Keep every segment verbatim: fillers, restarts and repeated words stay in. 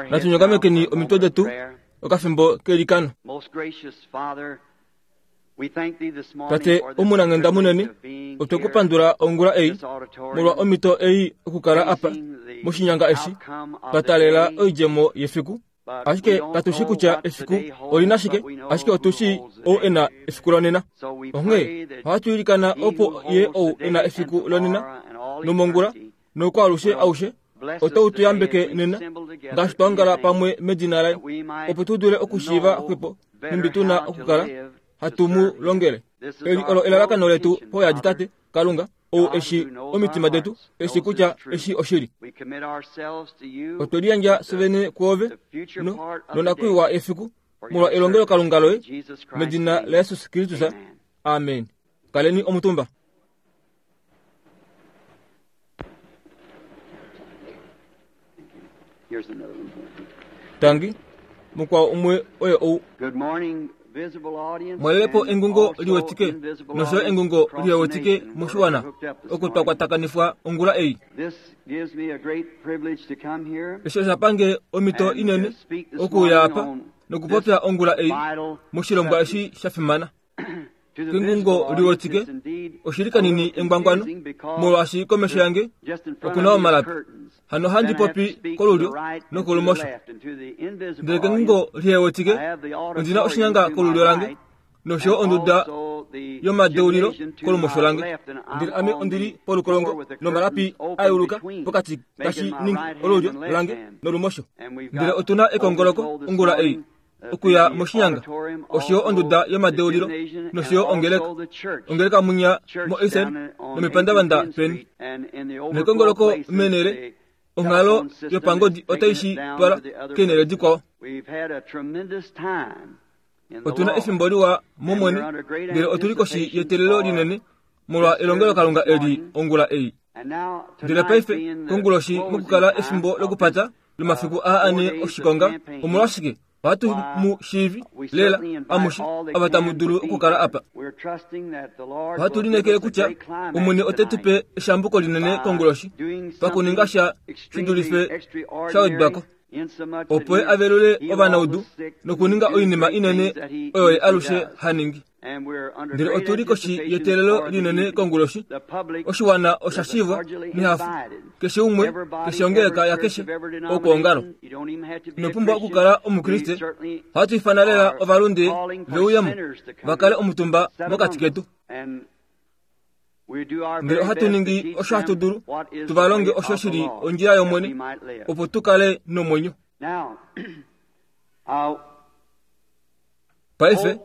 Natu nyongamekeni omitwe detu okafimbo kelikano. Tate omunanghenda munene, otwe ku pandula ongula ei molwa omhito ei okukala apa moshinyanga eshi twa taalela oidjemo yefiku. Ashike katu shi kutya efiku olina shike, ashike otu shii ou e na efiku lonena. Onghee ohatu ilikana opo ye ou e na efiku lonena nomongula nokwaalushe aushe ote tu yambeke nena ngaashi twa ongala pamwe medina laye, opo tu dule okushiiva xwepo nhumbi tu na okukala hatu mu longele. Eli olo elalakano letu poyadi Tate Kalunga, ou eshi omitima detu, eshi kutya eshi oshili. Otwe liyandja fyevene kwoove no nonakwiiwa efiku molwa elongelokalunga loye medina laJesus Kristus. Amen. Kaleni omutumba. Tangi, mukwao umwe oye ou. Mwalelepo engungo liwetike nosho engungo liwetike moshiwana oko twa kwatakanifwa ongula ei. Eshi osha pange omhito inene okuuya apa nokupopya ongula ei moshilongwa eshi sha fimana. Kengungo liwetike oshili kanini engwangwano molwaashi komesho yange okuna omalapi. Hano handi popi kolulyo nokolumosho. Ndele kengungo lihewetike ondina oshinyanga kolulyo lange nosho onduda yomadeulilo kolumosho lange. Ndele ame ondili polukolongo nomalapi ayuluka pokati tashi ningi olulyo lange nolumosho. Ndele otuna ekongoloko ongula ei okuya moshinyanga osho onduda yomadeulilo nosho ongeleka ongeleka munya mo Eisen nomepandavanda peni. Nekongoloko menele onghalo yopangodi otaishi twala kenele dikwao. Otuna efimbo liwa momwene, ndele otuli koshi yetelelo linene molwa elongelokalunga eli ongula ei. Ndele paife konguloshi mokukala efimbo lokupata lomafiku aa ane oshikonga, omolwashike ohatu mu shiivi lela amushe ava tamu dulu okukala apa. Ohatu lineekele kutya Omwene ote tu pe eshambuko linene konguloshi pakuninga sha shi dulife sha wedwako, opo ye avelule ovanaudu nokuninga oinima inene oyo ye alushe ha ningi. Ndele otuli koshi yeteelelo linene konguloshi. Oshiwana osha shivwa nehafu, keshe umwe, keshe ongeleka yakeshe okwoongalo. Ino pumbwa okukala Omukriste. Ohatu ifana lela ovalunde veuyemo va kale omutumba mokati ketu. Ndele ohatu ningi osho hatu dulu tu va longe osho shili ondjila yOmwene, opo tu kale nomwenyo. Paife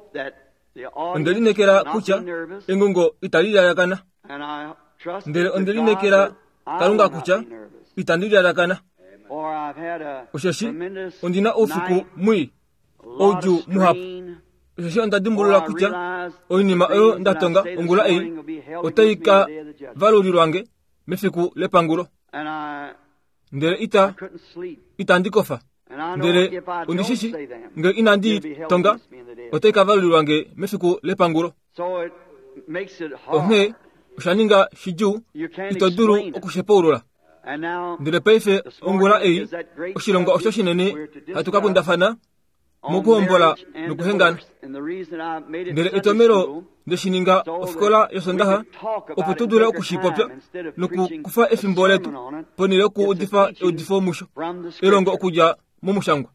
onde lineekela kutya engungo itali lalakana, ndele onde lineekela Kalunga kutya itandi lalakana. Osheshi ondina oufiku mwii, oudjuu muhapu. Osheshi onda dimbulula kutya oinima oyo nda tonga ongula ei otai ka valulilwange mefiku lepangulo. Ndele ita itandi kofa. Ndele ondishishi nge inandi tonga otai ka valulilwange mefiku lepangulo. Onghee osha ninga shidjuu, ito dulu okushepaulula. Ndele paife ongula ei oshilongwa osho shinene hatu ka kundafana mokuhombola nokuhengana. Ndele etomelo ndeshininga ofikola yosondaha opo tu dule okushipopya nokukufa efimbo letu ponhele yokuudifa eudifo musho elongo okudja momushangwa.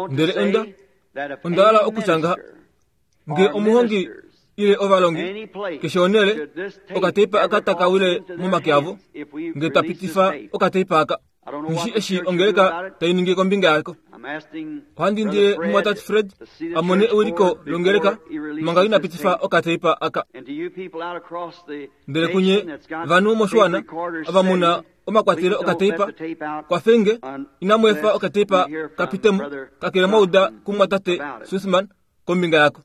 Ndele onda onda hala okutya ngaha, nge omuhongi ile ovalongi keshe onhele okateipa aka taka wile momake avo, nge twa pitifa okateipa aka, ngishi eshi ongeleka tai ningi kombinga yako. Ohandi indile mumwatate Fred a mone ewiliko longeleka manga ina pitifa okateipa aka. Ndele kunye vanhu moshiwana ava muna omakwatelo okateipa, kwafenge inamu efa okateipa kapitemo kakele mwauda kumwatate Sussman kombinga yako.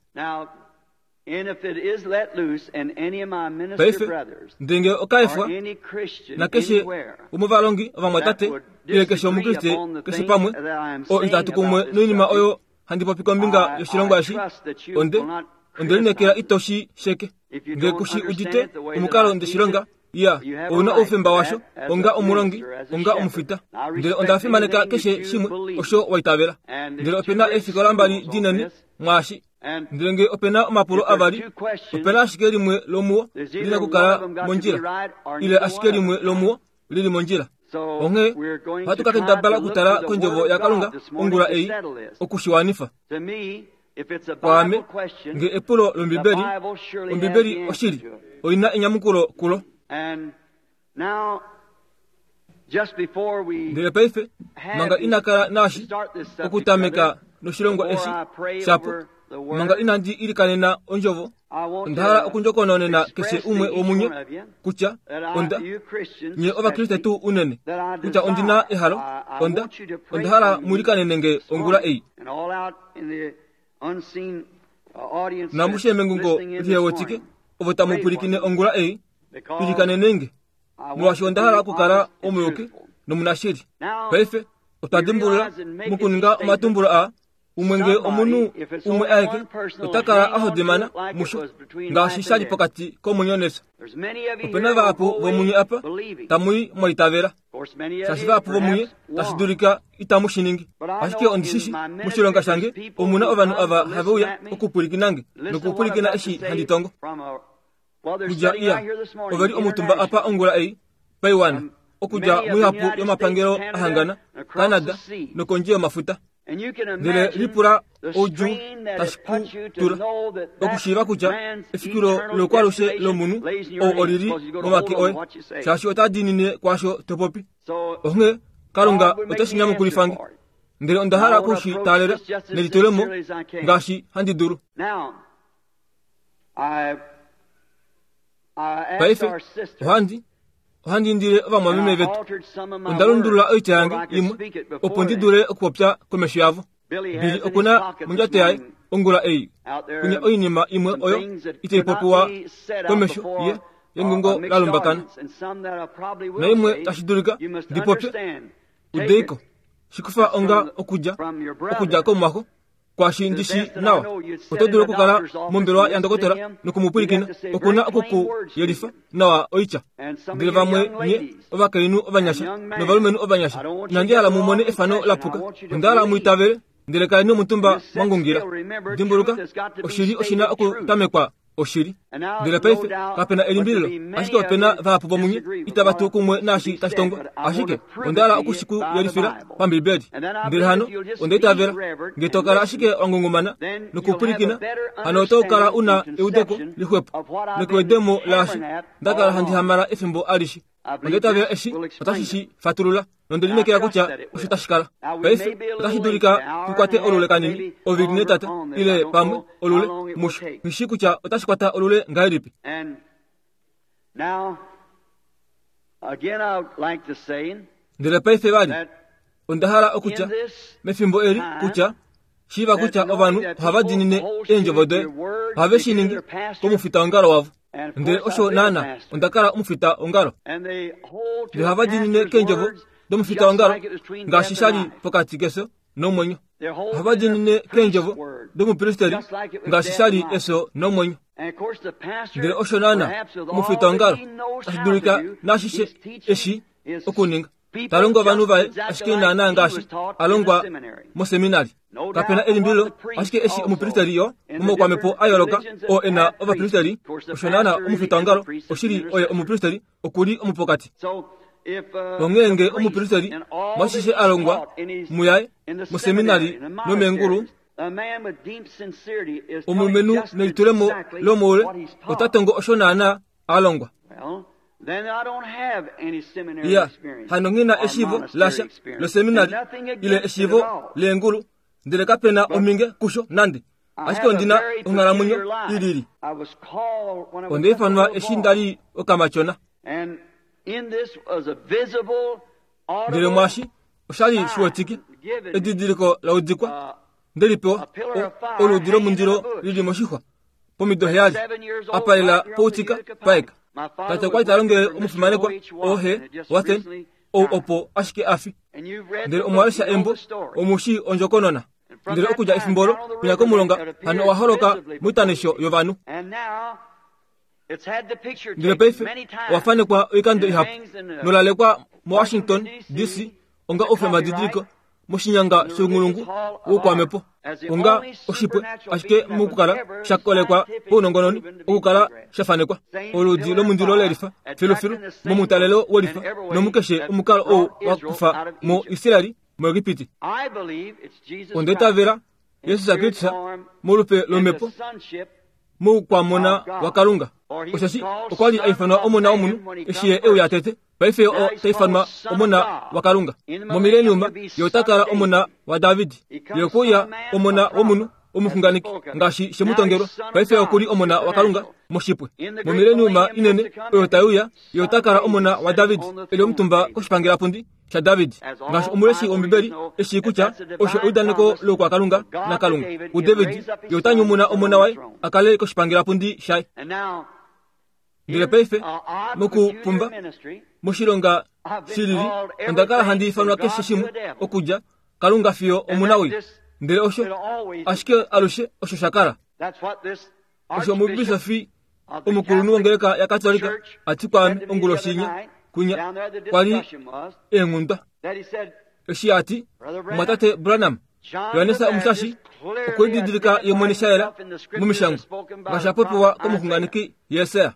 Paife ndenge okaefwa nakeshe womovalongi ovamwatate ile keshe Omukriste keshe pamwe oo itatu kumwe noinima oyo handi popi kombinga yoshilongwa eshi, onde onde lineekela ito shi sheke. Nge kushi udite omukalo ndeshilonga, Ya, ouna oufemba washo onga omulongi, onga omufita. Ndele onda fimaneka keshe shimwe osho waitavela. Ndele opena eefikola mbali dinene mwaashi. Ndele nge opena omapulo avali, opena ashike limwe lomuwo lina kukala mondjila, ile ashike limwe lomuwo lili mondjila. Onghee ohatu ka kendabala okutala kondjovo yaKalunga ongula ei okushiwanifa. Kwaame, nge epulo lOmbibeli, Ombibeli oshili oina enyamukulo kulo. Ndele paife manga inakala naashi okutameka noshilongo eshi shapo, manga inandi ilikanena ondjovo, onda hala okundjokononena keshe umwe womunye kutya onda nye ovakriste tuu unene, kutya ondina ehalo, onda onda hala muilikanene nge ongula ei. Namushe mengungo lihewetike ovo tamupwilikine ongula ei, ilikanene nge, molwaashi onda hala okukala omuyuki nomunashili. Paife otwa dimbulula mokuninga omatumbulo aa, umwe nge omunhu umwe aeke ota kala a hodimana musho ngaashi sha li pokati komwenyo nefyo. Opena vahapu vomunye apa tamui mwaitavela, shaashi vahapu vomunye tashi dulika itamu shi ningi. Ashike ondishishi moshilonga shange omuna ovanhu ava have uya okupwilikinange nokupwilikina eshi handi tongo. Kudja iya oveli omutumba apa ongula ei paiwana, okudja muihapu yomapangelo ahangana Canada nokondje yomafuta. Ndele lipula oudjuu tashi ku tula okushiiva kutya efikilo lokwalushe lomunhu ou olili momake oye, shaashi ota diinine kwaasho to popi. Onghee Kalunga ote shi nyamukulifange, ndele onda hala okushi taalela nelitulemo ngaashi handi dulu. Paife ohandi ohandi indile ovamwameme vetu, onda lundulula oitya yange imwe opo ndi dule okupopya komesho yavo. Bili okuna mondjato yaye ongula ei kunya oinima imwe oyo itai popiwa komesho ye yengungo la lumbakana, naimwe tashi dulika ndipopye udeiko shikufa onga okudja okudja komwako kwashi ndishi nawa. Oto dulu okukala mombelewa ya ndokotola nokumupwilikina, okuna okukuyelifa nawa oitya. Ndele vamwe nye ovakainhu ovanyasha novalumenhu ovanyasha, inandi hala mumone efano lapuka, onda hala muitavele, ndele kaleni omutumba mwangungira. Dimbuluka, oshili oshina okutamekwa oshili. Ndele paife kapena elimbililo, ashike opena vahapu vomunye itava tu kumwe naashi tashi tongwa, ashike onda hala okushikuyelifila pambibeli. Ndele hano onda itavela nge to kala ashike wangungumana nokupwilikina, hano oto kala una eudeko lixwepo nokuwedemo laashi nda kala handi hamala efimbo alishe. Onda itavela eshi otashi shi fatulula, nonde lineekela kutya osho tashi kala. Paife otashi dulika tukwate olule kanini, ovili netata, ile pamwe olule musho. Nghishi kutya otashi kwata olule ngahelipi. Ndele paife vali onda hala okutya mefimbo eli kutya shiiva kutya ovanhu ohava diinine eendjovo doye, ohave shi ningi komufita wongalo wavo. Ndele osho naana onda kala omufita wongalo. Ndele ohava diinine keendjovo domufita wongalo ngaashi sha li pokati kefyo nomwenyo. Ohava diinine keendjovo domupristeri ngaashi sha li efyo nomwenyo. Ndele osho naana omufita wongalo tashi dulika naashishe eshi okuninga, ta longo ovanhu vaye ashike naana ngaashi a longwa moseminari. Kapena elimbililo, ashike eshi omupristeri yo momaukwamepo a yooloka oo e na ovapristeri, osho naana omufita wongalo oshili oye omupristeri okuli omupokati. Onghee nge omupristeri mwashishe a longwa muyaye moseminari nomeengulu, omulumenhu nelitulemo lomoule ota tongo osho naana a longwa. Ya, hano nghina eshiivo lasha loseminari ile eshiivo leengulu, ndele kapena ominge kusho nande, ashike ondina onghalamwenyo ilili. Onda ifanwa eshi ndali okamatyona. Ndele mwaashi oshali shiwetike edidiliko la udikwa ndelipewa oludi lomundilo lili moshixwa pomido heyali apalela poutika paeka. Tate okwali ta longele omufimanekwa oohe Wathen ou opo ashike afi. Ndele omwalesha embo omushi ondjokonona. Ndele okudja efimbo olo kunya komulonga hano owa holoka moitanisho yovanhu. Ndele paife owafanekwa oikando ihapu nolalekwa muWashington D C onga oufemba-didiliko moshinyanga shounghulungu woukwamhepo onga oshipwe ashike mokukala shakolekwa paunongononi okukala shafanekwa oludi lomundilo lelifa filufilu momutalelo welifa nomukeshe omukalo ou wakufa mo Israeli muEgipiti. Onda itavela Jesus Kristus molupe lomhepo moukwamona waKalunga. Osheshi okwa li aifanwa omona womunhu eshi ye euya tete, paife o taifanwa omona waKalunga. Momileniuma ye ota kala omona waDavid, ye okwe omona womunhu omuxunganeki ngaashi shemutongelwa, paife okuli omona waKalunga moshipwe. Momileniuma inene oyo taiuya, ye ota kala omona waDavid eli omutumba koshipangelapundi shaDavid, ngaashi omuleshi wOmbibeli eshi kutya osho eudaneko loukwakalunga naKalunga kuDavid, ye ota nyumuna omona waye a kale koshipangelapundi shaye. Ndele paife mokupumba moshilonga shilili onda kala handi ifanwa keshe shimwe okudja Kalunga fiyo omunawii, ndele osho ashike alushe osho shakala. Osho omubisofi omukulunhu wongeleka yaKatolika ati kwaame onguloshinya kunya kwali eenghundwa eshi ati mwatate Branham Yohannes Omushashi okwe lididilika ye mwene shayela momishangwa ngaashi apopiwa komuxunganeki Jesaja.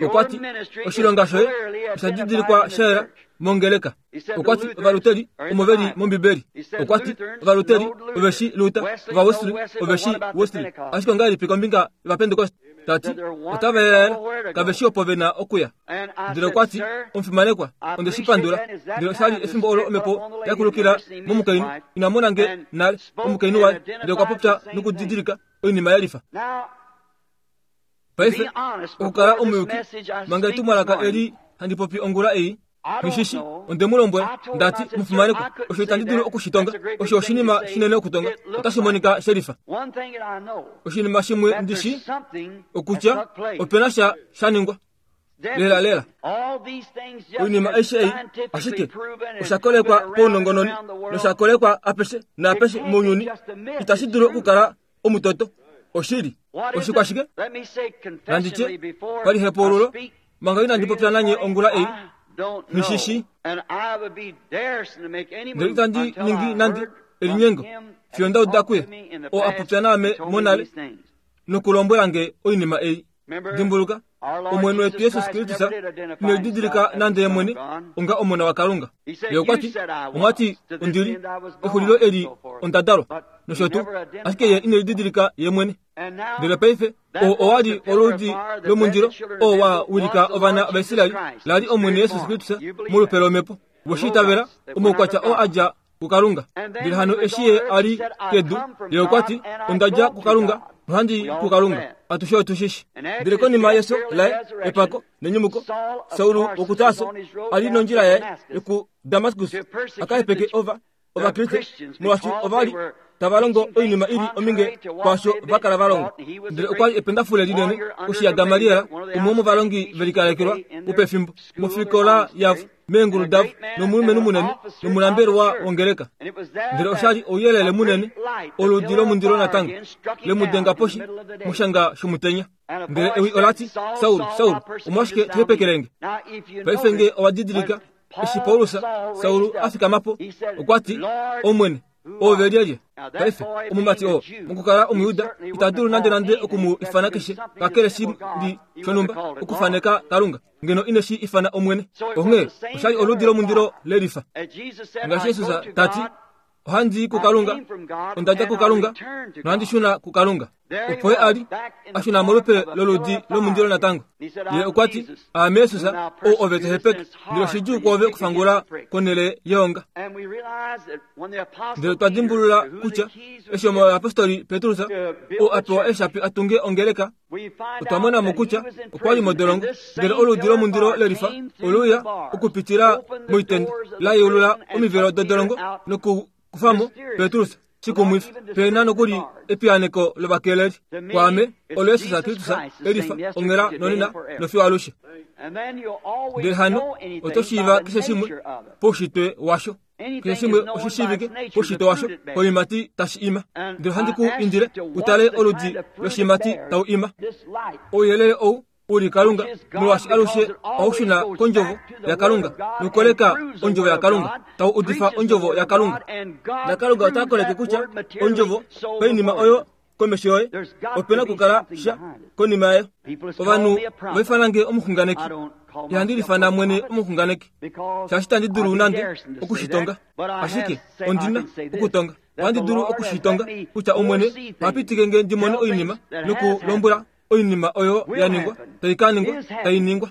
Okwati oshilonga shoye osha didilikwa shayela mongeleka. Okwati ovaluteri omo veli mOmbibeli. Okwati ovaluteri oveshi Luther, ovaWesley oveshi Wesley. Ashike ongahelipi kombinga yOvapentekoste? Tati otava yelaela kaveshi opo vena okuya. Ndele okwati omufimanekwa onde shi pandula. Ndele oshali efimbo olo omhepo yakulukila momukainhu ina mona nge nale omukainhu waye, ndele okwa popya nokudidilika oinima yelifa. Paife okukala omuyuki manga etumwalaka eli handi popi ongula ei mishishi onde mu lombwela ndati mufimanekwa osho itandi dulu okushitonga, osho oshinima shinene okutonga, otashi monika shelifa. Oshinima shimwe ndishi okutya opena sha shaningwa lela lela. Oinima aishe ei ashike oshakolekwa paunongononi noshakolekwa apeshe naapeshe mounyuni, itashi dulu okukala omutoto. Oshili oshikwashike nanditye palihepaululo manga inandi popya nanye ongula ei mishishi, ndele itandi ningi nande elinyengo fiyo nda uda kuye oo a popya naame monale nokulombwela nge oinima ei. Dimbuluka Omwene wetu Jesus Kristus ine lididilika nande ye mwene onga omona waKalunga. Ye okwati omwati ondili exulilo eli onda dalwa nosho tuu, ashike ye ine lididilika ye mwene. Ndele paife oo owali oludi lomundilo oo wa wilika ovana vaIsraeli lali Omwene Jesus Kristus molupe lomhepo woshiitavela omaukwatya oo adja kuKalunga. Ndele hano eshi ye ali kedu, ye okwati onda dja kuKalunga nohandi kuKalunga. Atushe otushishi. Ndele konima yeso laye epako nenyumuko, Saulu wokuTarso ali nondjila yaye yoku Damaskus akahepeke ova Ovakriste molwaashi ovali tava longo oinima ili ominge kwaasho va kala va longa. Ndele okwali ependafule linene koshi yaGamaliel, umwe womovalongi velikalekelwa wopefimbo mofikola yavo meengulu davo, nomulumenhu munene nomulambelwa wongeleka. Ndele oshali ouyelele munene oludi lomundilo natango lemudenga poshi moshanga shomutenya. Ndele ewi olati, Saul, Saul, omolwashike to hepekelenge? Paife nge owa didilika eshi Paulus Saul a fikama po, okwati Omwene, oove lyelye? Paife omumati oo mokukala Omuyuda ita dulu nande nande okumu ifana keshe kakele shi li shonhumba okufaneka Kalunga, ngeno ine shi ifana Omwene. Onghee oshali oludi lomundilo lelifa. Ngaashi Jesus tati, ohandi i kuKalunga, onda dja kuKalunga, nohandi shuna kuKalunga. Opo ye ali a shuna molupe loludi lomundilo natango. Ye okwati, aame Jesus ou ove to hepeke, ndele oshidjuu kwoove okufangula konhele yeonga. Ndele twa dimbulula kutya eshi omuyapostoli Petrus oo a pewa eeshapi a tunge ongeleka, otwa mona mo kutya okwa li modolongo, ndele oludi lomundilo lelifa oluya okupitila moitenda la yeulula omivelo dodolongo nokukufamo Petrus. Shikumwifi pena nokuli epiyaneko lovakeleli. Kwaame olo Jesus Kristus elifa onghela nonena nofiyo alushe. Ndele hano oto shiiva keshe shimwe poushitwe washo, keshe shimwe oshishiivike poushitwe washo koiimati tashi ima. Ndele ohandi ku indile utale oludi loshimati tau ima. Ouyelele ou uli Kalunga, molwaashi alushe ohaushuna kondjovo yaKalunga nokukoleka ondjovo yaKalunga, tau udifa ondjovo yaKalunga. NaKalunga ota koleke kutya ondjovo painima oyo komesho yoye opena okukala sha konima yayo. Ovanhu vaifanange omuxunganeki, ihandi lifana mwene omuxunganeki, shaashi tandi dulu nande okushitonga, ashike ondina okutonga. Ohandi dulu okushitonga kutya Omwene ohapitike nge ndi mone oinima nokulombwela oinima oyo ya ningwa, tai ka ningwa, tai ningwa.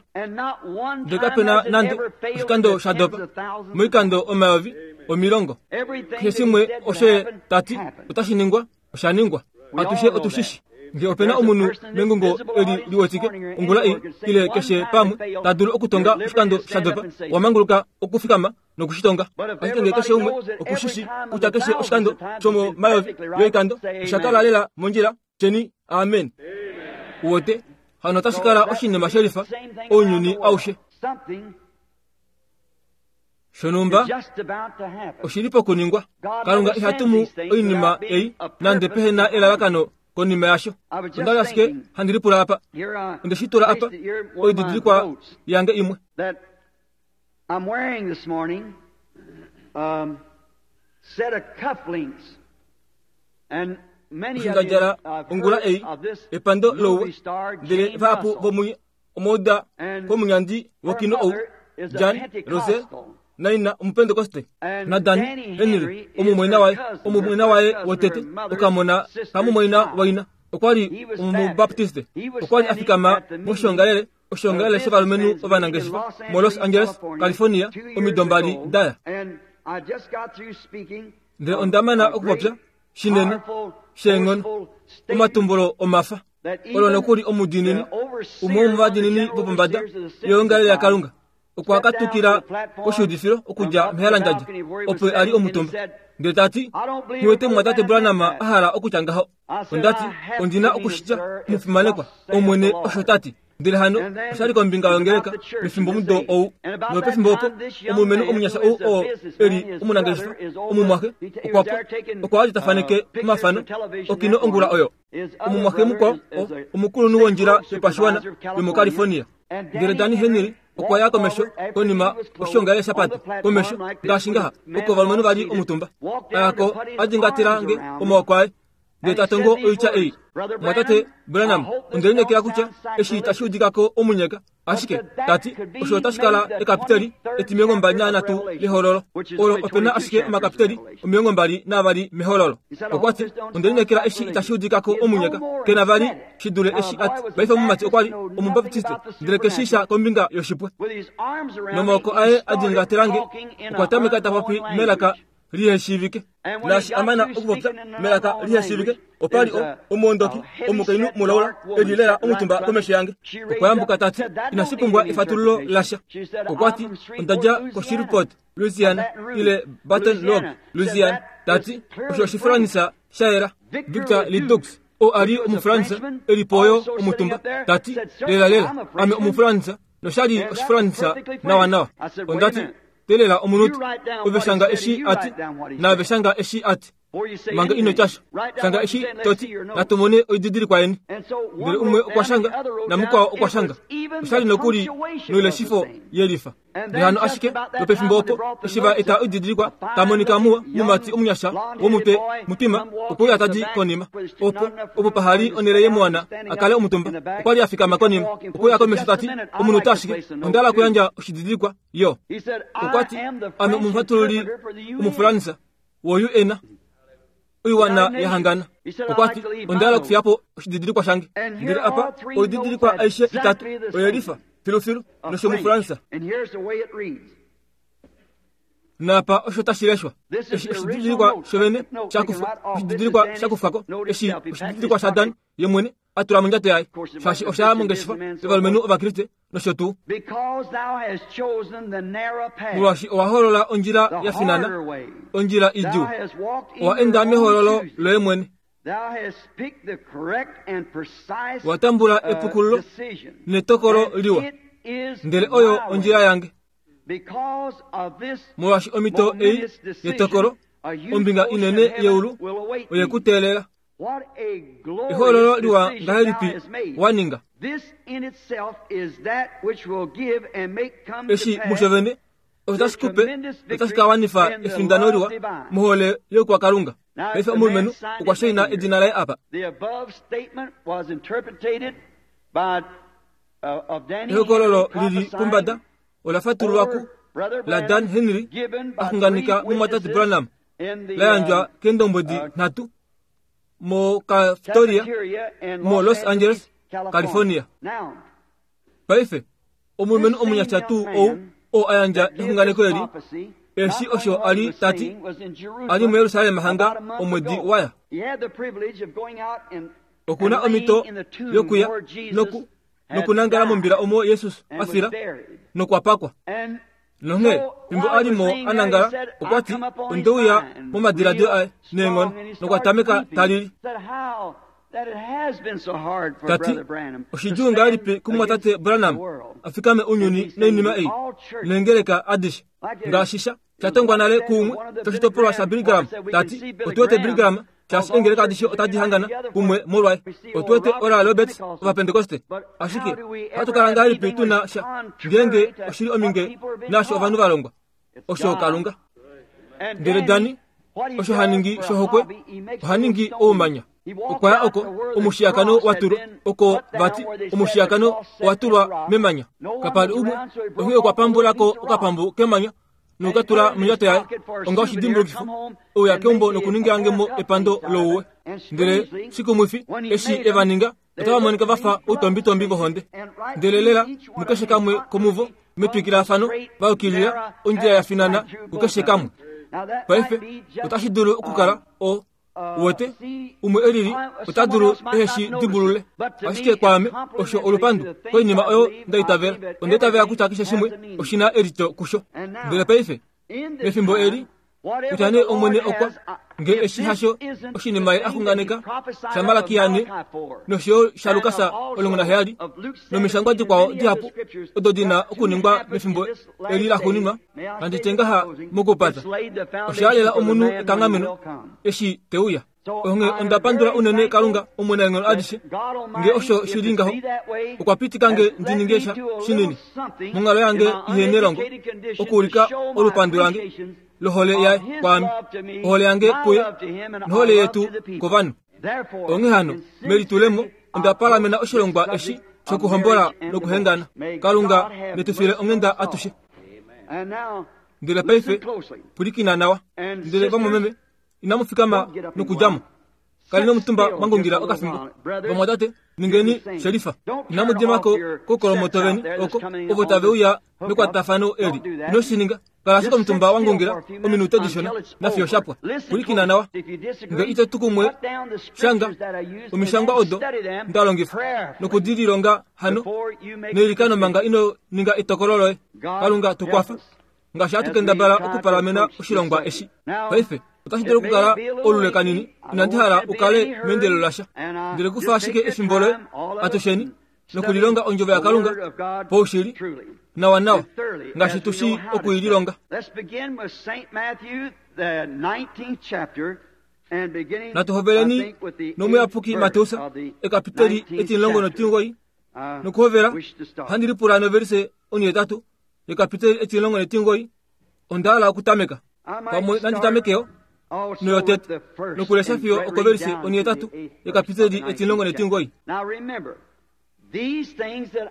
Ndele kapena nande oshikando sha dopa moikando omayovi omilongo. Keshe shimwe osho ye tati otashi ningwa, osha ningwa. Atushe otushishi. Nge opena omunhu mengungo eli liwetike ongula ei ile keshe pamwe ta dulu okutonga oshikando sha dopa, wamanguluka okufikama nokushitonga. Ashike nge keshe umwe okushishi kutya keshe oshikando shomomayovi yoikando osha kala lela mondjila, tyeni amen. Uwete hano otashi kala oshinima shelifa ounyuni aushe. Shonumba oshili pokuningwa. Kalunga iha tumu oinima ei nande pehe na elalakano konima yasho. Onda ashike handi lipula apa, onde shi tula apa oididilikwa yange imwe I'm wearing this morning um, set of cufflinks, and many of you oshindadjala have ongula heard ei of this epando movie louwe star ndele Jane vahapu Russell. vomunye omauda And komunyandi wokino her ou mother is a Jan Rose Pentecostal. naina omupentekoste And na Dan Danny Henry Henry is omumwaina her waye cousin, omumwaina her waye first cousin, wotete her mother's okamona sister's kamumwaina child. waina okwali He was omubaptiste Baptist. He was okwali standing afikama at the meeting, moshongalele oshongalele the shovalumenhu businessmen's meeting in ovanangeshefa Los mo Los Angeles, Angeles California, California two years omido mbali ago. daya. And I just got through speaking Ndele of ondamana a okupopya great, shinene powerful, sheenghono forceful statement omatumbulo omafa that olo even nokuli omudiinini the overseer, umwe womuvadiinini one of the general vopombada overseers of the yeongalele yaKalunga okwa stepped down katukila to the platform koshiudifilo okudja from up the mehalandjadja balcony where he was opo ali standing and omutumba said, ndele tati I don't believe niwete Brother mwatate Branham Branham said that. a hala okutya ngaho. I said, Ondati I have ondina to mean it, okushitya sir, if mufimanekwa thus saith Omwene the Lord. osho tati. Ndele hano And then oshali kombinga it's yongeleka about the church pefimbo in this mudo age. ou And about that nopefimbo opo time, this young omulumenhu man omunyasha who ou is a oo businessman, eli his omunangeshefa brother is over- omumwaxe he t- he was okwapwa there taking, okwa ali tafaneke uh, pictures omafano for television okino that ongula morning. oyo. His other Omumwaxe brother mukwao is- is a omukulunhu state wondjila road yopashiwana supervisor of yomoCalifornia. California. And Ndele Danny Danny Henry Henry okwa ya walked komesho forward after konima he was closed oshongalele on shapata the platform komesho like this ngaashi with ngaha men oko ovalumenhu vali all seated, omutumba walked down ayako to put his adingatila arms nge around me. omaoko aye ndele And he ta tongo said these oitya ei words, Brother mwatate Branham, Branham I hope this ondelineekela don't kutya sound eshi itashi sacrilegious. udikako omunyeka But ashike said that tati could be osho otashi kala made the ekapiteli twenty-third etimilongo mbali chapter of nanhatu Revelation, lehololo which is olo only opena twenty-two ashike chapters of omakapiteli Revelation. omilongo mbali navali mehololo. He said, I hope Okwati this don't sound ondelineekela eshi sacrilegious. itashi udikako He is omunyeka no more kena vali said it. shidule Now, eshi the boy ati was a paife omumati Baptist, okwali know nothing omubaptiste about the ndele keshisha supernatural. kombinga yoshipwe With his arms around me, nomaoko he aye started adingatelange talking in okwa an tameka ta popi unknown melaka language. liheshiivike And when he naashi got amana through okupopya speaking in an melaka unknown liheshiivike language, opali there's o a, omuondoki a heavy omukainhu set mulaula dark woman elilela sat right in omutumba front of komesho me. yange She raised okwayambuka up and tati said, That don't inashi need pumbwa any efatululo interpretation. lasha She said, I'm okwati from Shreveport, ondadja Louisiana, koShreveport of Louisiana Baton Rouge, ile Baton Rouge Louisiana. Said Louisiana that tati is osho clearly French. oshifulanisa shayela Victor Victor Ledoux, Ledoux oo ali which was a omufulanisa Frenchman, elipoyo also sitting omutumba up there, tati said, Sir, lela lela I'm a ame Frenchman. omufulanisa noshali And that was oshifulanisa perfectly nawa French. nawa I said, Wait a ondati minute. telela omunuti You write down ove what he shanga said and eshi you ati write down what he naave said. shanga eshi ati Before you say manga ino anything, tyasha write down shanga what you eshi said and let's toti see your notes. natumone oididilikwa yeni And so one ndele umwe wrote okwa down and the shanga other wrote namukwao down. okwa It shanga was even oshali the nokuli punctuation was the noileshifo same. yelifa And ndele then hano just ashike about that lopefimbo time when they opo brought the eshi va notes eta up, oididilikwa a fine tamonika muwa looking young mumati omunyasha blonde-headed womutwe boy mutima come walking opo uyo to the atadi back konima where there's opo not enough opo room for pahali him to onele stand ye muwana standing akale up omutumba in the back. okwali afikama He come konima walking opo uya forward. komesho Just a tati minute, I'd omunhu like to tashike place a note ondala too. kuyandja oshididilikwa yo He said, I okwati am the ame French omufatululi interpreter for the U N. omufulanisa wo U N oiwana United yahangana Nations. He said, I'd okwati like to leave my ondala note. okufiyapo oshididilikwa shange And here ndele apa all three oididilikwa notes aishe itatu exactly the same. oyelifa filufilu Of French. noshomufulanisa And here's the way it reads. napa osho tashi leshwa This is eshi the original oshididilikwa note. shovene Note taken shakufa right off. This is oshididilikwa Danny's shakufako note eshi itself. He packed his oshididilikwa shadan pocket. ye mwene atula mondjato yaye Of course, it shaashi wasn't osha Christian mongeshefa businessman, so yovalumenhu forth. ovakriste nosho tuu Because thou hast chosen the narrow path, molwaashi owa holola ondjila the ya finana harder way. ondjila Thou idjuu hast walked in owa your enda own mehololo choosing. loye mwene Thou hast picked the correct and precise Wa tambula uh, epukululo decision. netokolo And liwa it is ndele oyo my way. ondjila yange Because of this molwaashi omhito ei momentous decision, yetokolo a huge ombinga portion inene of heaven yeulu will await oye thee. ku teelela What a ehololo glorious liwa decision thou ngahelipi hast made. wa ninga Eshi musho vene otashi kupe otashi ka wanifa efindano liwa mohole yokwakalunga. Paife omulumenhu okwa shaina edina laye apa. Ehokololo lili pombada ola fatululwa ku la Dan Henry axunganeka mumwatate Branham la yandjwa keendombwedi nhatu mo Cafetoria mo Los Angeles, California. Paife omulumenhu omunyasha tuu ou oo a yandja exunganeko eli, eshi osho ali tati ali muYerusalem hanga omwedi waya. Okuna omhito yokuya noku nokunangala mombila omo Jesus a fila nokwapakwa. Nonghee fimbo ali mo anangala okwa ti ondeuya momadiladilo aye neenghono nokwa tameka talili. Tati oshidjuu ngahelipi kumwatate Branham afikame ounyuni noinima ei neengeleka adishe ngaashi sha shatongwa nale kuumwe shoshitopolwa sha Billy Graham. Tati otuwete Billy Graham shaashi eengeleka adishe otadi hangana kumwe molwaye. Otuwete Oral Roberts ovapentekoste. Ashike ohatu kala ngahelipi tuna sha ngeenge oshili ominge naasho ovanhu va longwa osho Kalunga. Ndele Dani osho haningi shohokwe ohaningi oumanya. Okwaya oko omushiyakano watulwa oko vati omushiyakano watulwa memanya. Kapali umwe onghee okwa pambulako okapambu kemanya nokukatula mondjato yaye onga oshidimbulukifo ouya keumbo nokuningilange epando louwe. Ndele shikumwifi eshi eva ninga otava monika vafa outombitombi vohonde. Ndele lela mukeshe kamwe komuvo metwikilafano va yukilila ondjila ya finana kukeshe kamwe. Paife otashi dulu okukala o wete umwe elili ota dulu eheshi dimbulule. Ashike kwaame osho olupandu koinima oyo ndaitavela. Ondaitavela kutya keshe shimwe oshina elito kusho. Ndele paife mefimbo eli kutya nee Omwene okwa nge eshi hasho oshinima ye axunganeka shaMalakia ne nosho shaLukas omulongo naheyali nomishangwa dikwao dihapu odo dina okuningwa mefimbo eli laxuuninwa. Nandi tye ngaha mokupata osha lela omunhu ekanghameno eshi teuya. Onghee onda pandula unene Kalunga omunaenghono adishe nge osho shili ngaho okwa pitika nge ndi ninge sha shinini monghalo yange ihe nelongo okuulika olupandu lange lohole yaye kwaame, ohole yange kuye nohole yetu kovanhu. Onghee hano melitulemo onda palamena oshilongwa eshi shokuhombola nokuhengana. Kalunga netufile onghenda atushe. Ndele paife pwilikina nawa. Ndele vamwameme inamu fikama nokudjamo. Kali nomutumba mwangungila okafimbo. Vamwatate ningeni shelifa. Inamu dimako kokolomoto veni oko ovo tave uya mekwatafano eli. Ino shininga. Kala ashike omutumba wangungila ominute dishona nafiyo shapwa. Pwilikina nawa. Nge ito tukumwe shanga omishangwa odo ndalongifa nokudililonga hano neilikano manga ino ninga etokolo loye. Kalunga tukwafa ngaashi hatu kendabala okupalamena oshilongwa eshi. Paife otashi dulu okukala olule kanini. Inandi hala ukale meendelelo lasha. Ndele kufa ashike efimbo loye atusheni nokulilonga ondjovo yaKalunga poushili nawa nawa ngaashi tushi okuililonga. Natu hoveleni nomuyapuki Mateus ekapiteli etimulongo notimugoyi nokuhovela handi lipula noverise onihetatu yekapiteli etimulongo netimugoyi. Onda hala okutameka pamwe nanditamekeyo noyotete nokulesha fiyo okoverise onihetatu yekapiteli etimulongo netimugoyi.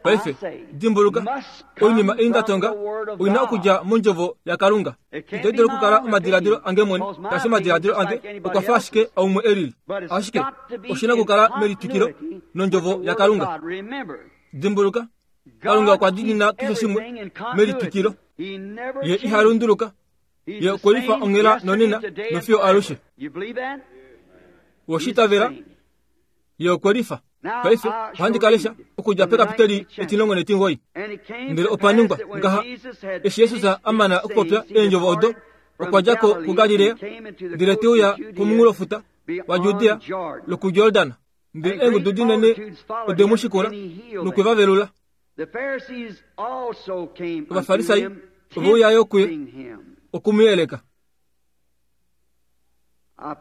Paife dimbuluka oinima ei ndatonga oina okudja mondjovo yaKalunga. Ito dulu okukala omadiladilo ange mwene, shaashi omadiladilo ange okwa fa ashike aumwe elili. Ashike oshina okukala melitwikilo nondjovo yaKalunga. Dimbuluka Kalunga okwa diinina keshe shimwe melitwikilo. Ye iha lunduluka. Ye okwe lifa onghela nonena nofiyo alushe. Woshitavela ye okwe lifa. Paife ohandi kalesha okudja pekapiteli etimulongo netimugoyi. Ndele opa ningwa ngaha eshi Jesus a mana okupopya eendjovo odo okwa dja ko kuGalilea ndele te uya komunghulofuta waJudea lokuJordan. Ndele eengudu dinene ode mu shikula nokwe va velula. Ovafarisai ove uya kuye okumuyeleka.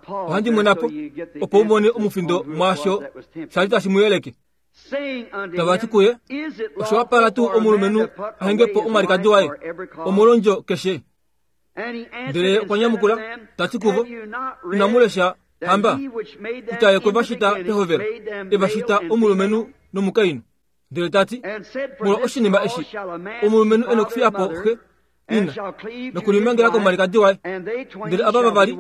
Ohandi mwenapo opo u mone omufindo mwaasho shali tashi mu yeleke. Tava ti kuye, osho wapala tuu omulumenhu a henge po omwalikadi waye omolwondjo keshe? Ndele okwa nyamukula ta ti kuvo, inamu lesha hamba kutya ye okwe va shita pehovelo, e va shita omulumenhu nomukainhu. Ndele ta ti, molwa oshinima eshi omulumenhu e nokufiya po xe ina nokulimangela komwalikadi waye, ndele ava vavali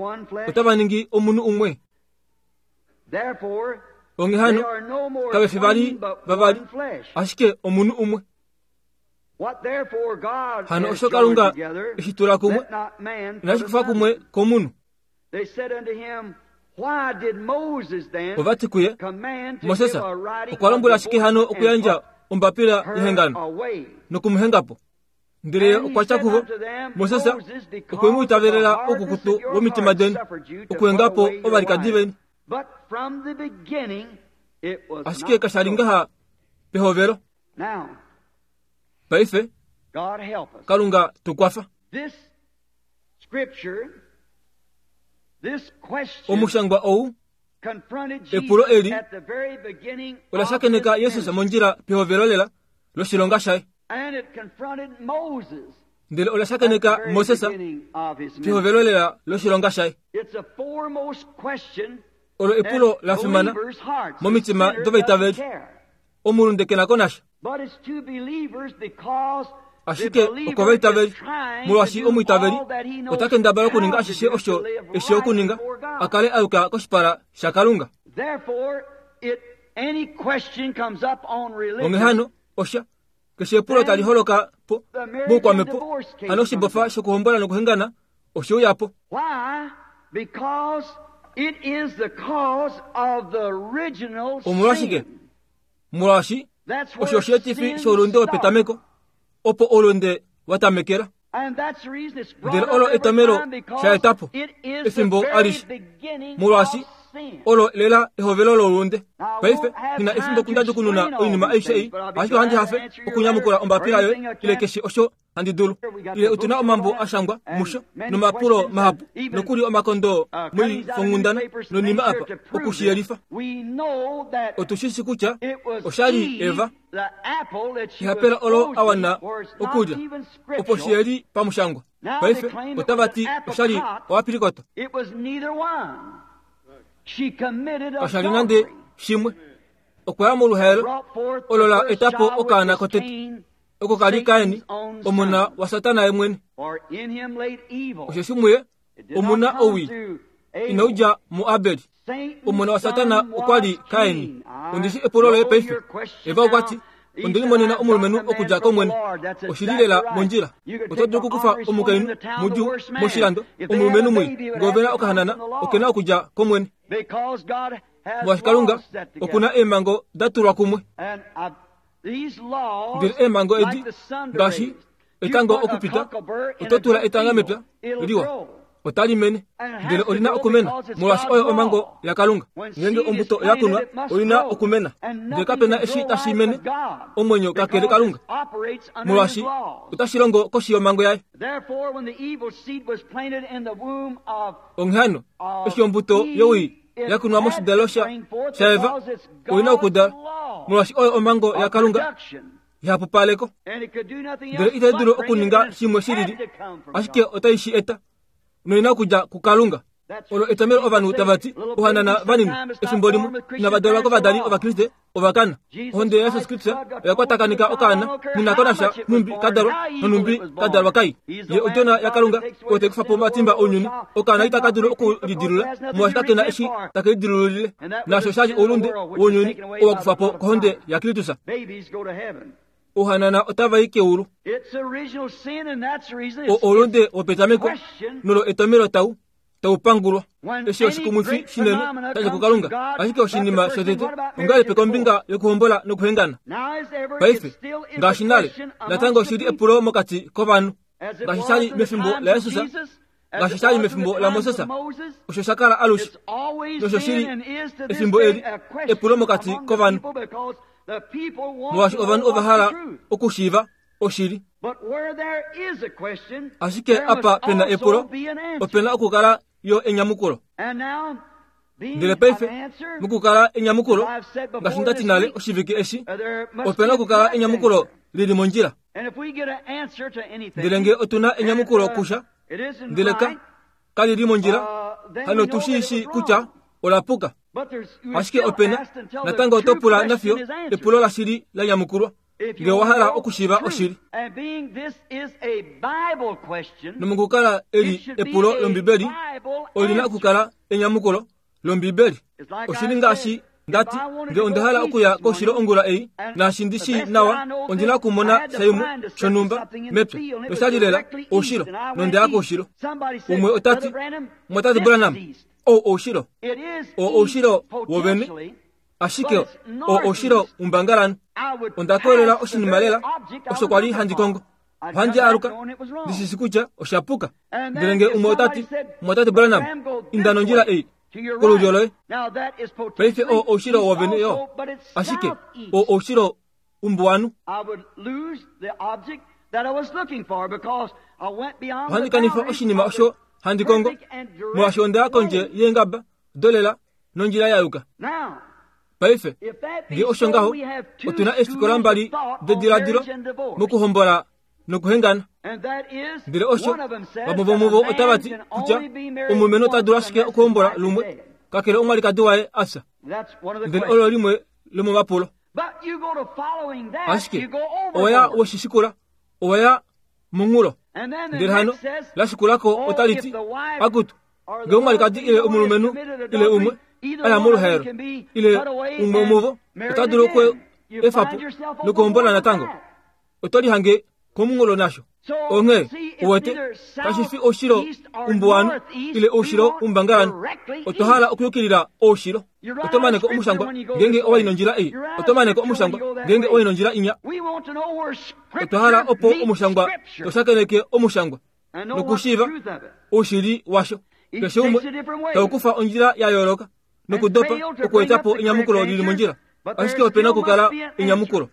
otava ningi omunhu umwe. Onghee hano kave fi vali vavali, ashike omunhu umwe. Hano osho Kalunga eshi tula kumwe, inashi kufa kumwe komunhu. Ova ti kuye, Moses okwa lombwela ashike hano okuyandja ombapila yehengano nokumuhenga po. Ndele okwa tya kuvo, Moses okwe mu itavelela oukukutu womitima deni okuhenga po ovalikadi veni. Ashike kasha li ngaha pehovelo. Paife Kalunga tukwafa. Omushangwa ou epulo eli ola shakeneka Jesus mondjila pehovelo lela loshilonga shaye. Ndele ola shakeneka Moses pehovelo lela loshilonga shaye. Olo epulo la fimana momitima dovaitaveli. Omulunde ke na ko nasha. Ashike okovaitaveli, molwaashi omwiitaveli ota kendabala okuninga ashishe osho eshi okuninga a kale a yuka koshipala shaKalunga. Onghee hano osha keshe epulo tali holoka po moukwamepo, hano oshibofa shokuhombola nokuhengana oshe uya po. Omolwashike? Molwaashi osho osheetifi shoulunde wopetameko, opo oulunde wa tamekela. Ndele olo etomelo sha eta po efimbo alishe, molwaashi olo lela ehovelo loulunde. Paife nghi efimbo okundadjukununa oinima aishe ei, ashike ohandi hafe okunyamukula ombapila yoye ile keshe osho handi dulu. Ile otuna omambo a shangwa musho nomapulo mahapu nokuli omakondo moifonghundana nonima apa okushiyelifa. Otushishi kutya oshali Eva ehapela olo a wana okulya opo shiyeli pamushangwa. Paife otava ti oshali oapilikoto. Kashali nande shimwe. Okwa ya moluhaelo olo la eta po okaana kotete, oko kali Kaini, omona waSatana ye mwene. Osheshi muye omuna owii inau dja muAbel. Omona waSatana okwa li Kaini. Ondishi epulo loye paife. Eva okwa ti, onde limonena omulumenhu okudja kOmwene. Oshili lela mondjila. Oto dulu okukufa omukainhu mudjuu moshilando, omulumenhu mwii, ngee ove na okahanana, oke na okudja kOmwene. Molwaashi Kalunga oku na eemhango da tulwa kumwe. Ndele eemhango edi ngaashi etango okupita, oto tula etanga mepya liwa, otali mene, ndele olina okumena, molwaashi oyo omhango yaKalunga. Ngeenge ombuto oya kunwa, olina okumena, ndele kapena eshi tashi mene omwenyo kakele Kalunga, molwaashi otashi longo koshi yomhango yaye. Onghee hano, eshi ombuto yowii yakunwa moshidalo shaEva, oina okudala, molwaashi oyo omhango yaKalunga ihapupaleko. Ndele itai dulu okuninga shimwe shilili, ashike otai shi eta noina okudja kuKalunga. Olo etomelo ovanhu tava ti ohanana vanini efimbo limwe inava dalwa kovadali Ovakriste ovakana. Ohonde yaJesus Kristus oya kwatakanika okaana nghi ko nasha nhumbi ka dalwa nonhumbi ka dalwa kai. Ye odjona yaKalunga oyo tai kufa po omatimba ounyuni. Okaana itaka dulu okulidilula molwaashi kake na eshi take lidilulile, naasho osha li oulunde wounyuni oo wa kufwa po kohonde yaKristus. Ouhanana otava i keulu. O oulunde wopetameko nolo etomelo tau tau pangulwa. Eshi oshikumwifi shinene shadja kuKalunga, ashike oshinima shotete ongahelipi kombinga yokuhombola nokuhengana? Paife ngaashi nale, natango oshili epulo mokati kovanhu, ngaashi sha li mefimbo laJesus, ngaashi sha li mefimbo laMoses, osho sha kala alushe nosho shili efimbo eli epulo mokati kovanhu, molwaashi ovanhu ova hala okushiiva oshili. Ashike apa pena epulo, opena okukala yo enyamukulo. Ndele paife mokukala enyamukulo ngaashi ndati nale oshivike eshi, opena okukala enyamukulo lili mondjila. Ndele nge otuna enyamukulo kusha ndele ka kalili mondjila, hano tushiishi kutya olapuka. Ashike opena natango oto pula nafiyo epulo lashili la nyamukulwa nge owa hala okushiiva oshili. Nomokukala eli epulo lombibeli olina okukala enyamukulo lombibeli. Oshili ngaashi ndati nge onda hala okuya koushilo ongula ei, naashi ndi shi nawa ondina okumona shaimwe shonhumba mepya noshali lela oushilo, nondeya koushilo. Umwe otati, Mwatate Branham, ou oushilo o oushilo wovene, ashike o oushilo umbangalano. Onda kolela oshinima lela osho kwali handi kongo. Ohandi aluka ndishishi kutya oshapuka. Ndele nge umwe otati, Mwatate Branham, inda nondjila ei kolulyo loye. Paife o oushilo wovene yo, ashike o oushilo umbuwanu. Ohandi kanifa oshinima osho handi kongo molwaashi onda kondje yeengaba dolela nondjila ya yuka. Paife nge osho ngaho, otuna efikola mbali dediladilo mokuhombola nokuhengana. Ndele osho vamwe vomuvo otava ti kutya omulumenhu ota dulu ashike okuhombola lumwe kakele omwalikadi waye afya. Ndele olo limwe lomomapulo. Ashike oya weshishikula, oya munghulo. Ndele hano lashikulako otali ti akutu nge omwalikadi ile omulumenhu ile umwe aya moluhaelo ile umwe omuvo ota dulu oku efapo nokuhombola natango, oto lihange komunghulo nasho. Onghee uwete kashifi oushilo umbuwanu ile oushilo umbangalano, otwa hala okuyukilila oushilo. Oto maneko omushangwa ngenge owa nondjila ei, oto maneko omushangwa ngenge owa nondjila inya. Otwa hala opo omushangwa toshakeneke omushangwa nokushiiva oushili washo. Keshe umwe taukufa ondjila ya yooloka nokudopa okuetapo enyamukulo lili mondjila, ashike opena okukala enyamukulo.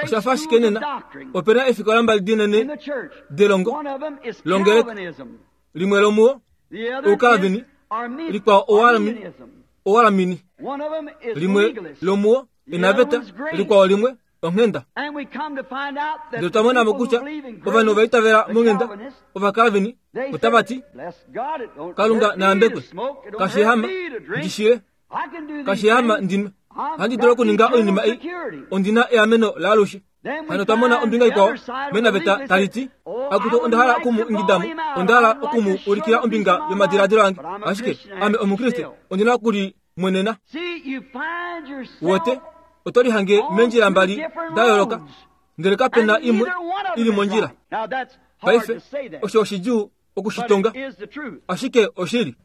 Oshafa ashike nena opena efikola mbali dinene delongo longeleka, limwe lomuwo oukalvini, likwao owalamini, limwe lomuwo enaveta, likwao limwe onghenda. Ndele otwa mona mo kutya ovanhu ovaitavela monghenda ovakalvini otava ti, Kalunga naambekwe, kashihama ndishile, kashihama ndinwe, handi dulu okuninga oinima ei, ondina eameno laalushe. Hano otwa mona ombinga ikwao menaveta tali ti, akutu onda hala okumu ingidamo, onda hala okumu ulikila ombinga yomadiladilo ange, ashike ame omukriste ondina okulimwenena. Uwete oto lihange meendjila mbali da yooloka, ndele kapena imwe ili mondjila. Paife osho oshidjuu okushitonga, ashike oshili.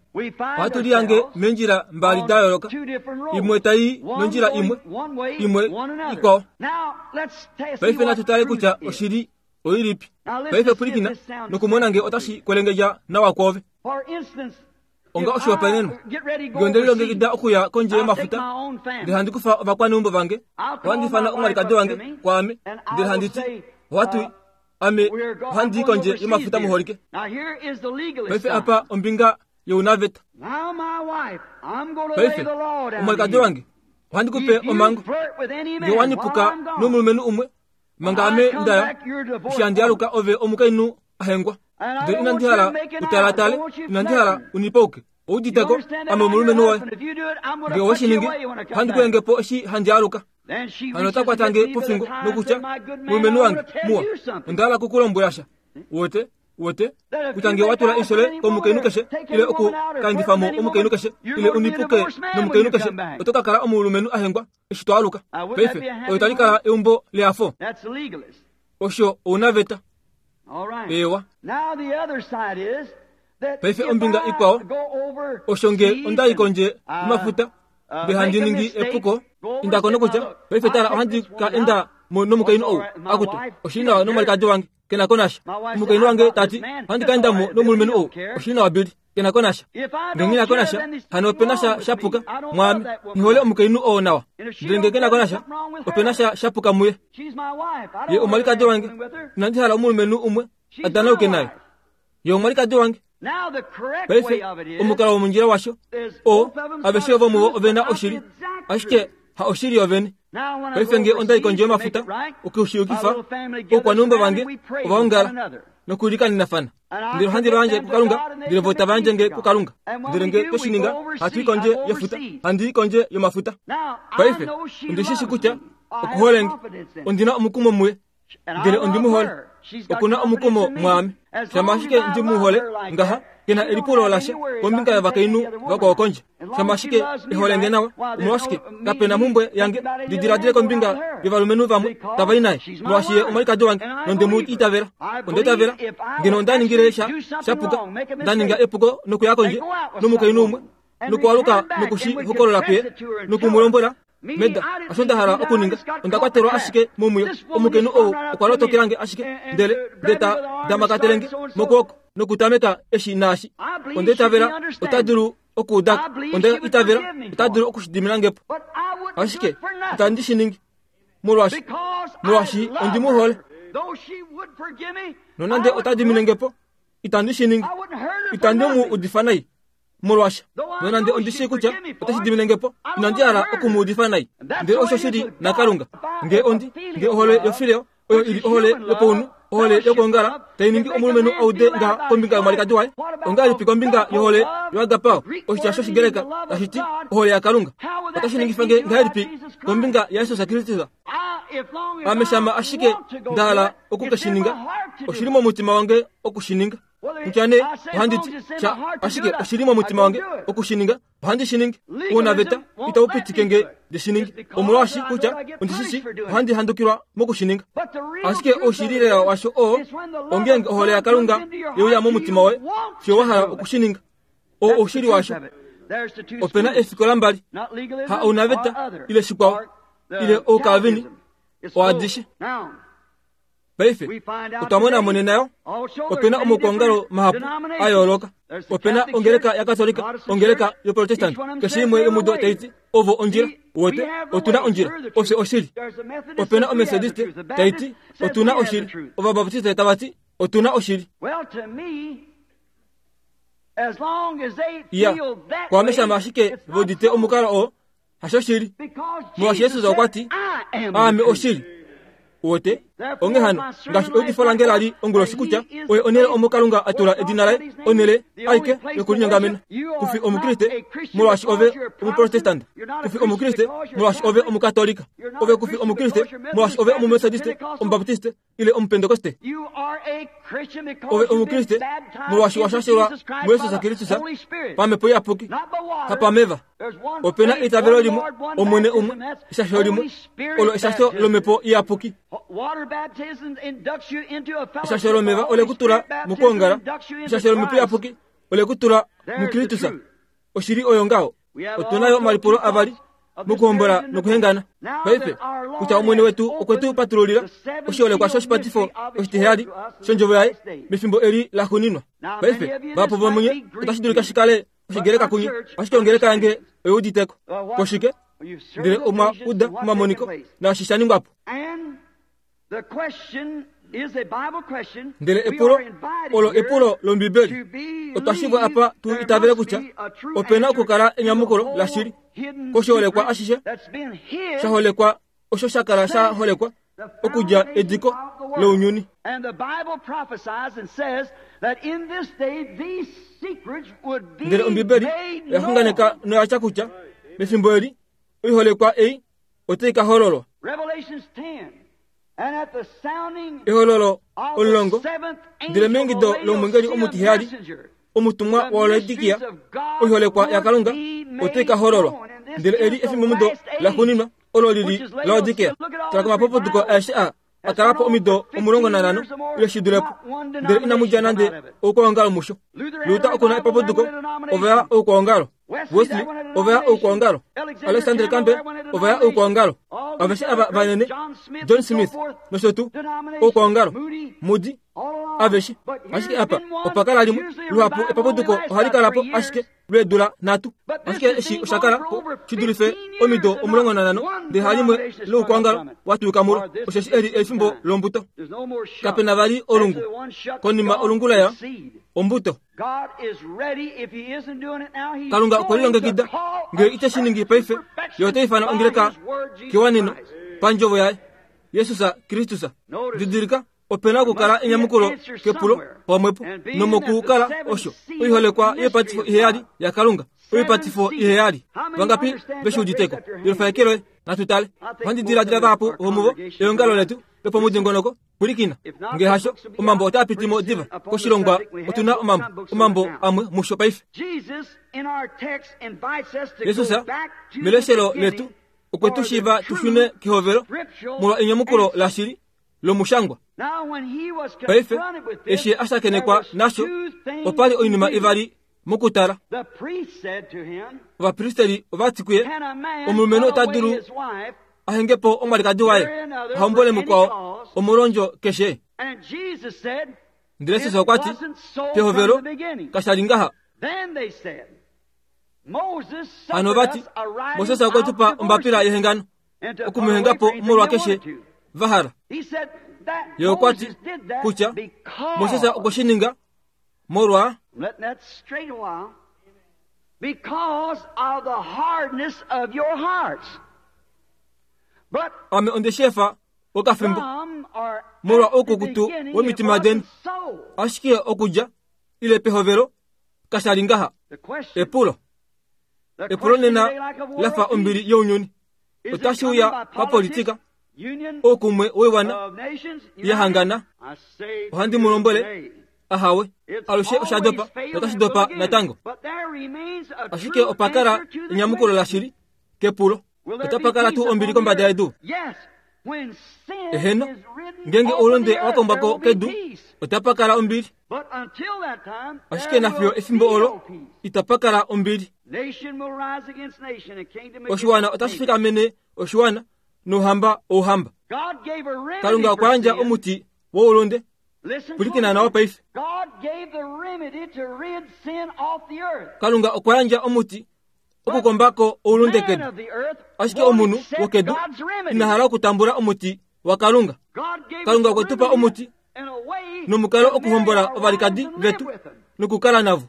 Ohatu lihange meendjila mbali da yooloka, imwe tai nondjila imwe, imwe ikwao. Paife natu tale kutya oshili oilipi. Paife pwilikina nokumona nge otashi kwelengedja nawa kwoove. Onga oshihopaenenwa, nge onde lilongekida okuya kondje yomafuta, ndele handi kufa ovakwaneumbo vange, ohandi ifana omwalikadi wange kwaame, ndele handi ti, ohatu ame ohandi kondje yomafuta muholike. Paife apa ombinga younaveta. Paife omwalikadi wange, ohandi kupe omango, nge wanipuka nomulumenhu umwe manga ame ndaya, eshi handi aluka ove omukainhu ahengwa. Ndele inandi hala utalatale, inandi hala unipauke, ouditeko ame omulumenhu woye. Nge oweshiningi, ohandi kuyengepo eshi handi aluka. Hano ota kwatange pofingo nokutya, mulumenhu wange muwa, onda hala kukulombwela sha. Uwete uwete kutya nge watula eisho komukainhu keshe, ile okukandifamo omukainhu keshe, ile unipuke nomukainhu keshe, oto ka kala omulumenhu ahengwa eshi to aluka. Paife oyo tali kala eumbo leafo. Osho ounaveta. Ewa. Paife ombinga ikwao, osho nge ondai kondje yomafuta ndele handi ningi epuko, indako nokutya paife tala ohandi ka enda mo nomukainhu ou, akutu oshili nawa nomwalikadi wange kena ko nasha. Omukainhu wange tati ohandi ka enda mo nomulumenhu ou, oshili nawa bili kena ko nasha. Nge ngina ko nasha, hano opena sha shapuka mwaame. Ngihole omukainhu oo nawa, ndele nge kena ko nasha, opena sha shapuka muye. Ye omwalikadi wange, inandi hala omulumenhu umwe adanauke naye. Ye omwalikadi wange, Paife omukalo womondjila washo o aveshe vomuvo ovena oshili, ashike ha oshili yovene. Paife nge onda i kondje yomafuta okushiyukifa, oukwaneumbo vange ovaongala nokulikanenafana, ndele ohandi va kuKalunga, ndele vo tava yandje nge kuKalunga. Ndele nge tweshininga, hatu i kondje yefuta, handi i kondje yomafuta. Paife ondi shi shi kutya okuhole nge, ondina omukumo muye, ndele ondi mu hole. Okuna omukumo mwaame. Shama ashike ndi mu hole ngaha, kena elipulo lasha kombinga yovakainhu vakwao kondje. Shama ashike ehole nge nawa, omolwashike kapena mhumbwe yange ndi diladile kombinga yovalumenhu vamwe tava i naye, molwaashi ye omwalikadi wange nonde mu itavela. Onda itavela ngeno onda ningile sha shapuka, nda ninga epuko nokuya kondje nomukainhu umwe, nokualuka nokushi hokolola kuye noku mu lombwela meda osho nda hala okuninga, onda kwatelwa ashike momwiyo. Omukainhu ou okwa lotokelange ashike, ndele ndele ta damakatelenge mokwooko nokutameka eshi naashi. Onda itavela ota dulu okuudako, onda itavela ota dulu okushidimilangepo, ashike itandi shi ningi molwaashi molwaashi ondi mu hole. Nonande ota diminengepo, itandi shi ningi, itandi mu udifa nai molwasha. Nonande ondi shii kutya otashi diminengepo, inandi hala oku mu udifa nai. Ndele osho shili naKalunga. Nge ondi nge ohole yofileo oyo ili ohole yopaunhu, ohole yokwoongala tai ningi omulumenhu aude ngaha kombinga yomwalikadi waye, ongahelipi kombinga yohole yoagapao, oshitya shOshigreka tashi ti ohole yaKalunga, otashi ningifa nge ngahelipi kombinga yaJesus Kristus? Ame shama ashike nda hala oku ke shi ninga, oshili momutima wange oku shi ninga. Kutya nee ohandi ti sha, ashike oshili momutima wange oku shi ninga, ohandi shi ningi. Ounaveta itau pitike nge ndi shi ninge, omolwaashi kutya ondi shi shi ohandi handukilwa moku shi ninga. Ashike oushili lela washo oo ongeenge ohole yaKalunga yeuya momutima woye, fiyo wa hala oku shi ninga. Oo oushili washo. Opena eefikola mbali, ha ounaveta ile shikwao, ile oukalvini, oadishe. Paife otwa mona monena yo opena omaukwaongalo mahapu a yooloka. Opena ongeleka yaKatolika, ongeleka yoProtestant, keshe imwe yomudo tai ti ovo ondjila. Wote otuna ondjila, ofye oshili. Opena omethodiste tai ti otuna oshili, ovabaptiste tava ti otuna oshili. Ya kwaame shama ashike vodite omukalo oo hashoshili, molwaashi Jesus okwa ti aame oshili. Wote onge hano ngaashi eudifo lange lali onguloshi kutya oye onhele omo Kalunga a tula edina laye, onhele aike yokulinyongamena. Kufi omukriste molwaashi ove omuprotestant, kufi omukriste molwaashi ove omukatolika, ove kufi omukriste molwaashi ove omumethodiste, omubaptiste ile omupentekoste. Ove omukriste molwaashi wa shashelwa muJesus Kristus pamhepo iyapuki, hapameva. Opena eitavelo limwe, Omwene umwe, eshasho limwe, olo eshasho lomhepo iyapuki. Eshasho lomeva ole kutula mokwoongala, eshasho lomhepo iyapuki ole kutula muKristus. Oshili oyo ngaho. Otuna yo omalipulo avali mokuhombola nokuhengana. Paife kutya Omwene wetu okwe tu patululila oshiholekwa shoshipatifo oshitiheyali shondjovo yaye mefimbo eli la xuninwa. Paife vahapu vomunye otashi dulika shi kale oshigreka kunye, ashike ongeleka yange oyouditeko koshike, ndele omwa uda omamoniko naashi sha ningwapo. Ndele epulo olo epulo lOmbibeli. Otwa shivwa apa tu itavele kutya opena okukala enyamukulo lashili koshiholekwa ashishe sha holekwa osho sha kala sha holekwa okudja ediko lounyuni. Ndele Ombibeli oya xunganeka noya tya kutya mefimbo eli oiholekwa ei otai ka hololwa. Ehololo omulongo, ndele meingido lomwengeli omutiheyali, omutumwa waLaodikia, oiholekwa yaKalunga otai ka hololwa. Ndele eli efimbomudo la xuninwa olo lili Laodikia. Tala komapopotuko aeshe a akala po omido omulongo nanhano ile shi dulepo, ndele inamu dja nande oukwaongalo musho. Luther okuna epapuduko, ova ya oukwaongalo. Wesley ova ya oukwaongalo. Alexander Campbell ova ya oukwaongalo. Aveshe ava vanene, John Smith nosho tuu, oukwaongalo, Moody, aveshe. Ashike apa opa kala limwe, luhapu epapuduko ohali kala po ashike lweedula nhatu. Ashike eshi osha kala po shi dulife omido omulongo nanhano, ndele halimwe loukwangalo wa tuuka mulo, osheshi eli efimbo lombuto. Kapena vali olungu. Konima olungu laya, ombuto. Kalunga okwe lilongekida, ngele ite shi ningi paife, ye ota ifana ongeleka kewaneno pandjovo yaye, Jesus Kristus. Didilika, opena okukala enyamukulo kepulo pamwepo, nomokukala osho oiholekwa yepatifo iheyali yaKalunga, oipatifo iheyali. Vangapi veshiuditeko? Yelufaekelo natu tale. Ohandi diladila vahapu vomuvo eongalo letu lopomudingonoko pwilikina. Ngele hasho, omambo otaa piti mo diva koshilongwa. Otuna omambo, omambo amwe musho paife. Jesus meleshelo letu okwe tu shiiva tu shune kehovelo molwa enyamukulo lashili lomushangwa. Paife eshi a shakenekwa nasho, opali oinima ivali mokutala. Ovapristeli ovati kuye, omulumenhu ota dulu ahenge po omwalikadi waye, ahombole mukwao omolwondjo keshe. Ndele Jesus okwa ti, pehovelo kasha li ngaha. Hano vati, Moses okwe tu pa ombapila yehengano, okumuhenga po molwa keshe va hala. Ye okwa ti kutya Moses okwe shi ninga molwa ame onde shefa okafimbo molwa oukukutu womitima deni, ashike okudja ile pehovelo kasha li ngaha. Epulo epulo nena lafa ombili younyuni, otashi uya papolitika, oukumwe woiwana yahangana. Ohandi mu lombwele, ahawe, alushe osha dopa notashi dopa natango. Ashike opa kala enyamukulo lashili kepulo. Otapa kala tuu ombili kombada yedu? Eheno, ngenge oulunde wa kombwako kedu, otapa kala ombili. Ashike nafiyo efimbo olo, itapa kala ombili. Oshiwana otashi fikamene oshiwana, nouhamba ouhamba. Kalunga okwa yandja omuti woulunde. Pwilikina nawa paife. Kalunga okwa yandja omuti okukombako oulunde kedu. Ashike omunhu wokedu ina hala okutambula omuti waKalunga. Kalunga okwe tu pa omuti nomukalo okuhombola ovalikadi vetu nokukala navo.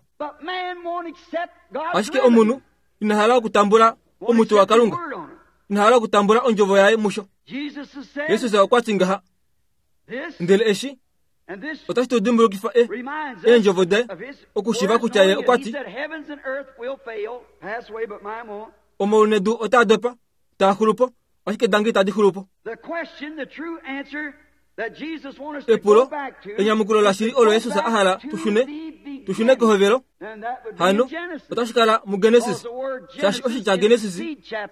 Ashike omunhu ina hala okutambula omuti waKalunga, ina hala okutambula ondjovo yaye musho. Jesus okwa ti ngaha, ndele eshi otashi tu dimbulukifa e eendjovo daye, okushiva kutya ye okwa ti omaulu nedu otaa dopa, taa xulu po, ashike dange itadi xulu po. Epulo enyamukulo lashili olo Jesus a hala tu shune, tu shune kehovelo. Hano otashi kala muGenesis, shaashi oshitya Genesis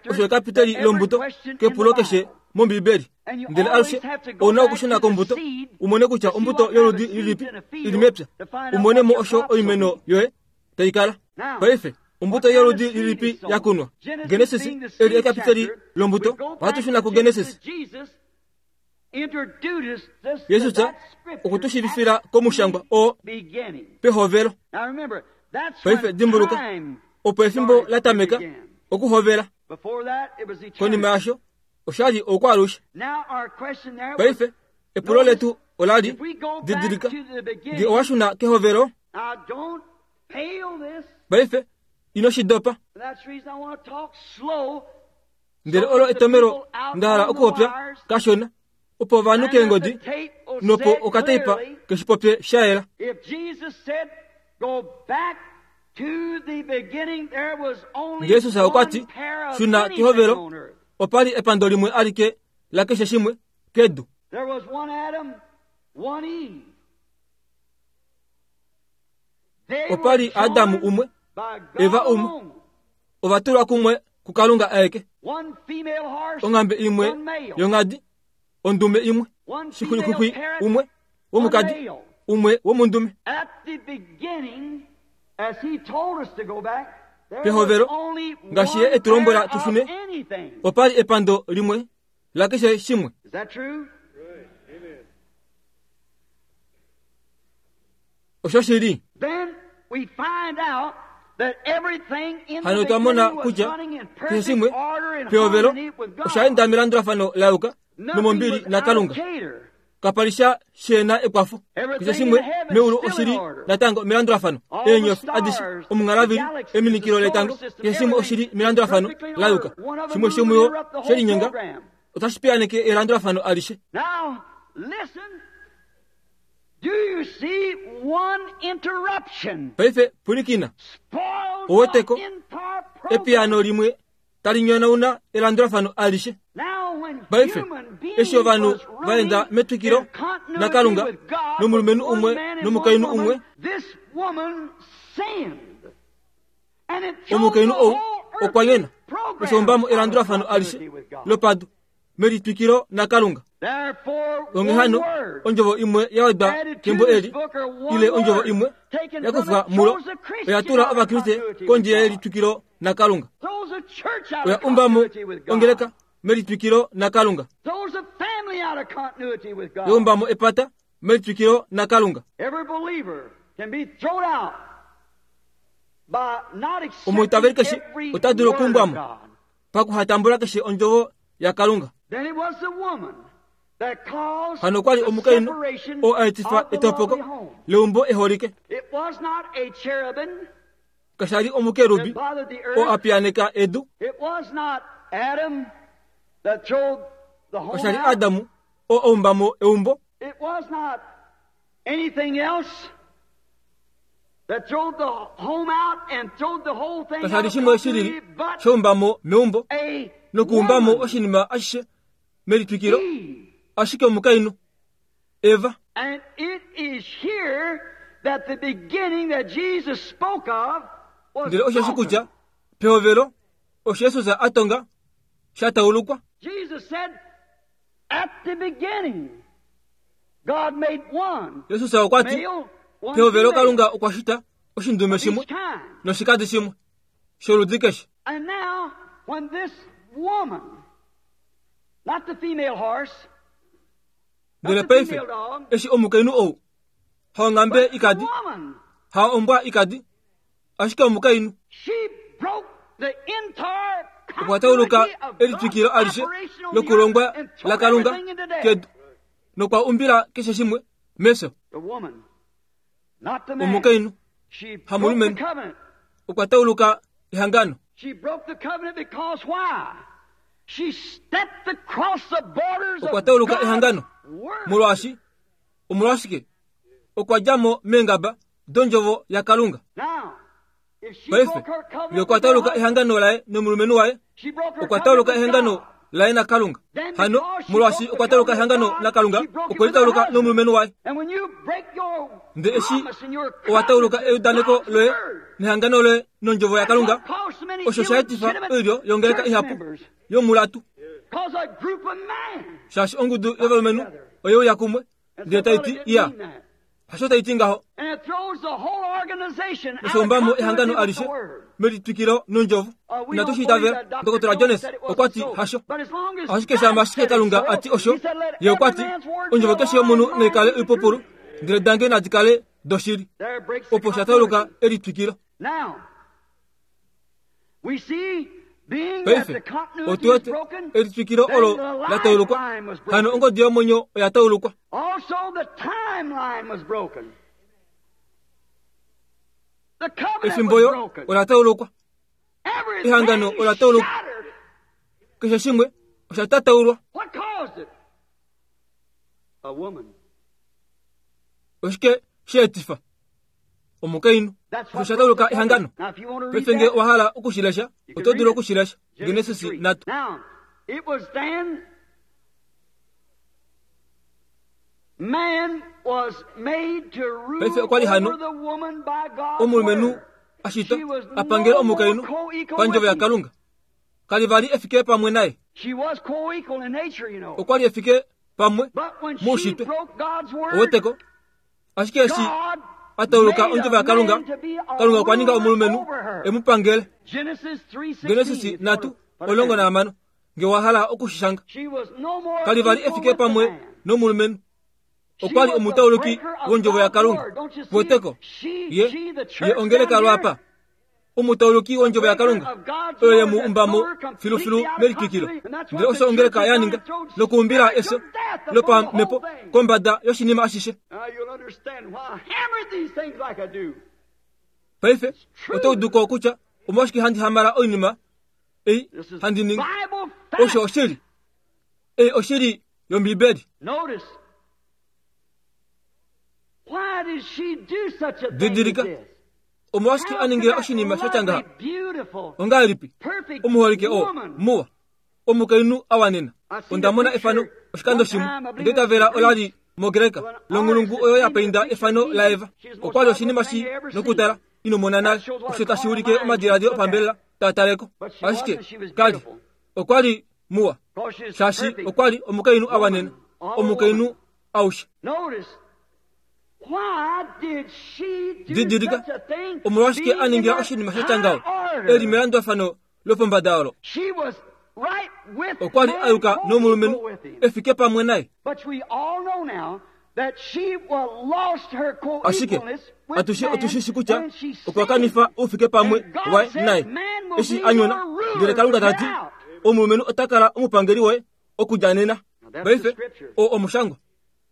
osho ekapiteli lombuto kepulo keshe mOmbibeli. Ndele alushe ouna okushuna kombuto umone kutya ombuto yoludi lilipi ili mepya, umone mo osho oimeno yoye tai kala. Paife ombuto yoludi lilipi yakunwa? Genesis eli ekapiteli lombuto. Ohatu shuna kuGenesis. Jesus okwe tu shiivifila komushangwa oo pehovelo. Paife dimbuluka, opo efimbo la tameka okuhovela. Konima yasho oshali oukwaalushe. Paife epulo letu olali, didilika, nge owa shuna kehovelo. Paife ino shi dopa. Ndele olo etomero nda hala okuhopya kashona, opo ovanhu keengodi nopo okateipa keshipopye sha yela. Jesus okwa ti, shuna kehovelo, opali epando limwe alike la keshe shimwe kedu. Opali Adamu umwe, Eva umwe, ovatulwa kumwe kuKalunga aeke. Onghambe imwe yongadi, ondume imwe, shixulikukwi umwe womukadi, umwe womundume. Pehovelo, ngaashi ye etu lombwela tu shune, opali epando limwe la keshe shimwe. Osho shili. Hano otwa mona kutya keshe shimwe pehovelo osha melandulafano la yuka nomombili naKalunga. Kapalisha shena ekwafo. Keshe shimwe meulu oshili natango melandulafano. Eenyofi adishe omunghalavili eminikilo letango keshe shimwe oshili melandulafano la yuka. Shimwe shomuyo shelinyenga otashi piyaneke elandulafano alishe. Now, listen. Do you see one interruption Paife pulikina spoils Oweteko, the entire program? epiyano limwe tali nyonauna elandulafano alishe. Now, when Paife human beings eshi ovanhu was vaenda running metwikilo in continuity naKalunga with God, nomulumenhu one umwe man and nomukainhu one woman, umwe, this woman sinned. And it threw omukainhu the ou whole earthly okwa nyona program oshombamo out of elandulafano alishe continuity with God. lopadu melitwikilo naKalunga. Therefore, Onghee one hano word ondjovo imwe ya wedwa added to kembo this eli book or one ile ondjovo word imwe taken ya from kufwa it mulo throws a Christian oya tula out of ovakriste continuity with kondje God. yelitwikilo naKalunga. Throws a church out Oya of umbamo continuity with God. ongeleka melitwikilo naKalunga. Throws a family out of continuity with God. Ya umbamo epata melitwikilo naKalunga. Every believer can be thrown out by not accepting Omwiitaveli keshe every ota dulu word of okuumbwamo. God. Pakuhatambula keshe ondjovo yaKalunga. Then it was the woman that caused Hano okwali the omukainhu separation oo a etifa of the etopoko lovely home. leumbo eholike. It was not a cherubim Kashali omukerubi that bothered the oo a earth. piyaneka edu. It was not Adam that throwed the home Kashali out. Adamu oo a umbamo eumbo. It was not anything else that throwed the home out and throwed the whole thing out Kashali of shimwe shilili continuity, but shoumbamo meumbo a nokuumbamo woman, oshinima ashishe melitwikilo Eve. ashike omukainhu Eva. And it is here that the beginning that Jesus spoke of was Ndele osheshi broken. kutya pehovelo osho Jesus a tonga sha taulukwa. Jesus said, at the beginning, God made one Jesus okwa ti male, one pehovelo female Kalunga okwa shita oshindume of shimwe each kind. noshikadi shimwe sholudi keshe. And now, when this woman, not the female horse, Ndele not the paife female dog, eshi omukainhu ou haonghambe but the ikadi woman, ha ombwa ikadi ashike omukainhu she broke the entire okwa tauluka continuity of God's elitwikilo alishe operation on the lokulongwa earth and threw laKalunga everything into death. kedu nokwa umbila keshe shimwe mefyo. The woman, not the man. Omukainhu She broke the hamulumenhu covenant. okwa tauluka ehangano. She broke the covenant because why? She stepped across the borders Okwa of tauluka God's ehangano word. molwaashi omolwashike okwa dja mo meengaba dondjovo yaKalunga. Now, if she Paife broke her ngee covenant okwa with her tauluka husband, ehangano laye nomulumenhu waye she broke her okwa tauluka covenant with ehangano God. laye naKalunga. Then Hano because she molwaashi broke okwa the tauluka covenant with ehangano God, naKalunga she broke it okwe with her litauluka husband. nomulumenhu waye. And when you break your Ndele eshi promise and your owa tauluka covenant with eudaneko God's loye word, nehangano loye nondjovo that's yaKalunga what caused so many osho sha etifa illegitimate oilyo yongeleka church ihapu members. yomulatu Cause a group of men shaashi ongudu yovalumenhu oyeuya kumwe and ndele said, well, tai ti it didn't iya mean that. hasho tai ti ngaho And it throws the whole organization out of oshombamo continuity ehangano with the alishe word. melitwikilo nondjovo Uh, we inatu don't shi believe itavela that Doctor Dr Jones Jones said it wasn't okwa ti so. hasho But as long as ashike God shama ashike said it Kalunga so, ati osho he said, let ye okwa every ti man's word be ondjovo a keshe lie yomunhu and mine naikale be the oipupulu truth. ndele dange nadi kale doshili There breaks the opo sha tauluka continuity. elitwikilo. Now, we see being that Paife the continuity otu is wete broken, elitwikilo then olo the la taulukwa lifeline was hano broken. ongodi yomwenyo oya taulukwa. Also, the timeline was broken. The covenant Efimbo was yo broken. ola taulukwa ehangano Everything ola taulukwa shattered. keshe shimwe osha tataulwa. What caused it? A woman. Oshike she etifa omukainhu That's osho what sha broke tauluka the ehangano. covenant. Now, if you want to read Paife ngee that, owa hala okushilesha you can oto read dulu it. okushilesha Genesis Genesis three. nhatu. Now, it was then man was made to rule Paife okwa li hano over the woman by God's omulumenhu word. a shitwa She was a pangela no more omukainhu co-equal pandjovo with him. yaKalunga. Kali vali efike pamwe naye She was co-equal in nature, you know. okwa li efike pamwe But when she muushitwe broke God's word, oweteko ashike eshi God a tauluka made ondjovo a yaKalunga man to be a Kalunga okwa ninga ruler omulumenhu over her. e mu pangele. Genesis three sixteen. Genesis if you nhatu want to put it omulongo down. nahamano ngee owa hala okushishanga. She was no more Kali vali equal efike with the pamwe man. nomulumenhu She okwa li was the omutauluki breaker of wondjovo God's yaKalunga. word. Don't you see? Weteko She, ye she, the ye church ongeleka down lwapa here, Omutauluki wondjovo yaKalunga oyo ye mu umbamo filufilu melikikilo. Ndele osho ongeleka ya ninga nokuumbila efyo lopamhepo kombada yoshinima ashishe. Paife oto udu ko kutya omolwashike handi hamala oinima ei handi ningi. Osho oshili. Ei oshili yOmbibeli. Didilika, omolwashike a ningila oshinima sha ngaha? Ongahelipi omuholike oo muwa omukainhu a wanena? Onda mona efano oshikando shimwe, onda itavela ola li moGreka longhulungu oyo ya painda efano laEva. Okwa li oshinima shi nokutala ino mona nale, osho tashi ulike omadiladilo opambelela taa taleko. Ashike kali okwa li muwa, shaashi okwa li omukainhu a wanena, omukainhu aushe. Didilika, omolwashike a ningila oshinima sha ngaho e li melandulafano lopombada olo? Okwa li a yuka nomulumenhu e fike pamwe naye. Ashike atushe otushishi kutya okwa kanifa oufike pamwe waye naye eshi a nyona. Ndele Kalunga ta ti omulumenhu ota kala omupangeli woye okudja nena. Paife oo omushangwa,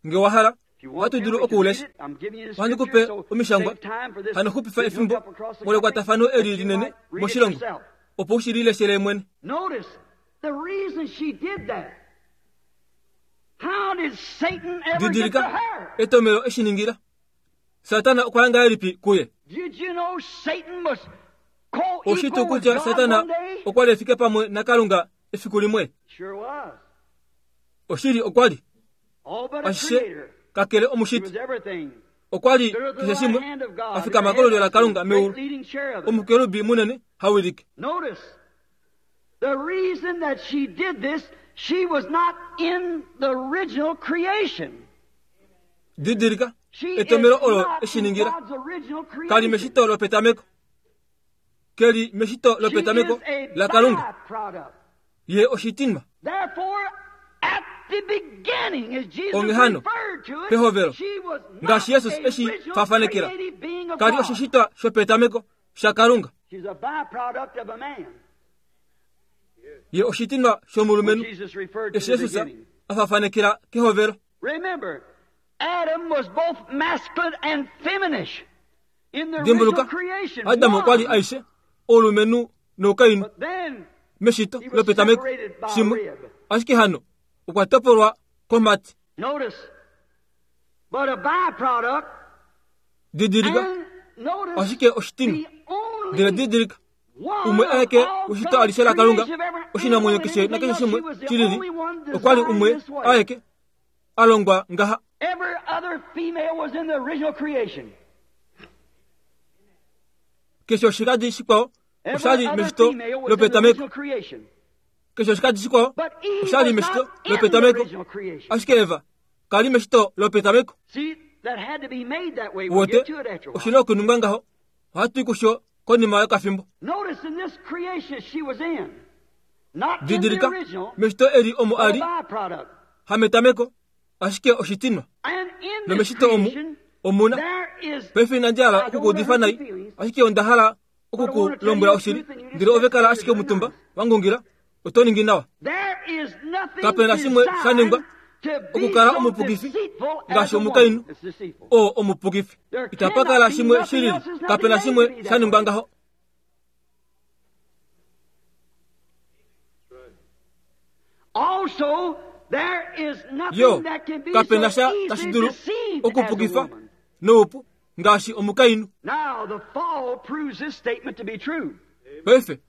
nge wa hala ohatu dulu okuulesha. Ohandi kupe omishangwa hano xupifa efimbo molwekwatafano eli linene moshilongo opo u shi lileshele mwene. Didilika etomelo eshi ningila. Satana okwa ya ngahelipi kuye? Oshitu kutya Satana okwa li efike pamwe naKalunga efiku limwe? Oshili okwa li ashishe kakele omushiti. Okwa li keshe shimwe a fikama kolulyo laKalunga meulu, omukerubi munene hawilike. The reason that she did this, she was not in the original creation. Didilika etomelo olo eshi ningila. Kali meshito lopetameko. Keli meshito lopetameko laKalunga. Ye oshitinwa. Onghee pehovelo, ngaashi Jesus eshi fafanekela, kali oshishitwa shopetameko shaKalunga. Ye oshitinwa shomulumenhu eshi Jesus a fafanekela kehovelo. Dimbuluka, Adamu okwa li aishe oulumenhu noukainhu meshito lopetameko shimwe, ashike hano okwa topolwa komhati. Didilika, ashike oshitinwa. Ndele didilika, umwe aeke weshito alishe laKalunga, oshinamwenyo keshe nakeshe shimwe shilili, okwa li umwe aeke a longwa ngaha. Keshe oshikadi shikwao osha li meshito lopetameko. Keshe oshikadi shikwao osha li meshito lopetameko, ashike Eva kali meshito lopetameko. Wote oshina okuningwa ngaho, ohatu i kusho konima yokafimbo. Didilika, meshito eli omo ali hametameko, ashike oshitinwa. Nomeshito omu omuna. Paife inandi hala okukuudifa nai, ashike onda hala okukulombwela oshili. Ndele ove kala ashike omutumba wangungila, oto ningi nawa. Kapena shimwe sha ningwa okukala omupukifi ngaashi omukainhu oo omupukifi. Itapa kala shimwe shilili, kapena shimwe sha ningwa ngaho. Yo, kapena sha tashi dulu okupukifa noupu ngaashi omukainhu. Paife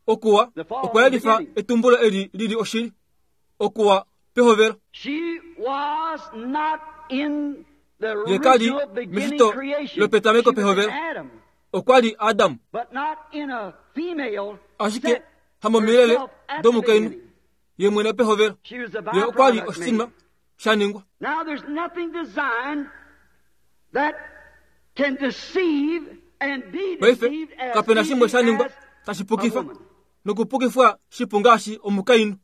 okuwa okwa yelifa etumbulo eli lili oshili. Okuwa pehovelo. Ye kali meshito lopetameko pehovelo. Okwa li Adamu, ashike hamomilele domukainhu ye mwene pehovelo. Ye okwa li oshitinwa sha ningwa. Paife kapena shimwe sha ningwa tashi pukifa nokupukifwa shipu ngaashi omukainhu.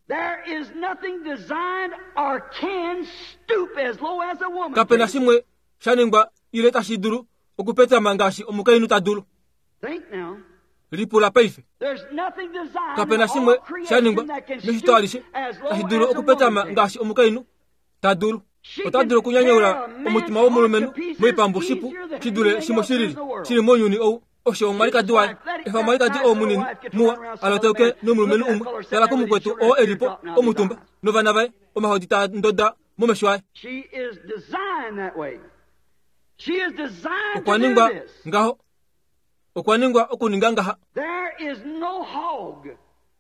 Kapena shimwe sha ningwa ile tashi dulu okupetama ngaashi omukainhu ta dulu. Lipula paife. Kapena shimwe sha ningwa meshito alishe tashi dulu okupetama ngaashi omukainhu ta dulu. Ota dulu okunyanyaula omutima womulumenhu moipambu shipu shi dule shimwe shilili shili mounyuni ou. Osho omwalikadi waye efa omwalikadi oo munini muwa aloteuke nomulumenhu umwe tala kumukwetu oo elipo omutumba novana vaye omahodi taa ndoda momesho aye. Okwa ningwa ngaho, okwa ningwa okuninga ngaha.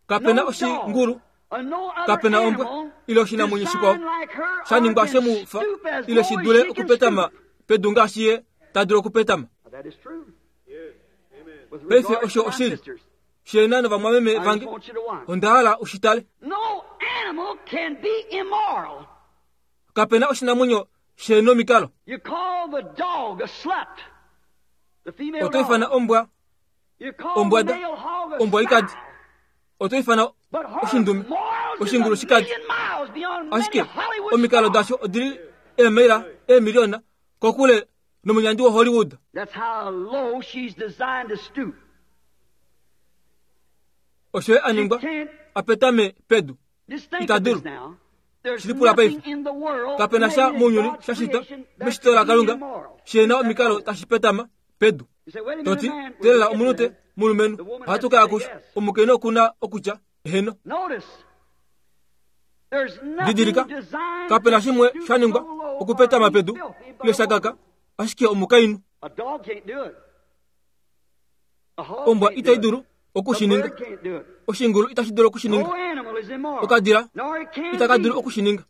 Kapena oshingulu, kapena ombwa ile oshinamwenyo shikwao sha ningwa shemufa ile shi dule okupetama pedu ngaashi ye ta dulu okupetama. Paife osho oshili shena novamwameme vange, onda hala ushitale. Kapena oshinamwenyo shenomikalo. Oto ifana ombwa ombwada, ombwa ikadi. Oto ifana oshindume oshingulu shikadi. Ashike omikalo dasho odili eemaila eemiliona kokule nomunyandi wa Hollywood. Osho ye aningwa apetame pedu itadulu. Shilipula paife. Kapena sha mounyuni sha shitwa meshito la Kalunga shena omikalo tashi petama pedu. Toti telela omunute mulumenhu ohatu kaya kusho omukainhu okuna okutya heno. Didilika, kapena shimwe sha ningwa okupetama pedu ile shakaka ashike omukainhu. Ombwa itai dulu okushininga, oshingulu itashi dulu okushininga, okadila itaka dulu okushininga.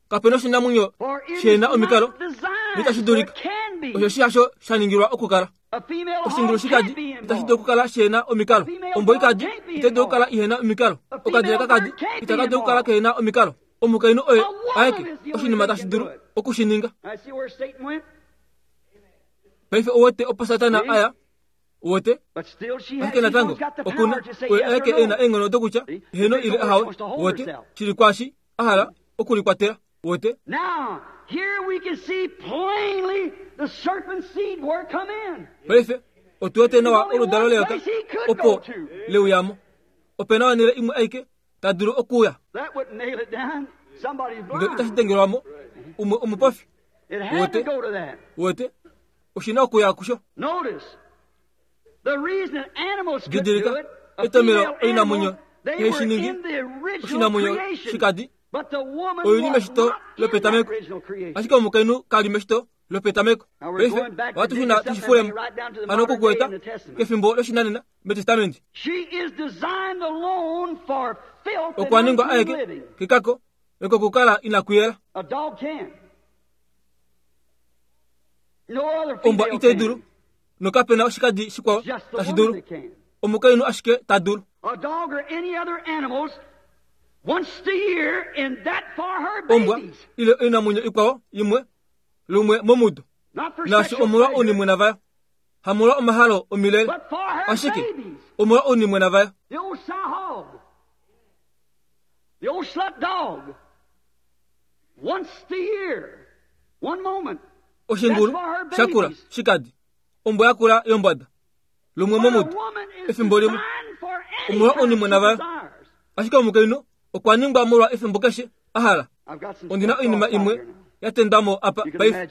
Kapena oshinamwenyo shena omikalo nitashi dulika. Osho shi hasho sha ningilwa okukala. Oshingulu shikadi itashi dulu okukala shena omikalo. Ombwa ikadi itai dulu okukala ihena omikalo. Okadila kakadi itaka dulu okukala kehena omikalo. Omukainhu oye aeke oshinima tashi dulu okushininga. Paife owete opo Satana aya wote ashike natango okuna oye aeke ena eenghono dokutya heno ile ahawe. Wote shili kwashi ahala okulikwatela. Wote paife otuwete nawa oludalo leyoka opo leuyamo. Opena onhele imwe aike ta dulu okuya ndele itashi dengelwamo umwe omupofi. Wote wote oshina okuya kusho. Didilika etomelo oinamwenyo iheshiningi oshinamwenyo shikadi oili meshito lopetameko, ashike omukainhu kali meshito lopetameko. Paife ohatu shuna tushifulemo hano okukueta kefimbo loshinanena metestamenti. Okwa ningwa aeke kekako ekokukala inakuyela. Ombwa itai dulu nokapena oshikadi shikwao tashi dulu. Omukainhu ashike ta dulu. Ombwa ile oinamwenyo ikwao imwe lumwe momudo naashi omolwa ounimwena vayo, hamolwa omahalo omilele, ashike omolwa ounimwena vayo. Oshingulu shakula shikadi, ombwa yakula yombwada lumwe momudo efimbo limwe omolwa ounimwena vayo. Ashike omukainhu okwa ningwa molwa efimbo keshe ahala. Ondina oinima imwe yatendamo apa paife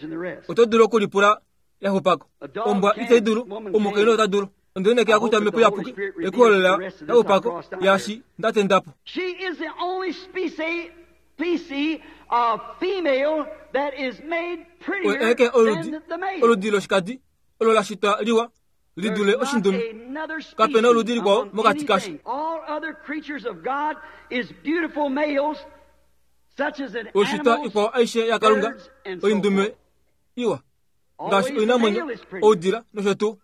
oto dulu okulipula yaxupako. Ombwa itai dulu, omukainhu ota dulu. Ondinenekela kutya Omhepo Iyapuki ekuholela yaxupako yaashi ndatendapo. Oye aeke oludi oludi loshikadi olo la shitwa liwa li dule oshindume. Kapena oludi likwao mokati kasho. Oishitwa ikwao aishe yaKalunga oindume iwa ngaashi oinamwenyo, oudila nosho tuu.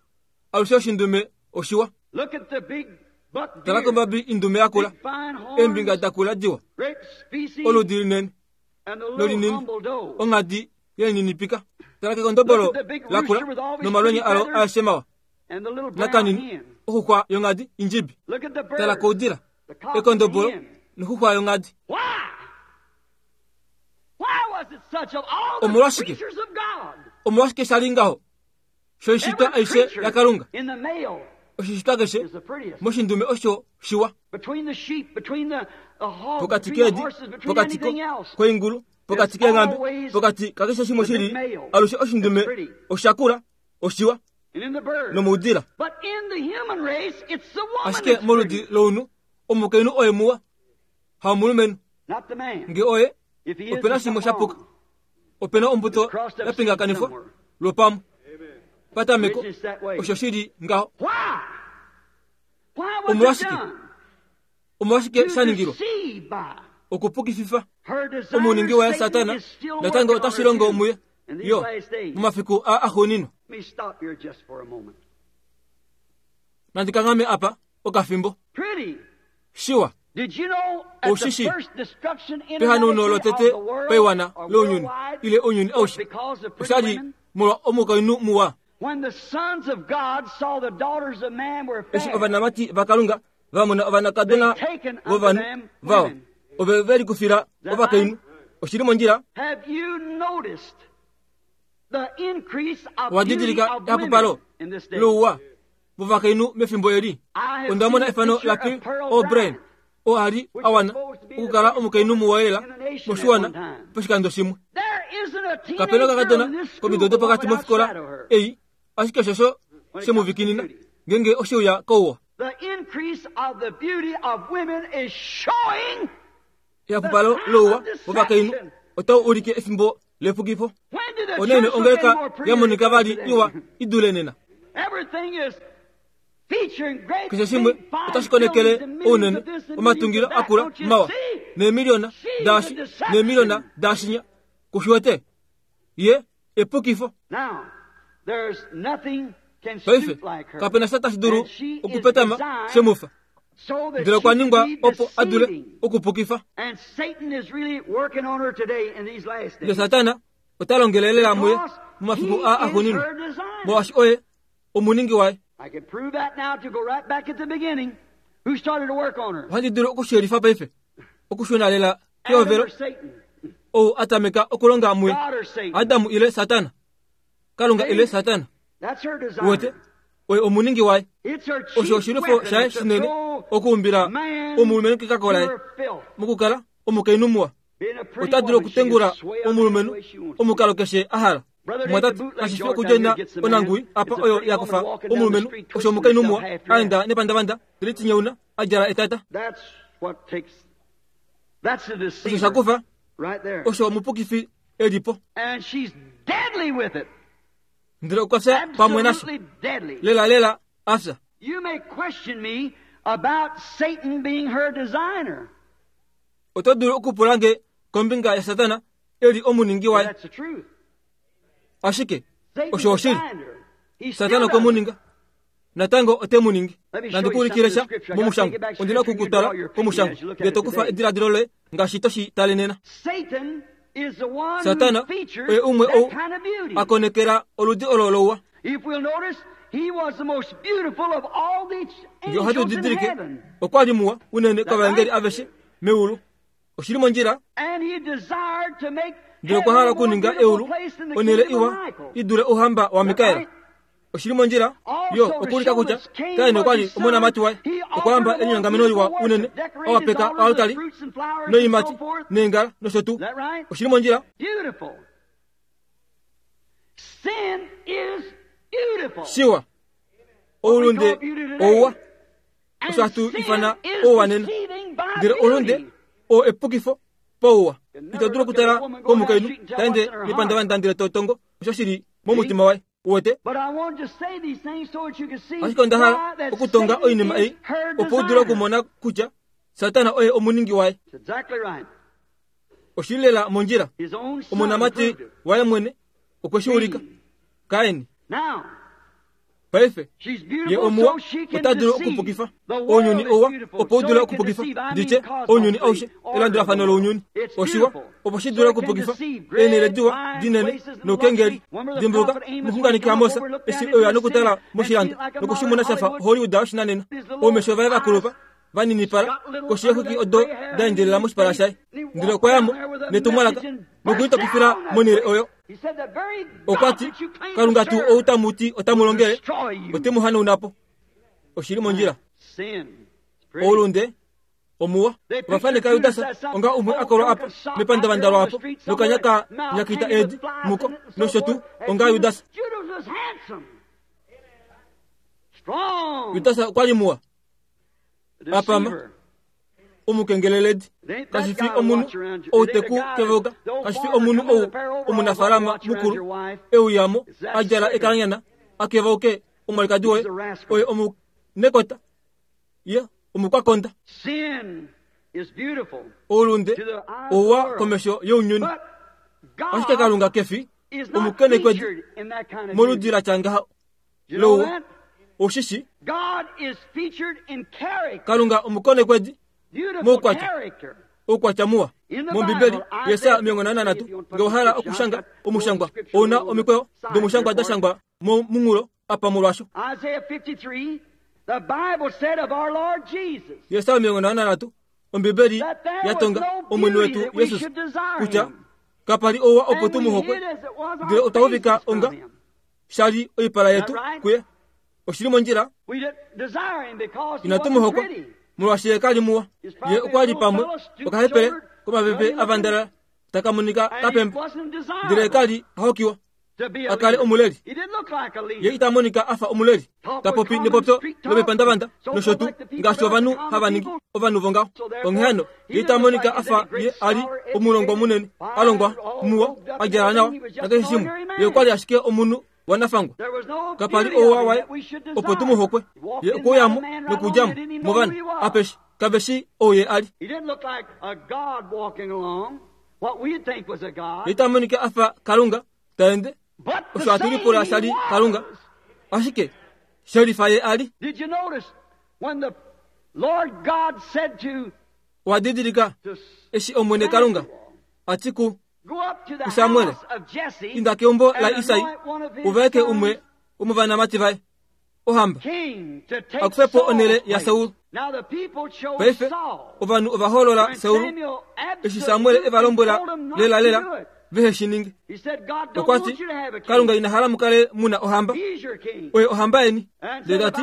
Alushe oshindume oshiwa. Tala kombabi indume yakula, eembinga dakula diwa, oludi linene nolinini, onghadi yelininipika. Tala kekondobolo lakula nomalwenya alo aeshe mawa nakanini, oxuxwa yonghadi indjibi. Tala koudila, ekondobolo noxuxwa yonghadi. Omolwashike? Omolwashike shali ngaho? Shoishitwa aishe yaKalunga. Oshishitwa keshe moshindume osho shiwa. Pokati keedi, pokati koingulu, pokati keenghambe, pokati kakeshe shimwe shili, alushe oshindume oshakula oshiwa nomoudila. Ashike moludi lounhu omukainhu oye muwa, hamulumenhu. Nge oye opena shimwe shapuka, opena ombuto yapingakanifwa lwopamwe patameko osho shili ngaho. Omolwashike? Omolwashike shaningilwa? Okupukififa omuningi waye Satana natango otashi longo muye yo momafiku a axuuninwa. Nandikangame apa okafimbo. Shiwa. Oushi pehanauno lotete paiwana lounyuni ile ounyuni aushe oshali molwa omukainhu muwa. Eshi ovanamati vaKalunga vamona ovanakadona vovanhu vawa ove veli kufila ovakainhu. Oshili mondjila. Owadidilika ehapupalo louwa vovakainhu mefimbo eli. Onda mona efano la P. O'Brien oo ali awana okukala omukainhu muwa lela moshiwana poshikando shimwe. Kapena okakadona komido dopokati mofikola ei, ashike shosho shemuvikinina ngenge oshiuya kouwa. Ehapupalo louwa vovakainhu otau ulike efimbo lepukifo. Onene ongeleka yamonika vali iwa idule nena. Keshe shimwe otashi konekele ounene omatungilo akula mawa neemiliona daashi neemiliona daashinya kushiwete ye epukifo. Paife kapena sha tashi dulu okupetama shemufa, ndele okwa ningwa opo adule okupukifa. Ndele Satana ota longele lela muye momafiku a axuuninwa, molwaashi oye omuningi waye. Ohandi dulu okushiyelifa paife okushuna lela kehovelo ou atameka okulonga muye, Adamu ile Satana, Kalunga ile Satana. Wete oye omuningi waye. Osho oshilufo shaye shinene okuumbila omulumenhu kekako laye mokukala omukainhu muwa. Ota dulu okutengula omulumenhu omukalo keshe a hala. Mwatate kashifi okudjena onangui apa oyo yakufa omulumenhu osho omukainhu muwa aenda nepandavanda telitinyeuna a djala etata. Osho shakufa osho omupukifi elipo. Ndele okwa fya pamwe nasho lela lela afya. Oto dulu okupula nge kombinga yaSatana eli omuningi waye. Ashike osho oshili. Satana okwe mu ninga, natango ote mu ningi. Nandikuulikile sha momushango. Ondina okukutwala komushango ndele to kufa ediladilo loye ngaashi toshi tale nena. Satana oye umwe ou akonekela oludi olo louwa. Nge ohatu didilike okwa li muwa unene kovaengeli aveshe meulu. Oshili mondjila. Ndele okwa hala okuninga eulu onhele iwa idule ouhamba waMikael. Oshili mondjila yo okuulika kutya Kain okwa li omonamati waye. Okwa yamba enyongameno liwa unene awapeka oaltari noiimati neengala nosho tuu. Oshili mondjila. Shiwa oulunde ouwa osho hatu ifana ouwa nena, ndele oulunde oo epukifo pouwa. Ito dulu okutala komukainhu taende nepandavanda ndele to tongo osho shili momutima waye. Uwete? Ashike onda hala okutonga oinima ei opo u dule okumona kutya Satana oye omuningi waye. Oshili lela mondjila. Omonamati waye mwene okwe shi ulika. Kain. Paife ye omuwa ota dulu okupukifa ounyuni ouwa opo u dule okupukifa nditye ounyuni aushe elandulafano lounyuni oshiwa opo shi dule okupukifa eenhele diwa dinene noukengeli. Dimbuluka omuxunganeki Amos eshi oyo nokutala moshilando nokushimona shafa Hollywood yoshinanena. Oumesho vaye vakulupa vaninipala koshi yeexwiki odo da endjelela moshipala shaye, ndele okwa yamo netumwalaka nokulitopifila monhele oyo. Okwa ti, Kalunga tuu ou tamu ti otamu longele, ote mu hanauna po. Oshili mondjila. Oulunde omuwa ovafaneka Judas onga umwe akolwa apa mepandavanda lwapo nokanya ka nyakita edi muko nosho tuu onga Judas. Judas okwa li muwa apama omukengeleledi kashi fi omunhu ou te ku kevoka, kashi fi omunhu ou omunafaalama mukulu euyamo a djala ekalanyana a kevauke omwalikadi woye oye omunekota ye omukwakonda. Oulunde ouwa komesho younyuni, ashike Kalunga kefi omukenekwedi moludi la tya ngaha louwa. Oshishi Kalunga omukonekwedi moukwatya oukwatya muwa. Mombibeli Yesaya omilongo nhano nanhatu nge owa okushanga omushangwa ouna omikweyo domushangwa da shangwa momunghulo apa molwasho. Yesaya omilongo nhano nanhatu Ombibeli yatonga Omwene wetu Jesus kutya kapali ouwa opo tu mu hokwe, ndele otwa uvika onga shali oipala yetu kuye. Oshili mondjila. Inatu mu hokwa molwaashi ye kali muwa. Ye okwa li pamwe okahepele komapepe avandala taka monika kapemba, ndele kali ahokiwa a kale omuleli. Ye ita monika afa omuleli, ta popi nepopyo lomepandavanda nosho tuu ngaashi ovanhu hava ningi ovanhu vongaho. Onghee hano ye ita monika afa ye a li omulongwa munene, a longwa muwa, a djala nawa nakeshe shimwe. Ye okwa li ashike omunhu wanafangwa. Kapali ouwa waye opo tu mu hokwe. Ye okweuyamo nokudjamo movanhu apeshe kave shi ou ye a li. Ye ita monika afa Kalunga ta ende osho hatu lipula sha li Kalunga, ashike shelifa ye a li. Owa didilika eshi Omwene Kalunga a ti ku kuSamuel, inda keumbo la Isai uvaeke umwe womovanamati vaye ohamba akufe po onhele yaSaul. Paife ovanhu ova hoolola Saul eshi Samuel e va lombwela lelalela vehe shi ninge. Okwa ti, Kalunga ina hala mu kale muna ohamba, oye ohamba yeni. Ndele ta ti,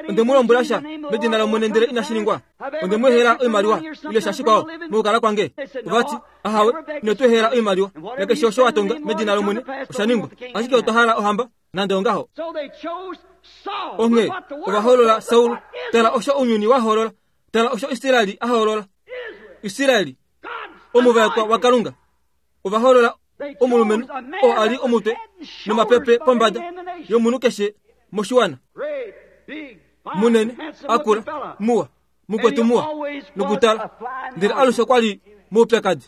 onde mu lombwela sha medina lOmwene ndele inashi ningwa. Onde mu ehela oimaliwa ile sha shikwao mokukala kwange. Ova ti, ahawe, ino tu ehela oimaliwa, nakeshe osho wa tonga medina lOmwene osha ningwa, ashike otwa hala ohamba nande ongaho. Onghee ova hoolola Saul. Tala osho ounyuni wa hoolola, tala osho Israeli a hoolola. Israeli omuvaekwa waKalunga ova hoolola omulumenhu oo a li omutwe nomapepe pombada yomunhu keshe moshiwana, munene, akula, muwa, mukwetu muwa nokutala, ndele alushe okwa li moupyakadi.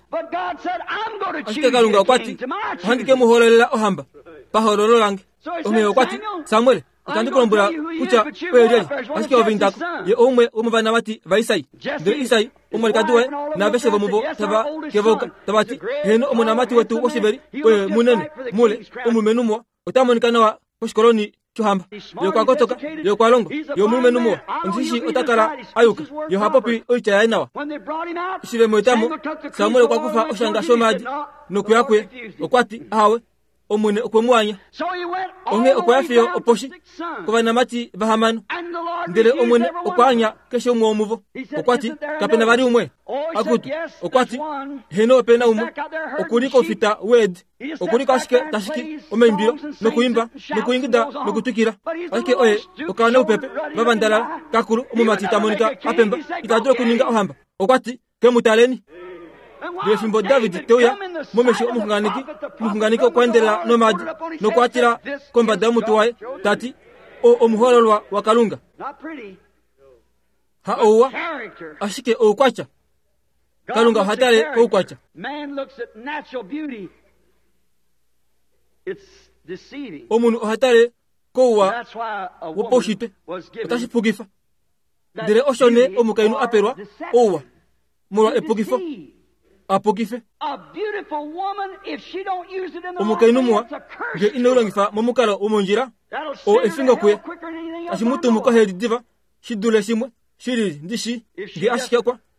Ashike Kalunga okwa ti, ohandi ke mu hoololela ohamba pahoololo lange. Onghee okwa ti, Samuel, otandi ku lombwela kutya oye lyelye, ashike ove indako. Ye oumwe womovanamati vaIsai. Ndele Isai omwalikadi waye naaveshe vomuvo tava kevauka tava ti, heno omonamati wetu woshiveli oye munene mule omulumenhu muwa, ota monika nawa koshikoloni shohamba. Ye okwa kotoka, ye okwa longwa, ye omulumenhu muwa, ondishi ota kala a yuka, ye oha popi oitya yaye nawa. Eshi ve mu etamo, Samuel okwa kufa oshanga shomaadi nokuya kuye. Okwa ti, ahawe, Omwene okwe mu anya. Onghee okwa ya fiyo oposhi kovanamati vahamano, ndele Omwene okwa anya keshe umwe womuvo. Okwa ti, kape na vali umwe? Akutu, okwa ti, heno ope na umwe. Okuli koufita weedi, okuli ko ashike tashiki omaimbilo nokuimba nokuingida nokutwikila, ashike oye okaana upepe vavandalala kakulu omumati ta monika apemba, ita dulu okuninga ohamba. Okwa ti, ke mu taleni. Ndele fimbo David te uya momesho omuxunganeki, omuxunganeki okwa endelela nomaadi nokwa tila kombada yomutwe waye ta ti, o omuhoololwa waKalunga. Ha ouwa, ashike oukwatya. Kalunga oha tale koukwatya. Omunhu oha tale kouwa wopaushitwe, otashi pukifa. Ndele osho nee omukainhu a pelwa ouwa molwa epukifo, a pukife. Omukainhu muwa nge ine u longifa momukalo womondjila, oo efingo kuye, tashi mu tumu koheli diva shi dule shimwe shi lili ndi shi, nge ashike okwa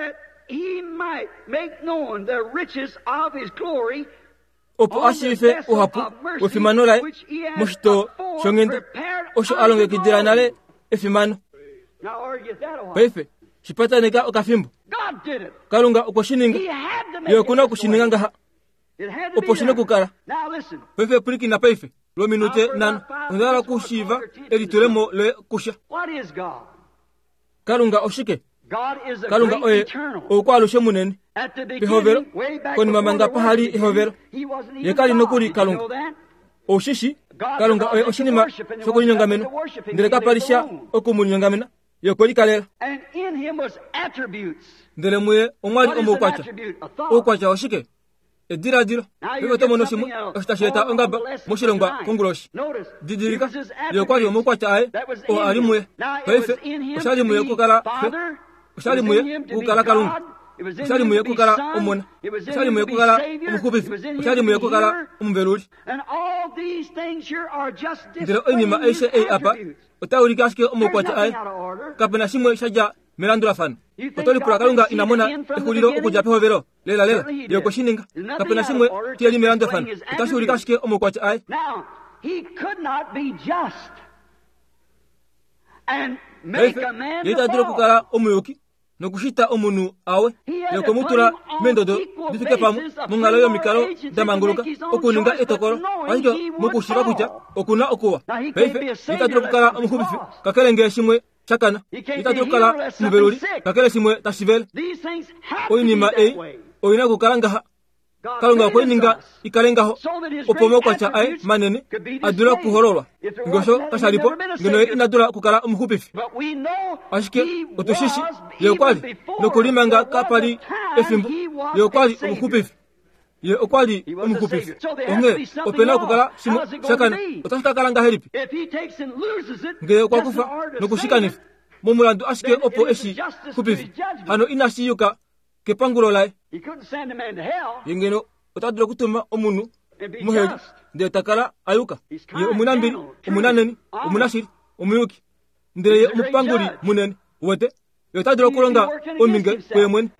That he might make known the riches of his glory Opo a shiivife ouhapu wefimano laye moshitoo shonghenda osho a longekidila nale efimano. Paife shipataneka okafimbo. Kalunga okwe shi ninga. Ye okuna okushininga ngaha opo shina okukala. Paife pwilikina paife lwominute nhano. Onda hala okushiiva elitulemo loye kusha. Kalunga oshike? Kalunga oye oukwaalushe munene. Pehovelo, konima manga pahali ehovelo, ye kali nokuli Kalunga. Oushishi, Kalunga oye oshinima shokulinyongamena, ndele kapali sha okumulinyongamena, ye okwe likalela. Ndele muye omwali omoukwatya. Oukwatya oshike? Ediladilo. Paife oto mono shimwe osho tashi eta ongaba moshilongwa konguloshi. Didilika, ye okwali omoukwatya aye oo ali muye. Paife oshali muye okukala Xe, oshali muye okukala Kalunga, oshali muye okukala Omona, oshali muye okukala Omuxupifi, oshali muye okukala Omuveluli. Ndele oinima aishe ei apa otai ulike ashike omaukwatya aye. Kapena shimwe sha dja melandulafano. Oto lipula Kalunga ina mona exulilo okudja pehovelo? Lela lela, ye okwe shi ninga. Kapena shimwe shili melandulafano. Otashi ulike ashike omaukwatya aye. Paife ye ita dulu okukala omuyuki nokushita omunhu awe. Ye okwe mu tula meendodo di fike pamwe monghalo yomikalo da manguluka okuninga etokolo, ashike mokushiiva kutya okuna okuwa. Paife ye ita dulu okukala omuxupifi kakele ngee shimwe shakana. Ye ita dulu okukala omuveluli kakele shimwe tashi vele. Oinima ei oina okukala ngaha. Kalunga okwe i ninga ikale ngaho opo omaukwatya aye manene a dule okuhololwa. Ngee osho kasha li po, ngeno ye ina dula okukala omuxupifi. Ashike otushishi ye okwali nokuli manga kapali efimbo, ye okwali omuxupifi. Ye okwali omuxupifi. Onghee opena okukala shimwe shakana. Otashi ka kala ngahelipi ngee okwa kufa nokushikanifa momulandu ashike opo eshi xupifi? Hano inashi yuka kepangulo laye. Ye ngeno ota dulu okutuma omunhu muheli ndele ta kala a yuka. Ye omunambili, omunaneni, omunashili, omuyuki, ndele ye omupanguli munene. Uwete? Ye ota dulu okulonga ominge kuye mwene.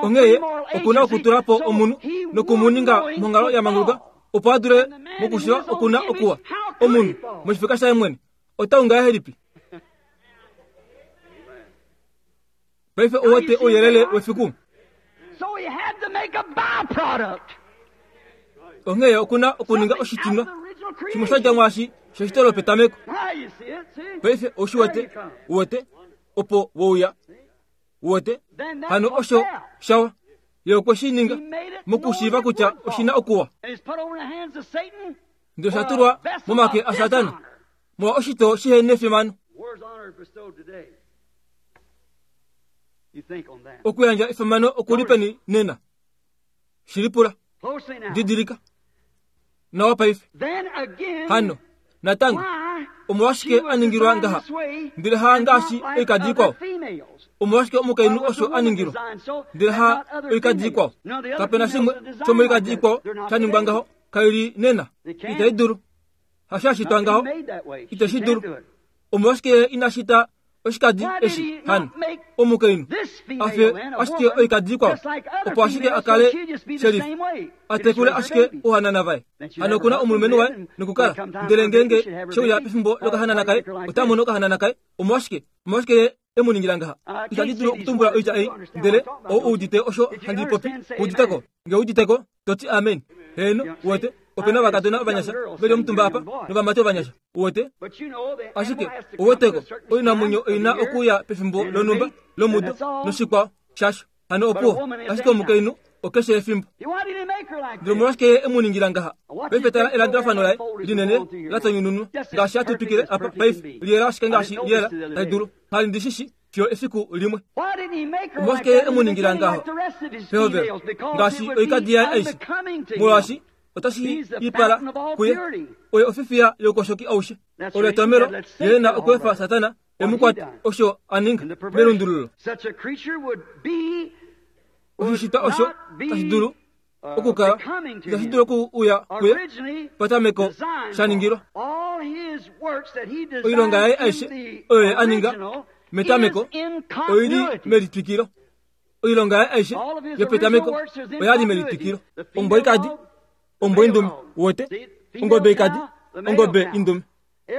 Onghee ye okuna okutula po omunhu nokumuninga monghalo ya manguluka opo a dule mokushiva okuna okuwa. Omunhu moshifeka shaye mwene ota ungahelipi? Paife ouwete ouyelele wefiku. Onghee okuna okuninga oshitinwa shimwe sha dja mwaashi sheshito lopetameko. Paife oushi wete, uwete, opo wouya, uwete, hano osho shawa. Ye okwe shi ninga mokushiiva kutya oshina okuwa. Ndele osha tulwa momake aSatana molwa oshitoo shihe nefimano. Okuyandja efimano okuli peni nena? Shilipula. Didilika nawa paife. Hano natango omolwashike a ningilwa ngaha, ndele ha ngaashi oikadi ikwao? Omolwashike omukainhu osho a ningilwa, ndele ha oikadi ikwao? Kapena shimwe shomoikadi ikwao sha ningwa ngaho. Kaili nena itai dulu. Hasho shitwa ngaho, iteshi dulu. Omolwashike ina shita oshikadi eshi hano omukainhu afe ashike oikadi ikwao, opo ashike akale sheriff atekule ashike ohanana vaye? Hano okuna omulumenhu waye nokukala, ndele ngeenge sheuya pefimbo lokahanana kaye, ota mono okahanana kaye. Omolwashike omolwashike ye e mu ningila ngaha? Itandi dulu okutumbula oitya ei, ndele ou udite osho handi popi, uditeko. Ngee uditeko, toti amen. Heeno, uwete, opena ovakadona ovanyasha veli omutumba apa novamati ovanyasha, uwete. Ashike ouweteko, oinamwenyo oina okuuya pefimbo lonhumba lomudo noshikwao shasho. Hano opuwo, ashike omukainhu okeshe efimbo. Ndele omolwashike ye e mu ningila ngaha? Paife tala elandulafano laye linene la tonyununwa ngaashi hatu twikile apa paife, liyela ashike ngaashi liyela tali dulu. Hali ndi shishi fiyo efiku limwe. Omolwashike ye e mu ningila ngaho pehovelo ngaashi oikadi yaye aishe? Molwaashi otashi ipala kuye oye ofifiya youkoshoki aushe. Olo etomelo ye na okweefa Satana e mu kwate osho a ninga melundululo. Oshishitwa osho tashi dulu okukala itashi dulu okuuya kuye patameko sha ningilwa. Oilonga yaye aishe oyo ye a ninga metameko oili melitwikilo. Oilonga yaye aishe yopetameko oya li melitwikilo. Ombwa ikadi, ombwa indume, wote, ongobe ikadi, ongobe indume.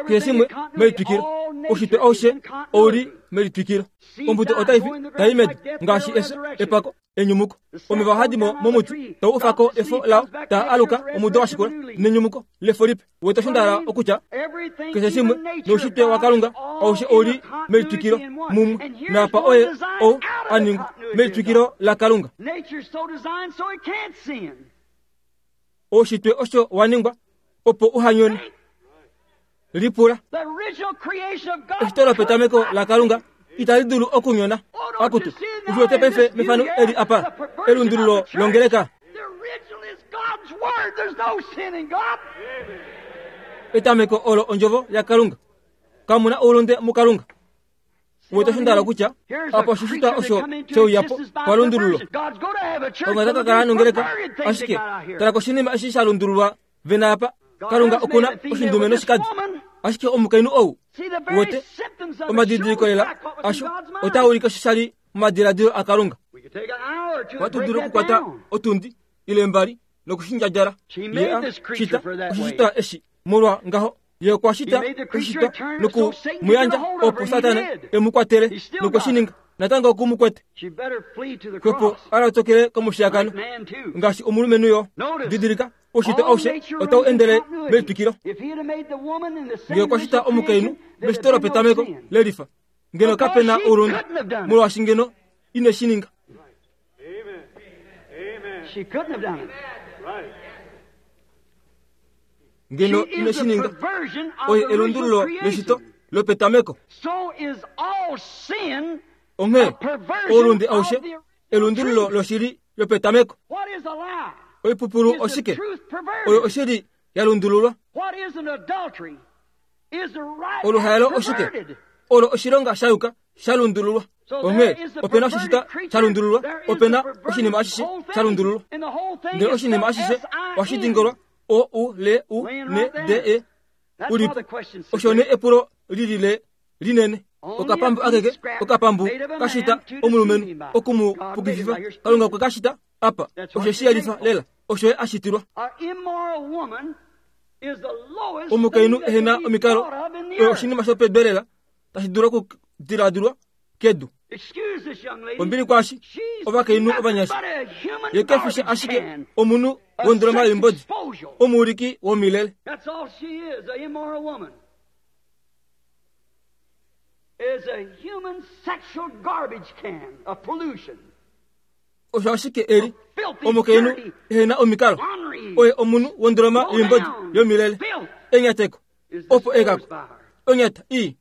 Keshe shimwe melitwikilo. Ushitwe aushe ouli melitwikilo. Ombuto otai fi tai medi ngaashi efyo, epako, enyumuko. Omeva ohadi mo momuti tau ufako efo lao taa aluka omudo wa shikula nenyumuko lefo lipe. Wete osho nda hala okutya? Keshe shimwe noushitwe waKalunga aushe ouli melitwikilo mumwe naapa oye ou a ningwa melitwikilo laKalunga. Oushitwe osho wa ningwa opo uhanyone. Lipula. Eshito lopetameko laKalunga itali dulu okunyona. Akutu, ufiwete paife mefano eli apa, elundululo longeleka. Etameko olo ondjovo yaKalunga. Kamuna oulunde muKalunga. Wete osho nda hala okutya? Apa oshishitwa osho sheuyapo palundululo. Kalunga ota ka kala nongeleka, ashike tala koshinima eshi sha lundululwa vena apa. Kalunga okuna oshindume noshikadi. Ashike omukainhu ou wote omadidiliko lela asho otaa ulike osho sha li momadiladilo aKalunga. Ohatu dulu okukwata otundi ile mbali nokushindjadjala. Ye a shita oshishitwa eshi molwa ngaho. Ye okwa shita oshishitwa noku mu yandja opo Satana e mu kwatele nokwe shi ninga. Natango oku mu kwete. Xwepo a lotokele komushiyakano ngaashi omulumenhu yo. Didilika, oushitwe aushe otau endele melitwikilo. Ngee okwa shita omukainhu meshito lopetameko lelifa, ngeno kape na oulunde, molwaashi ngeno ine shi ninga. Ngeno ine shi ninga. Oye elundululo leshito lopetameko. Onghee oulunde aushe elundululo loshili yopetameko. Oipupulu oshike? Oyo oshili ya lundululwa. Oluhaelo oshike? Olo oshilonga sha yuka sha lundululwa. Onghee opena oshishitwa sha lundululwa, opena oshinima ashishe sha lundululwa. Ndele oshinima ashishe ohashi dingolwa O U L U N D E ulipo. Osho nee epulo lilile linene. Okapambu akeke, okapambu kashita omulumenhu oku mu pukififa. Kalunga okwe kashita apa. Osho shi yelifa lela. Osho ye a shitilwa. Omukainhu ehena omikalo oyo oshinima shopedu lela tashi dulu okudiladilwa kedu. Ombili kwaashi ovakainhu ovanyasha. Ye kefi ashike omunhu wondoloma yoimbodi, omuuliki womilele. Is a human sexual garbage can of pollution. Osho ashike eli omukainhu ehena omikalo oye omunhu wondoloma yoimbodi yomilele. Enyateko opo ekako onyata i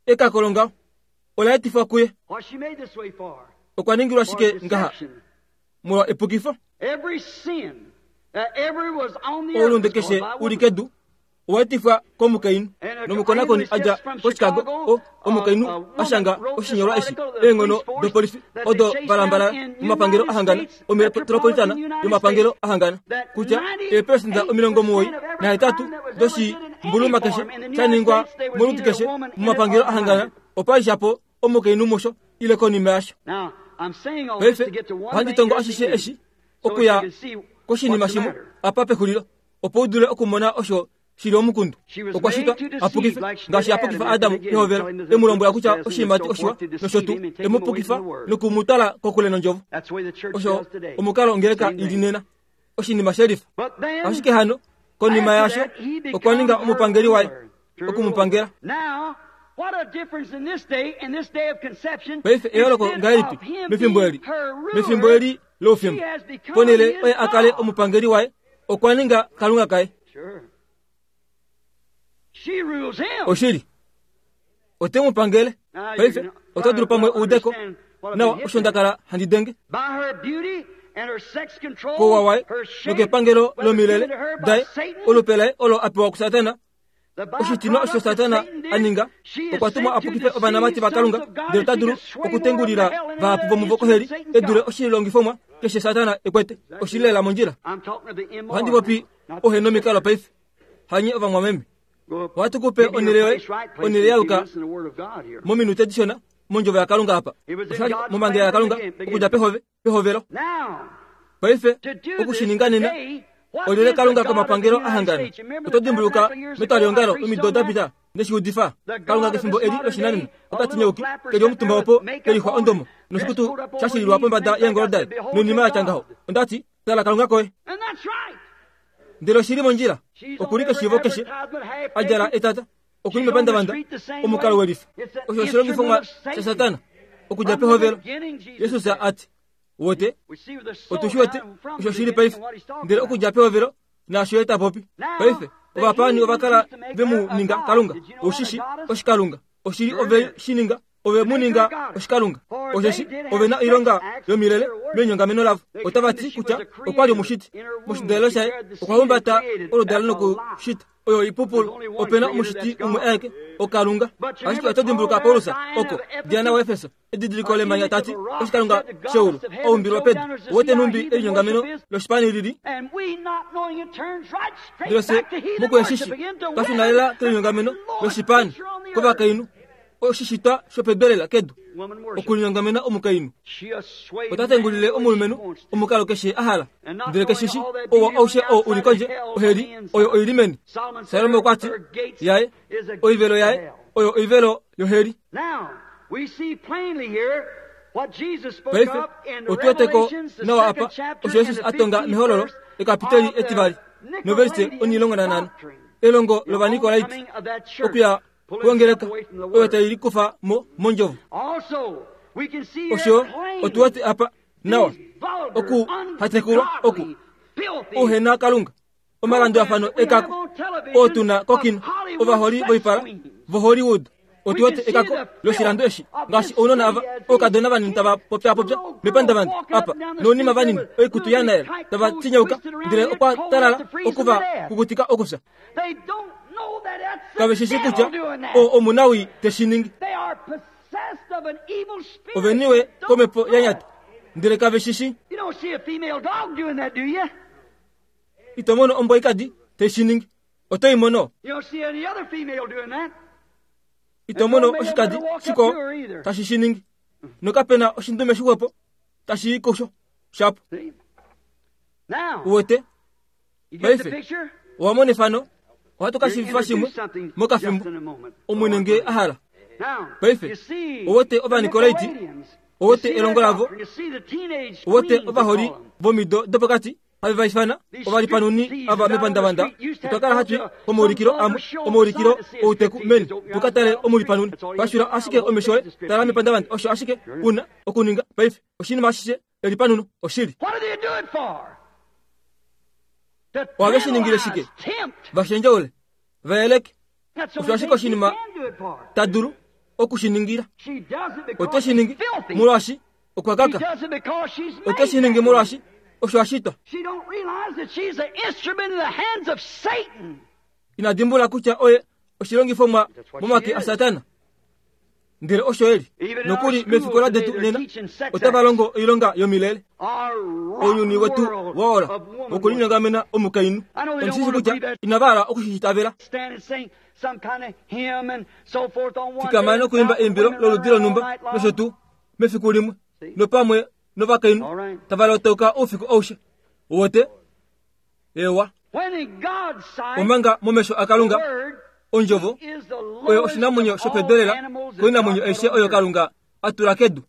ekako longaho ola etifwa kuye. Okwa ningilwa shike ngaha molwa epukifo? Oulunde keshe uli kedu owa etifwa komukainhu. Nomukonakoni a dja koChicago, o omukainhu a shanga oshinyolwa eshi eenghono dopolifi odo valambalala momapangelo ahangana ometropolitana yomapangelo ahangana kutya eepelesenda omilongo omuwoi nahetatu doshimbuluma keshe sha ningwa moludi keshe momapangelo ahangana opa li shapo omukainhu musho ile konima yasho. Paife ohandi tongo ashishe eshi okuya koshinima shimwe apa pexulilo opo u dule okumona osho shili omukundu. Okwa shitwa a pukife ngaashi a pukifa Adamu pehovelo, e mu lombwela kutya oshiimati oshiwa nosho tuu, e mu pukifa noku mu twala kokule nondjovo. Osho omukalo ongeleka ili nena, oshinima shelifa. Ashike hano konima yaasho okwa ninga omupangeli waye, oku mu pangela. Paife eyooloko ngahelipi mefimbo eli, mefimbo eli loufimbo, ponhele oye a kale omupangeli waye, okwa ninga Kalunga kaye. Oshili, ote mu pangele. Paife oto dulu pamwe uudeko nawa osho nda kala handi denge kouwa waye nokepangelo lomilele daye, olupe laye olo a pewa kuSatana. Oshitinwa osho Satana a ninga, okwa tumwa a pukife ovanamati vaKalunga, ndele ota dulu okutengulila vahapu vomuvo koheli e dule oshilongifomwa keshe Satana e kwete. Oshili lela mondjila. Ohandi popi ohenomikalo paife. Hanye ovamwameme. Ohatu kupe onhele yoye, onhele ya yuka mominute dishona, mondjovo yaKalunga apa. Oshali momangela yaKalunga okudja pehove pehovelo. Paife okushininga nena olyele Kalunga komapangelo ahangana. Oto dimbuluka metwaliongalo omido da pita neshiudifa Kalunga kefimbo eli loshinanena ota tinyauki keli omutumba opo kelixwa ondomo noshikutu shashililwa pombada yeengolo daye noinima yatya ngaho. Ondati tala Kalunga koye. Ndele oshili mondjila okuli keshiivo keshe a djala etata okuli mepandavanda omukalo welifa. Osho oshilongifomwa shaSatana okudja pehovelo. Jesus ati wote otushi wete osho shili paife. Ndele okudja pehovelo naasho ye ta popi paife. Ovapaani ovakala ve mu ninga Kalunga oshishi oshikalunga oshili ove shi ninga ove mu ninga oshikalunga osheshi ove na oilonga yomilele menyongameno lavo. Otava ti kutya okwa li omushiti moshidalelo shaye okwa humbata oludalo nokushita oyo ipupulu. Opena omushiti umwe aeke oKalunga. Ashike oto dimbuluka Paulus oko Diana waEfeso edidiliko lemanya tati oshikalunga sheulu oumbilwa pedu wote numbi elinyongameno loshipani lili. Ndele se mokueshishi twashunalela kelinyongameno loshipani kovakainhu oshishitwa shopebelela kedu okulinyongamena omukainhu. Ota tengulile omulumenhu omukalo keshe a hala ndele keshishi owo aushe oo uli kondje oheli oyo oili meni. Salomo okwa ti yaye oivelo yaye oyo oivelo yoheli. Paife otuweteko nawa apa osho Jesus a tonga mehololo ekapiteli etivali noverse onilongo nanhano elongo lovanikolaiti okuya kuongeleka oyo tai likufa mo mondjovo. Osho otuwete apa nawa oku hatekulwa oku uhena Kalunga omalandulafano ekako oo tuna kokino ovaholi voipala voHollywood. Otuwete ekako loshilando eshi ngaashi ounona ava oukadona vanini tava popyapopya mepandavanda apa nounima vanini oikutu yanaela tava tinyauka ndele okwa talala okuva kukutika okufya. Kave shishi kutya o omunawi teshiningi. Oveniwe komepo yanyata ndele kave shishi. Ito mono ombwa ikadi teshiningi. Oto i mono. Ito mono oshikadi shiko tashi shiningi. Nokapena oshindume shixwepo tashi i kusho shapo. Uwete paife owa mona efano. Ohatu ka shiivifa shimwe mokafimbo omwene nge a hala. Paife owete ovanikolaiti, owete elongo lavo, owete ovaholi vomido dopokati have va ifana ovalipanuni ava mepandavanda. Otwa kala hatu komaulikilo amwe omaulikilo outeku meni tuka tale omulipanuni. Pashula ashike omesho oye tala mepandavanda osho ashike una okuninga paife oshinima ashishe elipanuno oshili. Ohave shi ningile shike? Vashendjaule vayeleke. Osho ashike oshinima ta dulu okushiningila. Ote shi ningi molwaashi okwa kaka. Ote shi ningi molwaashi osho ashitwa. Ina dimbula kutya oye oshilongifomwa momake aSatana. Ndele osho eli nokuli mefikola detu nena otava longo oilonga yomilele. Ounyuni wetu waola wokulinyongamena omukainhu. Ondishishi kutya inava hala okushitavela. Fikama nokuimba eimbilo loludi lonhumba nosho tuu mefiku limwe nopamwe novakainhu tava lotauka oufiku aushe. Wote ewa omanga momesho aKalunga ondjovo oyo oshinamwenyo shopedelela koinamwenyo aishe oyo Kalunga a tula kedu.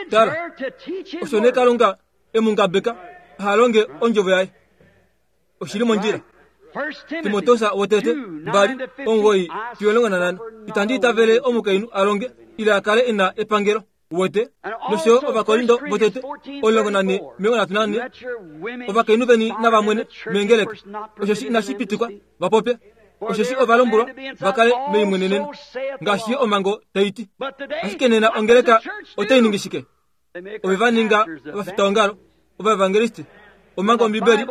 Tala, osho nee Kalunga e mu ngabeka aha longe ondjovo yaye. Oshili mondjila. Timoteus wotete mbali omugoyi fiyo omulongo nanhano. Itandi itavele omukainhu a longe ile a kale e na epangelo. Wote nosho Ovakorindo votete omulongo nane omilongo nhatu nane. Ovakainhu veni navamwene meengeleka osheshi inashi pitikwa va popye. Osheshi ovalombwelwa va kale meimweneneno ngaashi omhango tai ti. Ashike nena ongeleka otai ningi shike? Ove va ninga ovafitaongalo ovaevangelisti omanga Ombibeli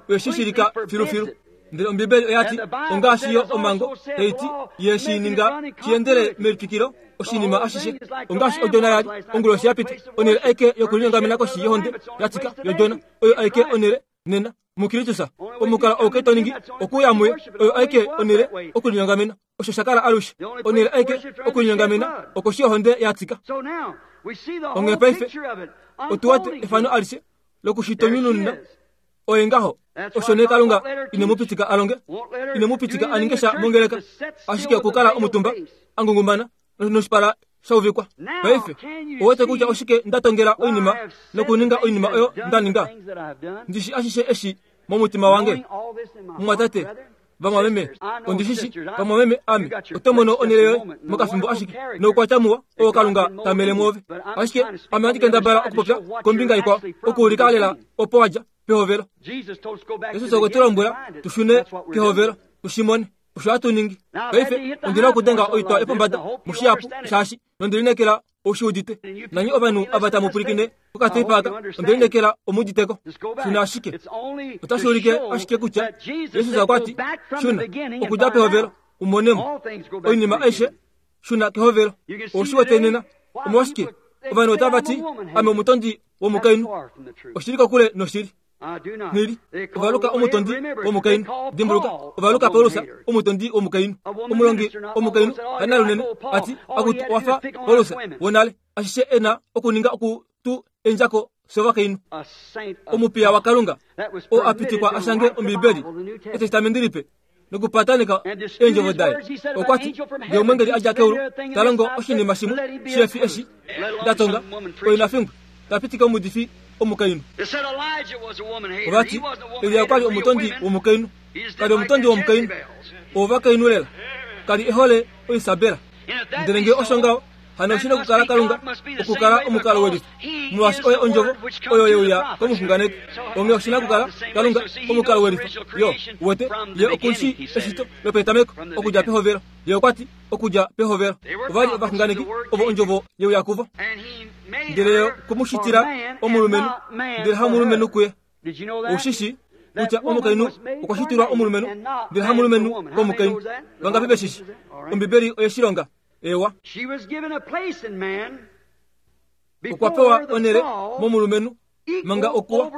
oye shi shilika filufilu. Ndele Ombibeli oya ti ongaashi yo omhango tai ti ye shi ninga shiendele melitwikilo oshinima ashishe. Ongaashi odjona yali onguloshi yapita onhele aike yokulinyongamena koshi yohonde yatika yodjona oyo aike onhele nena Mukristusa omukalo ou to ningi okuya muye oyo aike onele okulinyongamena osho sha kala alushe onele aike okulinyongamena okoshi ohonde ya tsika. Onghee paife otu wete efano alishe lokushitonyununa oye ngaho osho nee Kalunga ine mu pitika alonge ine mu pitika aninge sha mongeleka ashike okukala omutumba angungumbana noshipala shauvikwa. Paife owete kutya oshike ndatongela oinima nokuninga oinima oyo ndaninga ndishi ashishe eshi momutima wange mumwatate vamwameme ondishishi vamwameme ame oto mono onele yoye mokafimbo ashike noukwatya muwa oo Kalunga tamele mwoove ashike ame handi kendabala okupopya kombinga ikwao okuulika lela opo wadja pehovelo. Jesus okwe tu lombwela tushune kehovelo tushimone osho hatu ningi. Paife ondina okudenga oitwa yopombada mushihapu shaashi nondilinekela oshiudite nanyi ovanhu ava tamu pwilikine kokateipa aka ondilinekela omuditeko. Shuna ashike otashi ulike ashike kutya Jesus okwa ti shuna okudja pehovelo umonemo oinima aishe shuna kehovelo. Oshiwete nena omolwashike ovanhu otava ti ame omutondi womukainhu oshili kokule noshili. Nili ovaluka omutondi womukainhu dimbuluka ovaluka Paulus omutondi womukainhu omulongi womukainhu hanalunene ati akutu wafa Paulus wonale ashishe ena okuninga oku tu endjako sovakainhu omupiya waKalunga oo apitikwa ashange Ombibeli etestamenti lipe nokupataneka eendjovo daye. Okwa ti ngee omwengeli adja keulu ta longo oshinima shimwe shefi eshi ndatonga oina fingwe tapitika omudifi omukainhu. Ovati Elia okwa li omutondi womukainhu kali omutondi womukainhu ovakainhu lela kali ehole oIsabela. Ndele ngee osho ngaho hano oshina okukala Kalunga okukala omukalo welifa molwaashi oye ondjovo oyo yeuya komuxunganeki. Onghee oshina okukala Kalunga omukalo welifa yo wete ye okushi eshito lopetameko okudja pehovelo. Ye okwa ti okudja pehovelo ova li ovaxunganeki ovo ondjovo yeuya kuvo ndele ye okumushitila omulumenhu ndele hamulumenhu kuye. Ushishi kutya omukainhu okwa shitilwa omulumenhu ndele hamulumenhu komukainhu. Vangapi veshishi? Ombibeli oye shilonga. Ewa okwa pewa onele momulumenhu manga okuwa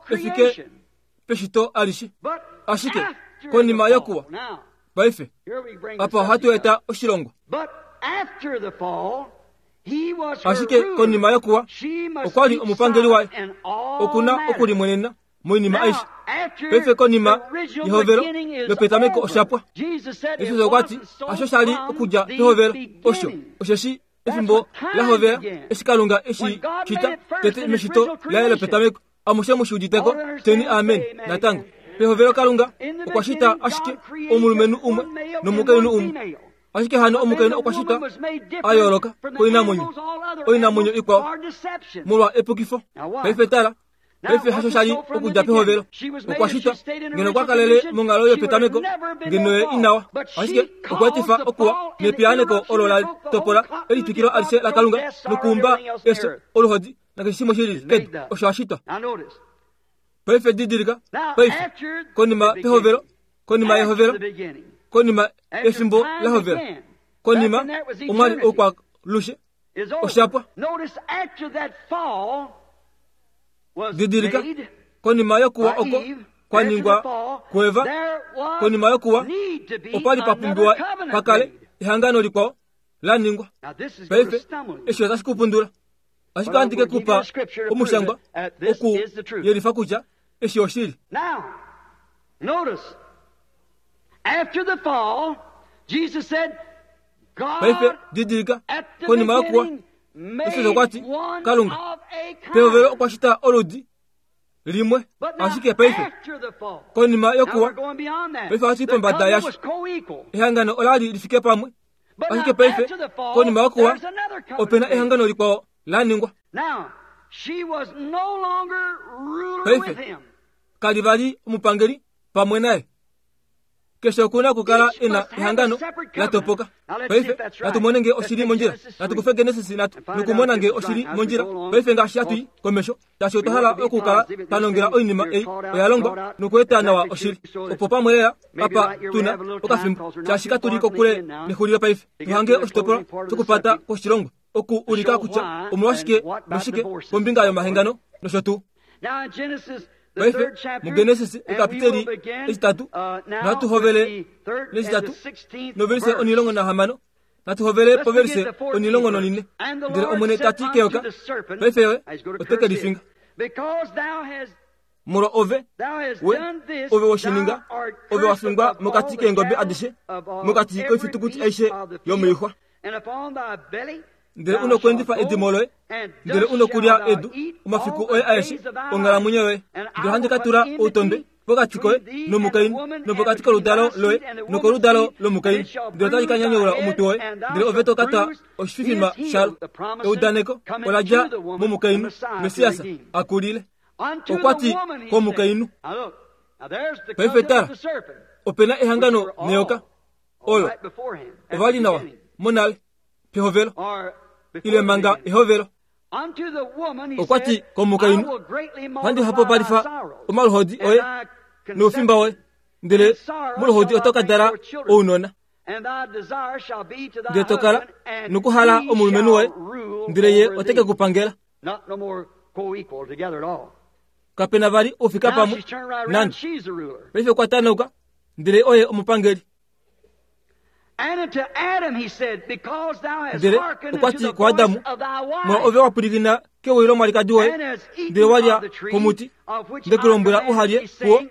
efike peshito alishe ashike konima yokuwa. Paife apa ohatu eta oshilongo ashike konima yokuwa okwa li omupangeli waye okuna okulimwenena moinima aishe. Paife konima yehovelo lopetameko oshapwa. Jesus okwa ti hasho sha li okudja pehovelo osho osheshi efimbo lahovela eshi Kalunga eshi shita tete meshito laye lopetameko. Amushe mushiuditeko teni amen. Natango pehovelo Kalunga okwa shita ashike omulumenhu umwe nomukainhu umwe ashike hano omukainhu okwa shita a yooloka koinamwenyo oinamwenyo ikwao molwa epukifo. Paife tala paife hasho sha li okudja pehovelo okwa shitwa ngeno okwa kalele monghalo yopetameko ngeno ye inawa ashike okwa etifa okuwa nepiyaaneko olo la topola elitwikilo alishe laKalunga nokuumba efyo oluhodi nakeshe shimwe shili kedu osho ashitwa. Paife didilika paife konima pehovelo konima yehovelo konima efimbo lahovelo konima omwali oukwalushe oshapwa. Didilika konima yokuwa oko kwaningwa kuEva konima yokuwa opali papumbiwa pakale ehangano likwao laningwa. Paife eshi otashi kupundula ashike andike kupa omushangwa oku yelifa kutya eshi oshili. Paife didilika konima yokuwa Jesus okwa ti Kalunga pehovelo okwa shita oludi limwe ashike paife konima yokuwa paife ohatu pombada yasho ehangano olali lifike pamwe ashike paife konima yokuwa opena ehangano likwao laningwa. Paife kali vali omupangeli pamwe naye. Keshe okuna okukala ena ehangano latopoka. Paife natumone nge oshili mondjila natukufe Genesis natu nokumona nge oshili mondjila. Paife ngaashi hatui komesho tashi otwa hala okukala tanongela oinima ei oya longwa nokueta nawa oshili opo pamwe lela apa tuna okafimbo shaashi katuli kokule nexulilo. Paife tuhange oshitopolwa shokupata koshilongo oku ulika kutya omolwashike noshike kombinga yomahangano nosho tuu. Paife muGenesis ekapiteli eshitatu natu hovele neshitatu noverise onilongo nahamano natu hovele poverise onilongo nonine ndele Omwene tati keyoka paife yoye oteke lifinga molwa ove we ove woshininga ove wafingwa mokati keengobe adishe mokati koifitukuti aishe yomoixwa ndele unokwendifa edimo loye ndele unokulya edu omafiku oye aeshe onghalamwenyo yoye ndele ohandi ka tula outondwe pokati koye nomukainhu nopokati koludalo loye nokoludalo lomukainhu ndele otali ka nyanyaula omutwe woye ndele ove to ka twa oshififima shalo. Eudaneko ola dja momukainhu Messias akulile. Okwati komukainhu paife tala opena ehangano neyoka olo ovali nawa monale pehovelo ile manga ehovelo. Okwati komukainhu handi hapopalifa omaluhodi oye noufimba woye ndele moluhodi oto ka dala ounona ndele to kala nokuhala omulumenhu woye ndele ye oteke kupangela. Kapena vali ofika pamwe nande paife okwa tanauka ndele oye omupangeli. Ndele okwati kuAdamu molwa ove wapwilikina kewi lomwalikadi woye ndele walya komuti ndekulombwela uhalye kuwo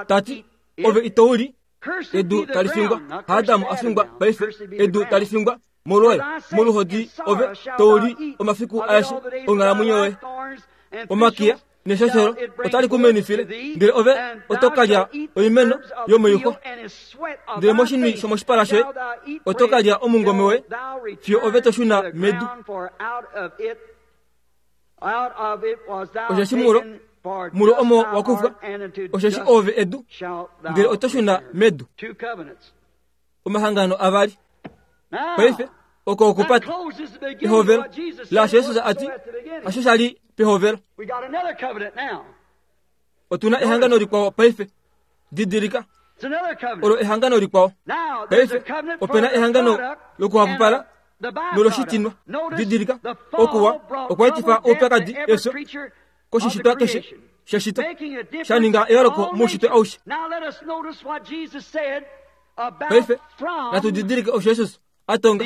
tati ove itouli edu talifingwa. Adamu afingwa paife edu talifingwa molwoye moluhodi ove touli omafiku aeshe onghalamwenyo yoye. Omakiya neshosholo otali kumenifile ndele ove oto kalya oimeno yomoixwa ndele moshinwi shomoshipala shoye oto kalya omungome woye fiyo ove to shuna medu. Osheshi mulo mulo omo wakufwa osheshi ove edu ndele oto shuna medu. Omahangano avali paife oko okupata ehovelo laasho Jesus ati asho shali pehovelo. Otuna ehangano likwao paife didilika olo ehangano likwao paife opena ehangano lokuhapupala noloshitinwa didilika okuwa okwaetifa oupyakadi efyo koshishitwa keshe sheshito shaninga eyooloko muushitwe aushe. Paife natu didilike osho Jesus atonga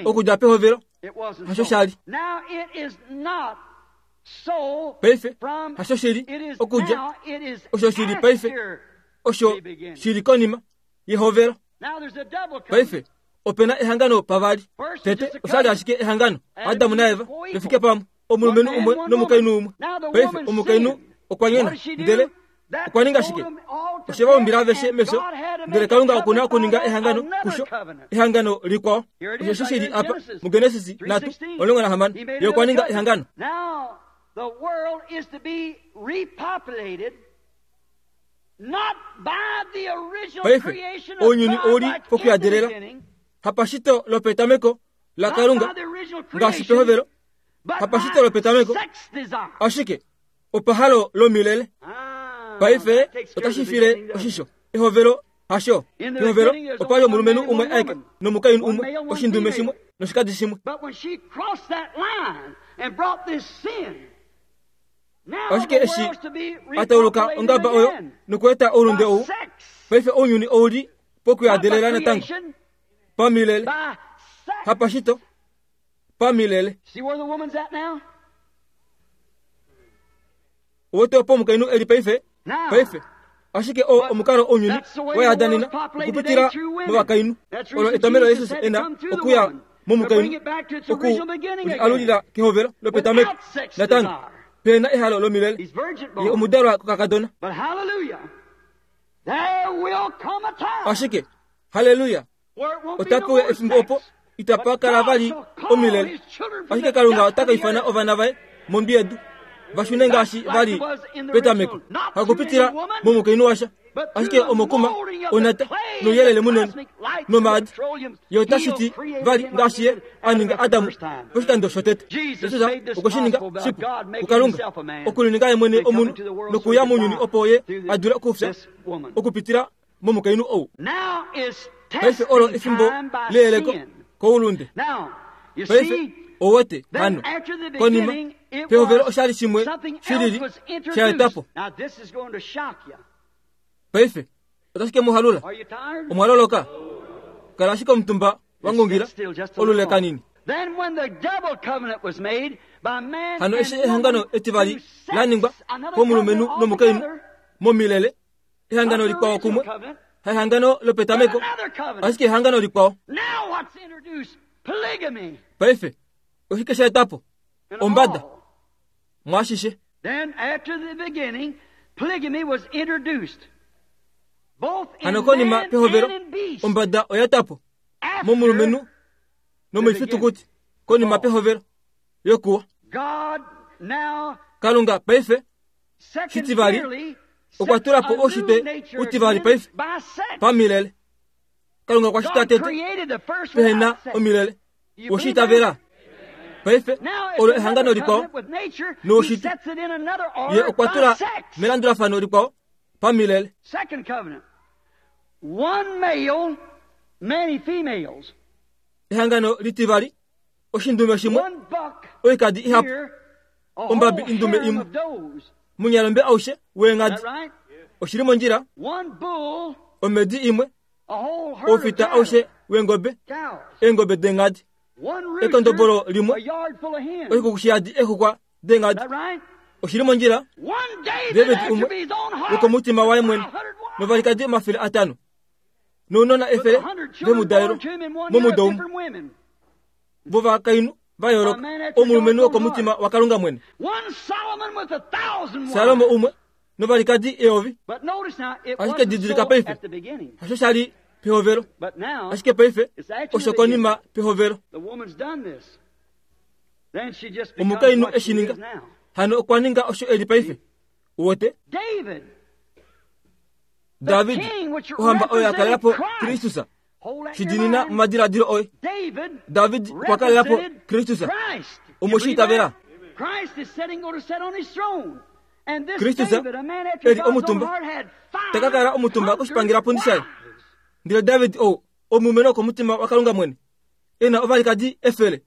okudja pehovelo hasho shali. Paife hasho shili okudja osho shili paife osho shili konima yehovelo. Paife opena ehangano pavali. Tete oshali ashike ehangano Adamu naEva vefike pamwe omulumenhu umwe nomukainhu umwe. Paife omukainhu okwa nyona ndele okwa ninga shike? Oshe vaumbila aveshe mefyo ndele Kalunga okuna okuninga ehangano kusho ehangano likwao. Osho shili apa muGenesis natu omulongo nahamano ye okwa ninga ehangano. The world is to be repopulated not by the original creation of God like in the beginning, hapashito lopetameko la Kalunga ngaashi pehovelo hapashito lopetameko ashike opahalo lomilele. Paife otashifile oshisho ehovelo hasho pehovelo opali omulumenhu umwe aeke nomukainhu umwe oshindume shimwe noshikadi shimwe. Ashike eshi atauluka ongaba oyo nokueta oulunde ou paife ounyuni ouli pokuyadelela natango pamilele hapashito pamilele. Owote opo omukainhu eli paife paife ashike o omukalo ounyuni wayadanena okupitila movakainhu olo etomelo Jesus ena okuya momukainhu oku alulila kehovelo lopetameko natango pena ehalo lomilele ye omudalwa kokakadona. Ashike haleluya otapewa efimbo opo itapa kala vali omilele. Ashike Kalunga otaka ifana ovana vaye mombi yedu vashune ngaashi vali petameko hakupitila momukainhu washa ashike omokuma onata nouyelele munene nomaadi ye otashiti vali ngaashi ye aninga Adamu poshikando shotete. Jesus okweshininga shipu kuKalunga okulininga ye mwene omunhu nokuya mounyuni opo ye adule okufya okupitila momukainhu ou. Paife olo efimbo leyeleko koulunde. Paife owete hano konima Pehovelo oshali shimwe shilili shaetapo. Paife otashi ke mu halula. Omwaloloka. Kala ashike omutumba wangungira olule kanini. Hano eshi ehangano etivali la ningwa komulumenhu nomukainhu momilele, ehangano likwao kumwe, haehangano lopetameko, ashike ehangano likwao. Paife oshike sha etapo? Ombada mwashishe. Hano konima pehovelo ombada oya etapo momulumenhu nomoifitukuti konima pehovelo yokuwa. Kalunga paife shitivali okwa tula po oshitwe utivali paife pamilele. Kalunga okwa shita tete pehena omilele oshitavela. Paife olo ehangano likwao noshitwe ye okwa tula melandulafano likwao pamilele. Ehangano litivali oshindume shimwe oikadi ihapu ombabi indume imwe munyalombe aushe weengadi oshili mondjila omedi imwe ofita aushe weengobe eengobe deengadi ekondobolo limwe oshikukushiyadi exuxwa deengadi oshili mondjila. David umwe wokomutima waye mwene novalikadi omafele atano nounona efele vemudalelo momudo umwe vovakainhu vayooloka omulumenhu wokomutima waKalunga mwene. Salomo umwe novalikadi eyovi. Ashike didilika paife hasho shali pehovelo, ashike paife osho konima pehovelo. Omukainhu eshininga hano okwa ninga osho eli paife. Uwete David ohamba oyo akalelapo Kristus shidinina momadiladilo oye. David okwa kalelapo Kristus omoshitavela. Kristus eli omutumba takakala omutumba koshipangelapundi shaye. Ndele David ou omulumenhu wokomutima waKalunga mwene ena ovalikadi efele.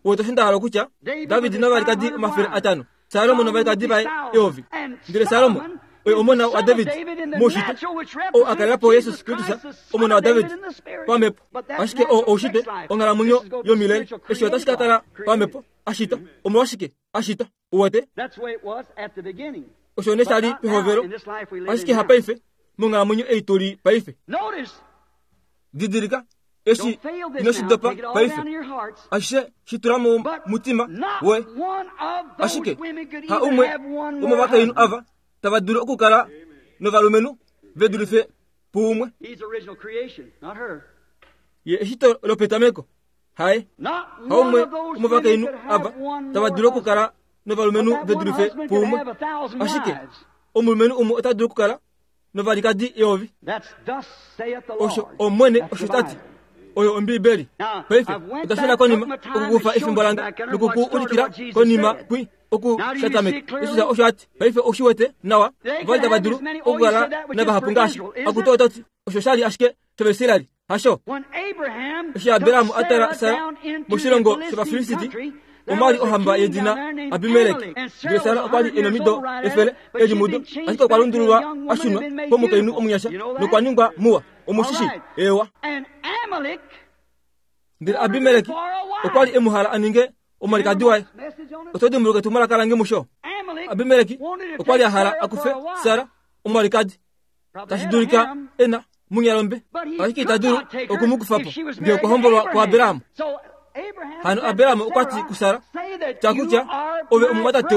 Uwete osho nda hala okutya David novalikadi omafele atano, Salomo novalikadi vaye eyovi. Ndele Salomo oye omona waDavid moushitwe ou akalelapo Jesus Kristus omona waDavid pamhepo. Ashike oo oushitwe onghalamwenyo yomilele eshi otashi ka kala pamhepo ashita. Omolwashike ashita? Uwete osho ne shali pehovelo, ashike hapaife monghalamwenyo ei tuli paife. Didilika eshi inoshidopa paife ashishe shitula momutima woye. Ashike ha umwe womovakainhu ava tava dulu okukala novalumenhu ve dulife puumwe. Ye eshito lopetameko haye haumwe womovakainhu ava tava dulu okukala novalumenhu ve dulife puumwe. Ashike omulumenhu umwe ota dulu okukala novalikadi eyovi. Osho Omwene osho tati oyo Ombibeli. Paife otashuna konima okukufa efimbo lange nokuku ulikila konima kwi okushatameka. Jesus osho ati paife oshiwete nawa ovali tava dulu okukala navahapu ngaashi akuto otati osho shali ashike shovaisraeli hasho. Eshi Abrahamu atala Sara moshilongo shovafilisti omwali ohamba yedina Abimelek. Ndele Sara okwa li ena omido efele eli mudo, ashike okwa lundululwa ashunwa komukainhu omunyasha nokwa ningwa muwa omushishi ewa. Ndele Abimelek okwa li e mu hala a ninge omwalikadi waye. Oto dimbuluka etumwalaka lange musho. Abimelek okwa li a hala a kufe Sara omwalikadi, tashi dulika ena munyalombe, ashike ita dulu okumukufa po ngee okwa hombolwa kuAbraham. Hano Abrahamu okwa ti kuSara, takutya ove omumwatate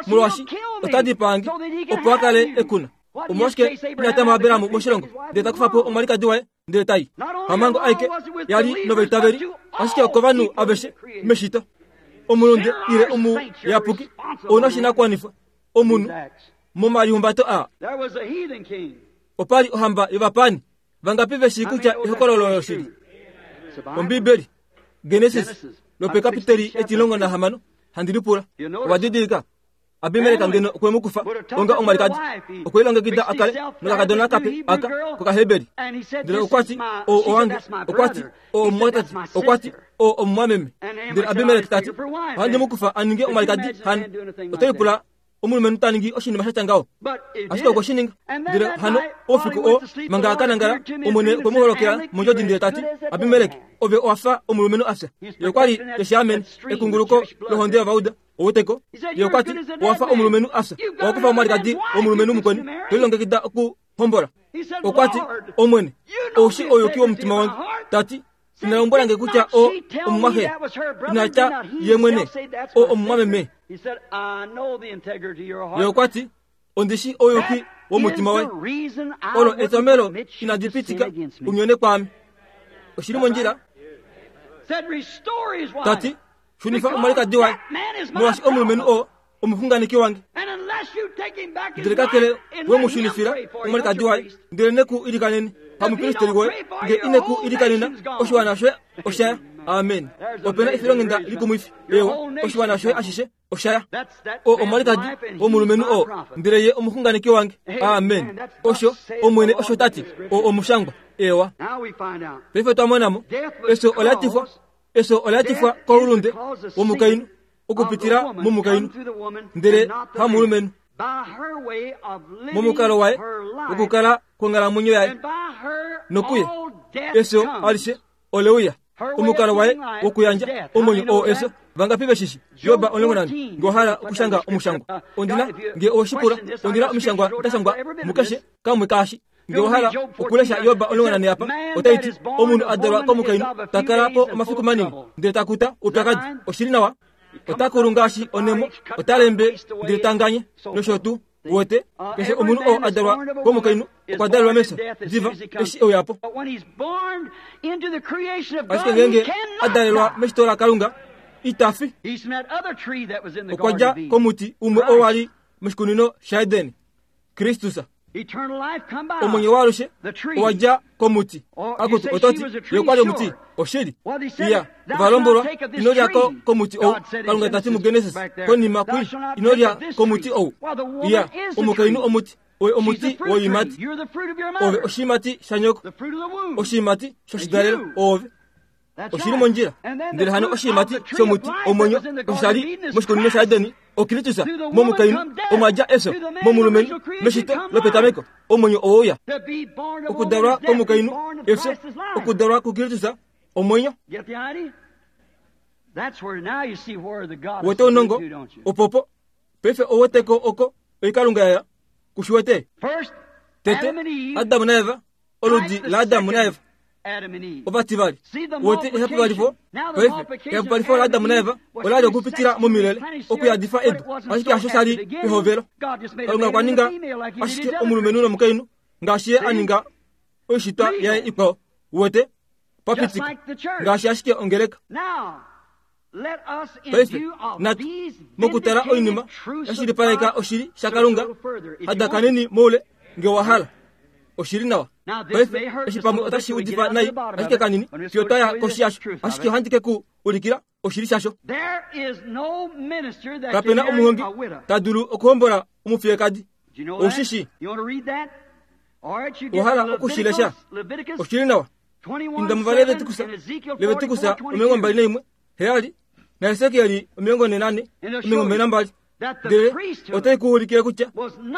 molwaashi ota dipaange opo a kale ekuna. Omolwashike inatama Abrahamu moshilongo ndele takufa po omwalikadi waye ndele tai. Hamango aike yali novaitaveli, ashike okovanhu aveshe meshito. Omulunde ile omuyapuki ouna oshinakuwanifwa omunhu momalihumbato aa. Opali ohamba yovapani vangapi veshi kutya ehokololo loshili? Ombibeli Genesis lopekapiteli etilongo nahamano handi lipula. Ovadidilika Abimelek ngeno okwe mu kufa onga omwalikadi okwe longekida a kale nokakadona kape aka kokaheberi. Ndele okwa ti o owange, okwa ti o omumwatate, okwa ti o omumwameme. Ndele Abimelek ta ti ohandi mu kufa a ninge omwalikadi hano. Oto lipula omulumenhu ta ningi oshinima sha tya ngaho, ashike okwe shi ninga. Ndele hano oufiku oo manga a ka nangala, Omwene okwe mu holokela mondjodi ndele ta ti, Abimelek, ove owa fa omulumenhu a fya. Ye okwa li te shi amene ekunguluko lohonde yovauda. Oweteko ye okwa ti owa fa omulumenhu a fya, owa kufa omwalikadi womulumenhu mukweni, to lilongekida okuhombola. Okwa ti, Omwene, ou shi ouyuki womutima wange. Ta ti, ina lombwela nge kutya o omumwaxe, ina tya ye mwene o omumwameme. Ye okwa ti, ondi shi ouyuki womutima waye. Olo etomelo inadi pitika unyone kwaame. Oshili mondjila. Ta ti, shunifa omwalikadi waye, molwaashi omulumenhu oo omuxunganeki wange. Ndele kakele we mu shunifila omwalikadi waye, ndele ne ku ilikanene pamupristeli woye, nge ine ku ilikanena, oshiwana shoye oshaya. Amen. Opena efilonghenda likumwifi. Ewa, oshiwana shoye ashishe oshaya. O omwalikadi womulumenhu oo, ndele ye omuxunganeki wange. Amen. Osho Omwene osho ta ti, o omushangwa. Ewa. Paife twa monamo efyo ola tifwa, efyo ola tifwa koulunde womukainhu okupitila momukainhu, ndele hamulumenhu. Momukalo waye wokukala kwonghalamwenyo yaye nokuye efyo alishe oleuya. Omukalo waye wokuyandja omwenyo oo efyo. Vangapi veshishi? Job omulongo nane. Nge owa hala okushanga omushangwa, ondina nge owe shi pula, ondina omishangwa da shangwa mukeshe kamwe kaashi. Nge owa hala okulesha Job omulongo nane apa, otai ti omunhu a dalwa komukainhu ta kala po omafiku manini, ndele ta kuta oupyakadi. Oshili nawa. Ota kulu ngaashi onemo, ota lembe ndele ta nganye nosho tuu. Wote keshe omunhu oo a dalwa komukainhu okwa dalelwa mefyo diva eshi e uya po. Ashike ngeenge a dalelwa meshito laKalunga, ita fi. Okwa dja komuti umwe oo wa li moshikunino shaEden, Kristus. Omwenyo waalushe owa dja komuti. Akutu oto ti ye okwa li omuti. Oshili. Iya, ova lombwelwa ino lya ko komuti ou. Kalunga ta ti muGenesis konima kwi ino lya komuti ou. Iya, omukainhu omuti, oye omuti woiimati. Ove oshiimati shanyoko, oshiimati shoshidalelo oove. Oshili mondjila. Ndele hano oshiimati shomuti omwenyo osho sha li moshikunino shaEden, oKristus momukainhu omwa dja efyo, momulumenhu meshito lopetameko omwenyo owouya. Okudalwa komukainhu efyo, okudalwa kuKristus omwenyo. Wete ounongo opopo paife oweteko oko oikalunga yaya kushiwete. Tete Adamu naEva, oludi laAdamu naEva ovativali. Wete ehapupalifo paife ehapupalifo laAdamu naEva ola li okupitila momilele okuyadifa edu, ashike hasho sha li pehovelo. Kalunga okwa ninga ashike omulumenhu nomukainhu ngaashi ye a ninga oishitwa yaye ikwao. Wete papitika ngaashi ashike ongeleka. Paife natu mokutala oinima yashilipaleka oshili shaKalunga, hadakaneni moule nge owa hala. Oshili nawa. Paife eshi pamwe otashi udifa nai ashike kanini fiyo twaya koshi yasho, ashike ohandi ke ku ulikila oshili shasho. Kapena omuhongi ta dulu okuhombola omufiyekadi. Oushishi. Owa hala okushilesha? Oshili nawa. Inda muvaLevitikus, Levitikus omilongo mbali naimwe heyali naHesekiel omilongo nhe nane omilongo mbali nambali. Ndele otai ku ulikile kutya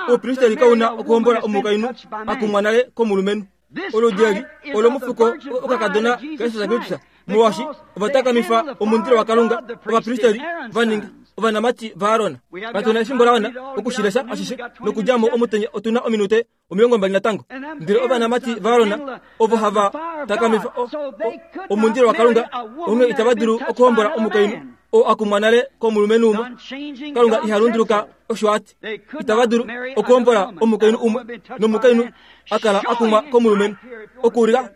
oupristeli kau na okuhombola omukainhu a kumwa nale komulumenhu. Oludi eli olomufuko okakadona kaJesus Kristus, molwaashi ovatakamifa omundilo waKalunga, ovapristeli va ninga ovanamati vaAron. Katu na efimbo la wana okushilesha ashishe nokudja mo omutenya. Otu na ominute omilongo mbali natango. Ndele ovanamati vaAron ovo hava takamifa omundilo waKalunga, onghee itava dulu okuhombola omukainhu oo a kumwa nale komulumenhu umwe. Kalunga iha lunduluka osho a ti. Itava dulu okuhombola omukainhu umwe nomukainhu a kala a kumwa komulumenhu. Okuulika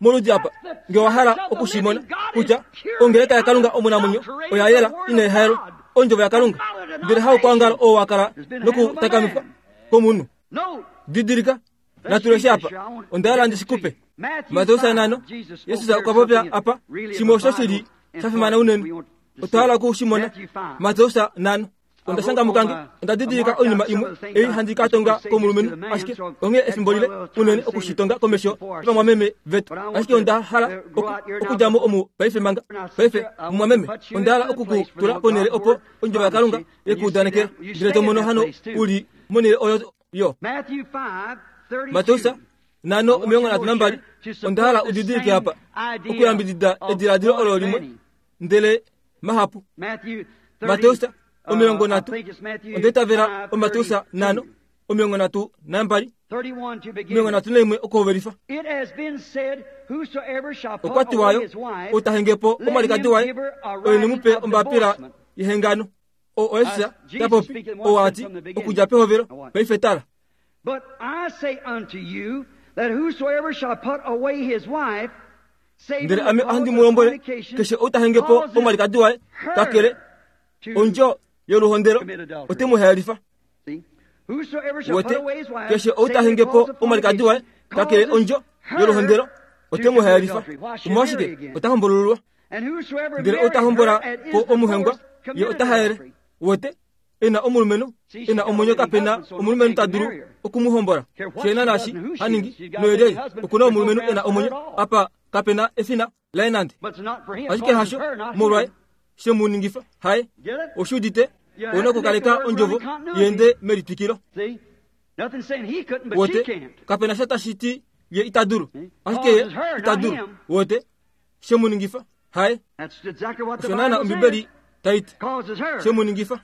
moludi apa nge owa hala okushimona kutya ongeleka yaKalunga omunamwenyo oya yela inai haelwa ondjovo yaKalunga, ndele haukwaongalo oo wa kala nokutakamifwa komunhu. Didilika, natu leshe apa. Onda hala ndi shikupe. Mateus nano, Jesus okwa popya apa shimwe osho shili sha fimana unene. Otwa hala oku shi mona. Mateus nano. Onda shanga mukange, onda didilika oinima imwe ei handi ka tonga komulumenhu, ashike onghee efimbo lile unene okushitonga komesho yovamwameme vetu. Ashike onda hala okudja mo omu paife manga. Paife mumwameme, onda hala oku ku tula ponhele opo ondjovo yaKalunga yekuudanekela. Ndele to mono hano uli monhele oyo yo. Mateus nano omilongo nhatu nambali, onda hala udidilike apa okuyambidida ediladilo olo limwe ndele mahapu. Mateus omilongo nhatu, onda itavela oMateus nano omilongo nhatu nambali, omilongo nhatu naimwe okuhovelifa. Okwa tiwayo, ou ta henge po omwalikadi waye, oye ne mu pe ombapila yehengano. O Jesus ta popi, ou ati okudja pehovelo paife tala. But I say unto you that whosoever shall put away his wife, ndele ame ohandi mu lombwele, keshe ou ta henge po omwalikadi waye, kakele ondjo yoluhondelo, ote mu haelifa. Wote, keshe ou ta henge po omwalikadi waye, kakele ondjo yoluhondelo, ote mu haelifa. Omolwashike ota hombolululwa? Ndele ou ta hombola po omuhengwa, ye ota haele. Wote, ena omulumenhu ena omwenyo kapena omulumenhu ta dulu okumuhombola. Shena nashi haningi noyelei okuna omulumenhu ena omwenyo apa kapena efina laye nande. Ashike hasho molwaye shemuningifa haye oshuudite ona okukaleka ondjovo yende melitwikilo. Wote kapena sha tashi ti ye ita dulu, ashike ye ita dulu. Wote shemuningifa haye osho naana Ombibeli taiti shemuningifa.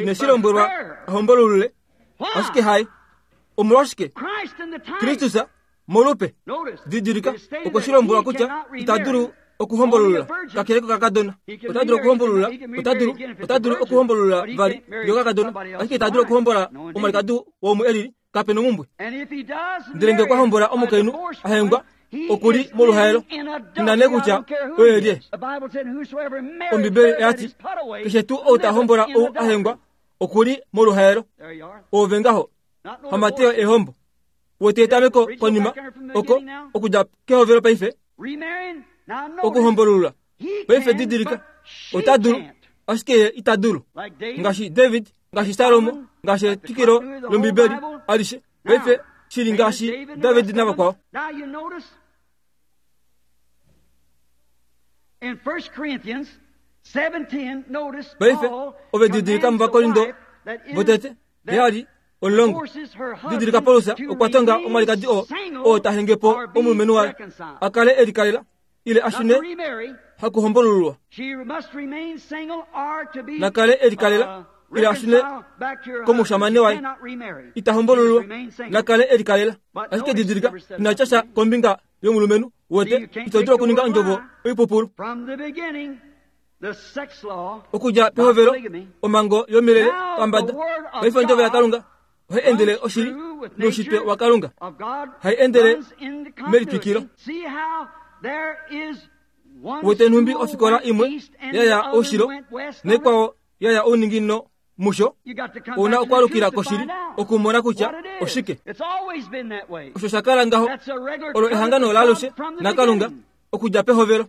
Ineshilombwelwa ahombolulule, ashike haye. Omolwashike? Kristus molupe. Didilika, okwe shi lombwelwa kutya ita dulu okuhombolulula kakele kokakadona. Ota dulu okuhombolula, ota dulu, ota dulu okuhombolula vali yokakadona, ashike ita dulu okuhombola omwalikadi womwe elili kapena omumbwe. Ndele ngee okwa hombola omukainhu ahengwa, okuli moluhaelo, ina nee kutya oye lye. Ombibeli oyati keshe tuu ou ta hombola ou ahengwa okuli moluhaelo. Ove ngaho hamateyo ehombo. Wote etameko konima oko okudja kehovelo paife okuhombolulula. Paife didilika, ota dulu, ashike ye ita dulu. Ngaashi David, ngaashi Salomo, ngaashi etwikilo lOmbibeli alishe. Paife shili ngaashi David navakwao. Paife ove didilika muVakorindo votete heyali omulongo. Didilika Paulus okwa tonga omwalikadi oo oo ta henge po omulumenhu waye a kale e likalela ile a shune hakuhombolululwa. Na kale e likalela ile a shune komushamane waye, ita hombolululwa. Na kale e likalela. Ashike didilika ina tya sha kombinga yomulumenhu. Wote ito dulu okuninga ondjovo oipupulu. Okudja pehovelo omhango yomilele pambada. Paife ondjovo yaKalunga ohai endele oshili noushitwe waKalunga, hai endele melitwikilo. Wote nhumbi ofikola imwe yaya oushilo naikwao yaya ouninginino musho, ouna okwaalukila koshili okumona kutya oshike. Osho sha kala ngaho olo ehangano laalushe naKalunga okudja pehovelo.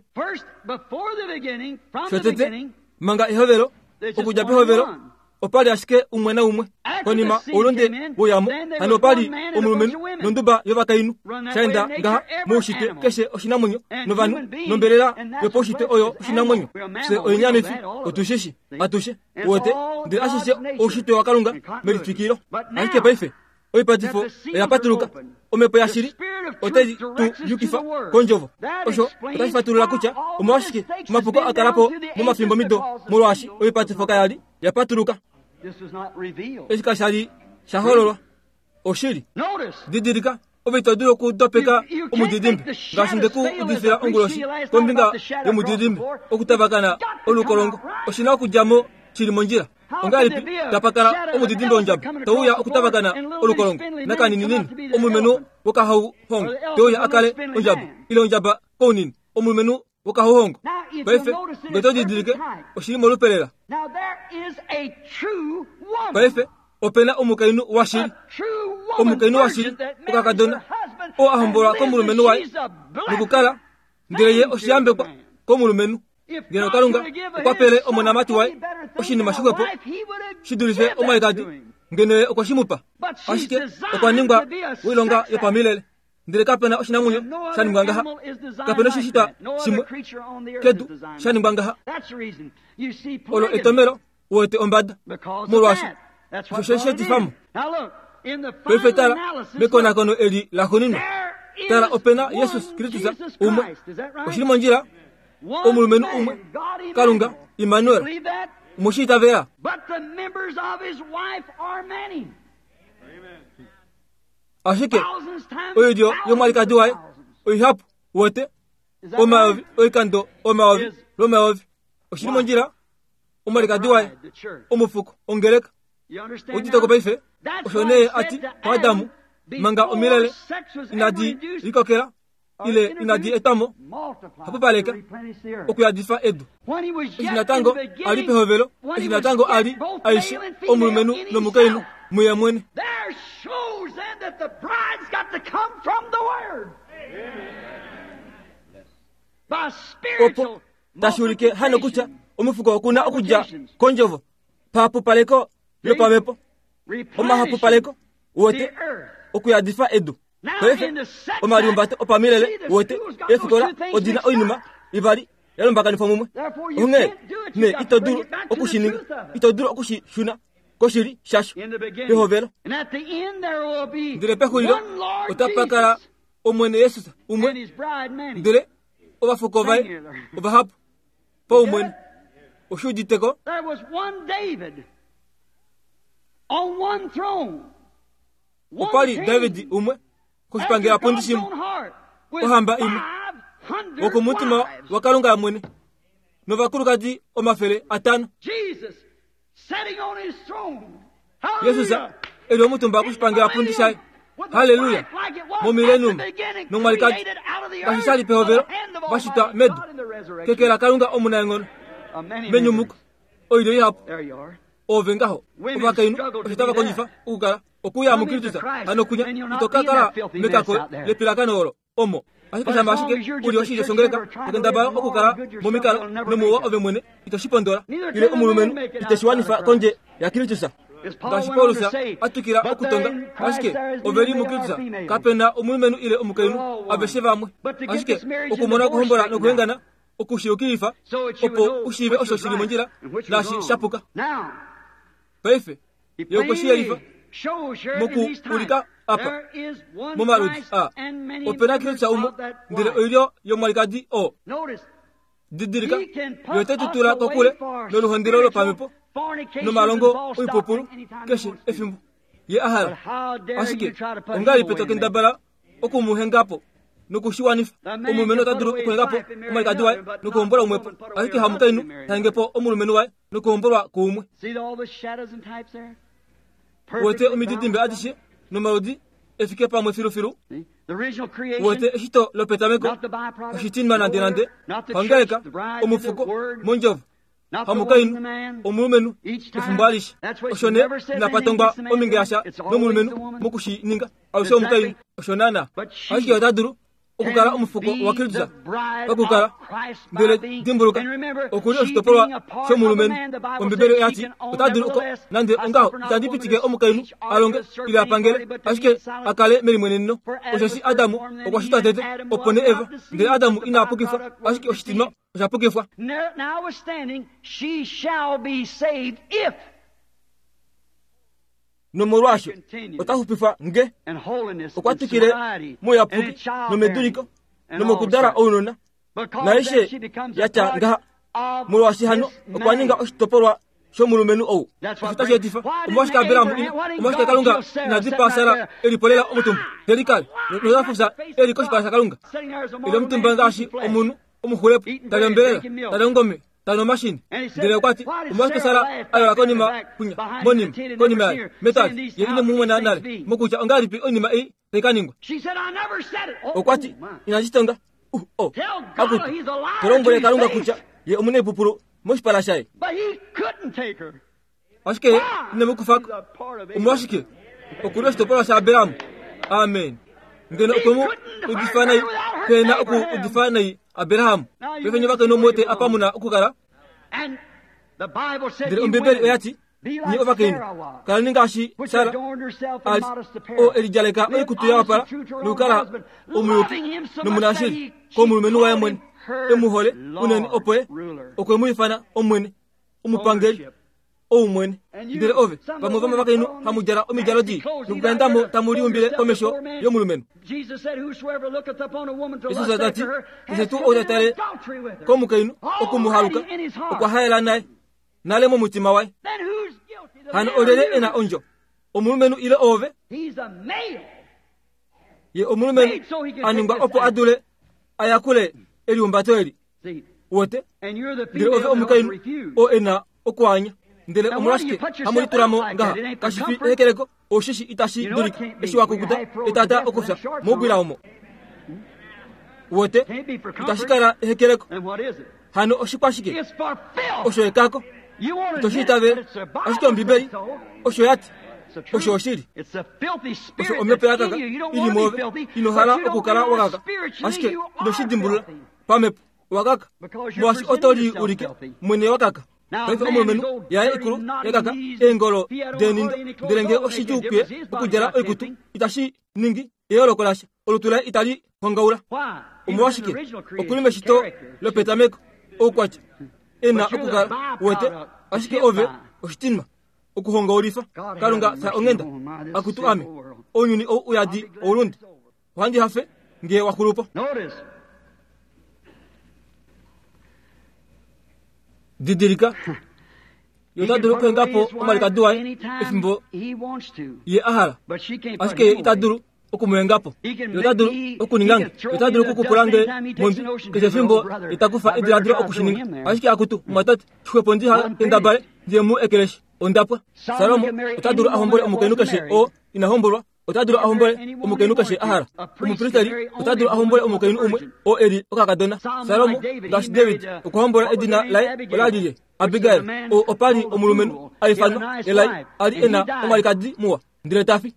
Shotete manga ehovelo, okudja pehovelo opali ashike umwe naumwe. Konima oulunde woyamo, hano opali omulumenhu nonduba yovakainhu. Shaenda ngaha moushitwe keshe oshinamwenyo novanhu nombelela yopaushitwe oyo oshinamwenyo. Fye oinyamifi otushishi atushe wote, ndele ashishe oushitwe waKalunga melitwikilo. Ashike paife oipatifo oya patuluka, omhepo yashili otai tu yukifa kondjovo. Osho otashi fatulula kutya omolwashike omapuko a kala po momafimbo mido, molwaashi oipatifo kaya li ya patuluka. Eshi kasha li sha hololwa oshili. Didilika, ove ito dulu okudopeka omudidimbe ngaashi nde ku udifila onguloshi kombinga yomudidimbe okutavakana olukolongo. Oshina okudja mo shili mondjila. Ongahelipi tapakala omudidimbe wondjaba tauya okutavakana olukolongo nakanininini omulumenhu wokahauhongo teuya a kale ondjaba ile ondjaba kounini omulumenhu wokahauhongo. Paife ngee to didilike oshili molupelela. Paife opena omukainhu washili, omukainhu washili okakadona oo a hombolwa komulumenhu waye nokukala ndele ye oshiyambekwa komulumenhu. Ngeno Kalunga okwa pele omonamati waye oshinima shixwepo shi dulife omwalikadi, ngeno ye okwe shi mu pa. Ashike okwa ningwa woilonga yopamilele. Ndele kapena oshinamwenyo sha ningwa ngaha, kapena oshishitwa shimwe kedu sha ningwa ngaha. Olo etomelo uwete ombada molwaashi osho she shi etifamo. Paife tala mekonakono eli laxuuninwa, tala opena Jesus Kristus umwe, oshili mondjila, omulumenhu umwe, Kalunga Immanuel, omushiitavela. Ashike oilyo yomwalikadi waye oihapu wote omayovi oikando omayovi lwomayovi, oshili mondjila, omwalikadi waye omufuko ongeleka. Uditeko paife osho nee ati kuAdamu manga omilele inadi likokela ile inadi etwamo hapupaleka okuyadifa edu. Eshi natango ali pehovelo, eshi natango ali aishe omulumenhu nomukainhu muye mwene. Opo tashi ulike hano kutya omufuko okuna okudja kondjovo pahapupaleko lopamhepo, omahapupaleko wote okuyadifa edu. Paife omaliumbato opamilele wote eefikola odina oinima ivali yalombakanifwa mumwe. Onghee nee ito dulu okushininga, ito dulu okushishuna koshili shasho pehovelo. Ndele pexulilo otapa kala Omwene Jesus umwe, ndele ovafuko vaye ovahapu paumwene. Oshi uditeko? Opa li David umwe koshipangelapundi shimwe, ohamba imwe, wokomutima waKalunga mwene, novakulukadi omafele atano. Jesus eli omutumba koshipangelapundi shaye, haleluya, momilenum nomwalikadi ngaashi sha li pehovelo vashitwa medu keke laKalunga omunaenghono menyumuko oilyo ihapu. Ove ngaho ovakainhu osho tava kondjifa okukala okuya muKristus hano kunya ito ka kala mekako lepilakano olo omo. Ashike shama ashike uli oshilyo shongeleka tokendabala okukala momikalo nomuwa ove mwene ito shi pondola, ile omulumenhu ite shi wanifa kondje yaKristus. Ngaashi Paulus a twikila okutonga, ashike ove li muKristus kapena omulumenhu ile omukainhu, aveshe vamwe. Ashike okumona okuhombola nokuhengana okushiyukilifa opo ushiive osho shili mondjila naashi shapuka. Paife ye okwe shi yelifa moku ulika apa momaludi a opena Kristus umwe, ndele oilyo yomwalikadi oo. Didilika, ye ote tu tula kokule noluhondelo lopamhepo nomalongo oipupulu keshe efimbo ye a hala. Ashike ongahelipi to kendabala okumuhengapo nokushiwanifa? Omulumenhu ota dulu okuhengapo omwalikadi waye nokuhombola umwepo, ashike hamukainhu tahengepo omulumenhu waye nokuhombolwa kuumwe. Wete omididimbe adishe nomaludi efike pamwe filufilu. Wete eshito lopetameko oshitinwa nande nande hangeleka omufuko mondjovo hamukainhu omulumenhu efimbo alishe. Osho nee inapatongwa ominge yasha nomulumenhu mokushininga alushe omukainhu osho naana. Ashike ota dulu okukala omufuko waKristus pakukala, ndele dimbuluka okuli oshitopolwa shomulumenhu. Ombibeli oyati ota dulu oko nande ongaho itandi pitike omukainhu alonge ile apangele, ashike akale melimweneneno. Osheshi Adamu okwa shitwa tete, opo nee Eva, ndele Adamu ina pukifwa, ashike oshitinwa osha pukifwa. Nomolwaasho ota xupifwa nge okwa twikile mouyapuki nomeduliko nomokudala ounona naishe yatya ngaha, molwaashi hano okwa ninga oshitopolwa shomulumenhu ou. Osho tashi etifa omolwashike Abraham omolwashike Kalunga ina dipaa Sara elipolela omutumba telikale notafufya eli koshipala shaKalunga eli omutumba ngaashi omunhu omuxulepo tali ombelela tali ongome tali omashini. Ndele okwa ti omolwashike Sara a yola konima kunya monima konima yaye metwali ye ine mu mona nale mokutya ongahelipi oinima ei tai ka ningwa. Okwa ti inashi tonga uh, oh, akutu tolombwele Kalunga kutya ye omunaipupulu moshipala shaye. Ashike ine mu kufako. Omolwashike okuli oshitopolwa shaAbraham. Amen. Ngeno okwe mu udifa nai pena oku udifa nai Abraham. Paife nye vakainhu omuwete apa mu na okukala. Ndele Ombibeli oya ti, nye ovakainhu kaleni ngaashi Sara ali oo e lidjaleka oikutu ya wapala nokukala omuyuki nomunashili komulumenhu waye mwene, e mu hole unene opo ye okwe mu ifana omwene, omupangeli oumwene. Ndele ove vamwe vomovakainhu hamu djala omidjalo dii nokukaendamo tamu liumbile komesho yomulumenhu. Jesus ta ti, keshe tuu ou ta tale komukainhu oku mu haluka okwa haela naye nale momutima waye. Hano olyelye e na ondjo, omulumenhu ile oove? Ye omulumenhu a ningwa opo a dule a yakule elihumbato eli. Wote, ndele ove omukainhu oo e na okuanya. Ndele omolwashike hamu litulamo ngaha? Kashi fi ehekeleko, oshishi itashi dulika eshi wa kukuta etata okufya moubwila omo. Wote, itashi kala ehekeleko. Hano oshikwashike? Osho ekako. Ito shi itavele, ashike Ombibeli osho ya ti, osho oshili. Osho omhepo ya kaka ili mwoove, ino hala okukala wa kaka, ashike ino shi dimbulula pamhepo wa kaka, molwaashi oto li ulike mwene wa kaka. Paife omulumenhu yaye ikulu ya kaka eengolo deenindo, ndele ngee oshidjuu kuye okudjala oikutu itashi ningi eyooloko lasha, olutu laye itali hongaula. Omolwashike? Okuli meshito lopetameko oukwatya e na okukala wete, ashike ove oshitinwa okuhongaulifa. Kalunga fya onghenda, akutu ame, ounyuni ou uyadi oulunde. Ohandi hafe ngee wa xulupo. Didilika, ye ota dulu okuhenga po omalikadi waye efimbo ye a hala, ashike ye ita dulu okumuhenga po. Ye ota dulu okuninga nge, ye ota dulu okukupula nge mondwi keshe efimbo ye ta kufa ediladilo okushininga, ashike akutu mumwatate, xwepo ndi ha kendabale ndiye mu ekeleshi. Ondapwa. Salomo ota dulu a hombole omukainhu keshe oo ina hombolwa, ota dulu a hombole omukainhu keshe a hala. Omupristeli ota dulu a hombole omukainhu umwe oo e li okakadona. Salomo ngaashi David okwa hombola edina laye ola li lye Abigail, oo opa li omulumenhu a ifanwa Elai, a li e na omwalikadi muwa, ndele ta fi.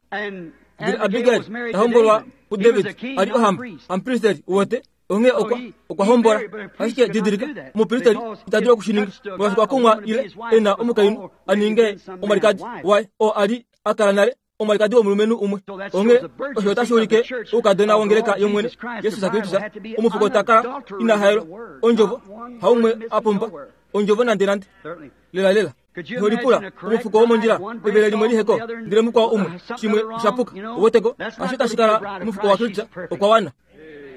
Ndele Abigail ta hombolwa kuDavid, a li ohamba, omupristeli wote, onghee okwa okwa hombola. Ashike didilika, omupristeli ita dulu okushininga, molwaashi okwa kumwa ile e na omukainhu a ninge omwalikadi waye oo a li a kala nale omwalikadi womulumenhu umwe. Onghee osho otashi ulike oukadona wongeleka yOmwene Jesus Kristus, omufuko ta kala ina haelwa ondjovo, haumwe a pumba ondjovo nande nande. Lela lela. Holipula omufuko womondjila evele limwe liheko, ndele mukwao umwe shimwe oshapuka. Oweteko, asho itashi kala omufuko wa Kristus okwa wana.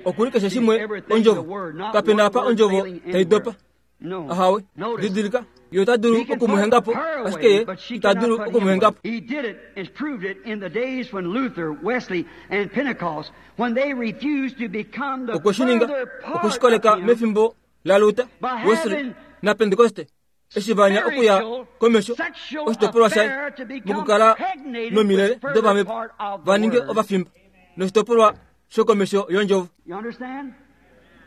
Okuli keshe shimwe ondjovo, kapena apa ondjovo tai dopa. Ahawe, didilika, ye ota dulu okumuhenga po, ashike ye ita dulu okumuhenga po. He did it and proved it in the days when Luther, Wesley, and Pentecost, when they refused to become the Okweshininga, further part okweshikoleka of him mefimbo laLuther, by Wesley having na Pentecoste, eshi vanya okuya komesho sexual oshitopolwa shaye affair to become mokukala pregnated nomilele with further dopamhepo part of the va ninge word. ovafimba noshitopolwa shokomesho yondjovo. You understand?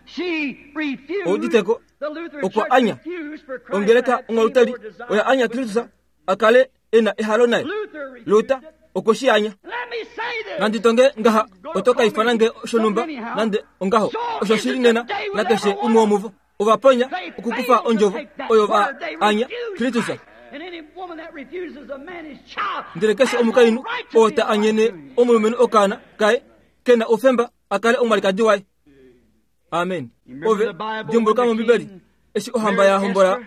She refused. Ouditeko, The Lutheran okwa Church anya refused for Christ ongeleka to have ongaluteli any more desire oya anya with Kristus her. a kale e na ehalo naye. Luther refused Luther it. okwe shi anya. Let me say this. Nandi tonge ngaha oto ka ifana nge shonhumba nande ongaho osho shili nena nakeshe umwe womuvo. Ovaponya They okukufa failed to ondjovo take that oyo va word. They anya refused Kristus. Christ. And any woman that refuses a man his child Ndele keshe has no omukainhu right to oo be ta a wife anyene to him. omulumenhu okaana kaye ke na oufemba a kale omwalikadi waye. Amen. Ove dimbuluka mOmbibeli eshi ohamba ya hombola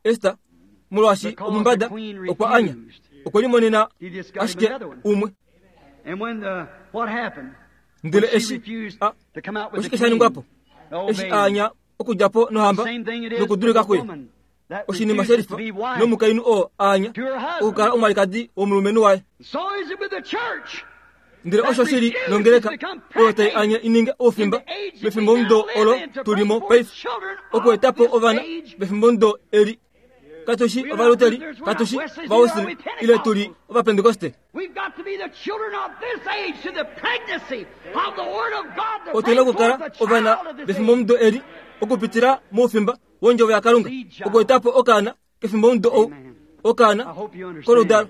Ester, molwaashi omumbada okwa anya, okwe limonena He just got him ashike another one. umwe. And when the, what happened? Ndele When she eshi refused a to come out with the oshike sha ningwa po? king, Eshi obeying. a anya okudja po nohamba Same thing it is with nokudulika the kuye. woman that Oshinima refuses shelifa to be wife nomukainhu oo a anya to her husband. okukala omwalikadi womulumenhu waye. So is it with the church. Ndele osho shili nongeleka oyo tai anya i ninge oufimba mefimbomudo olo tulimo paife, okuetapo ovana vefimbomudo eli. Katushi ovaluteri, katushi ovawesley, ile tuli ovapentekoste. We've got to be the children of this age to the pregnancy of the Word of God to Otuna bring forth okukala the ovana child of this age. vefimbomudo eli okupitila moufimba wondjovo yaKalunga, okuetapo okaana kefimbomudo ou, okaana I hope you understand. koludalo.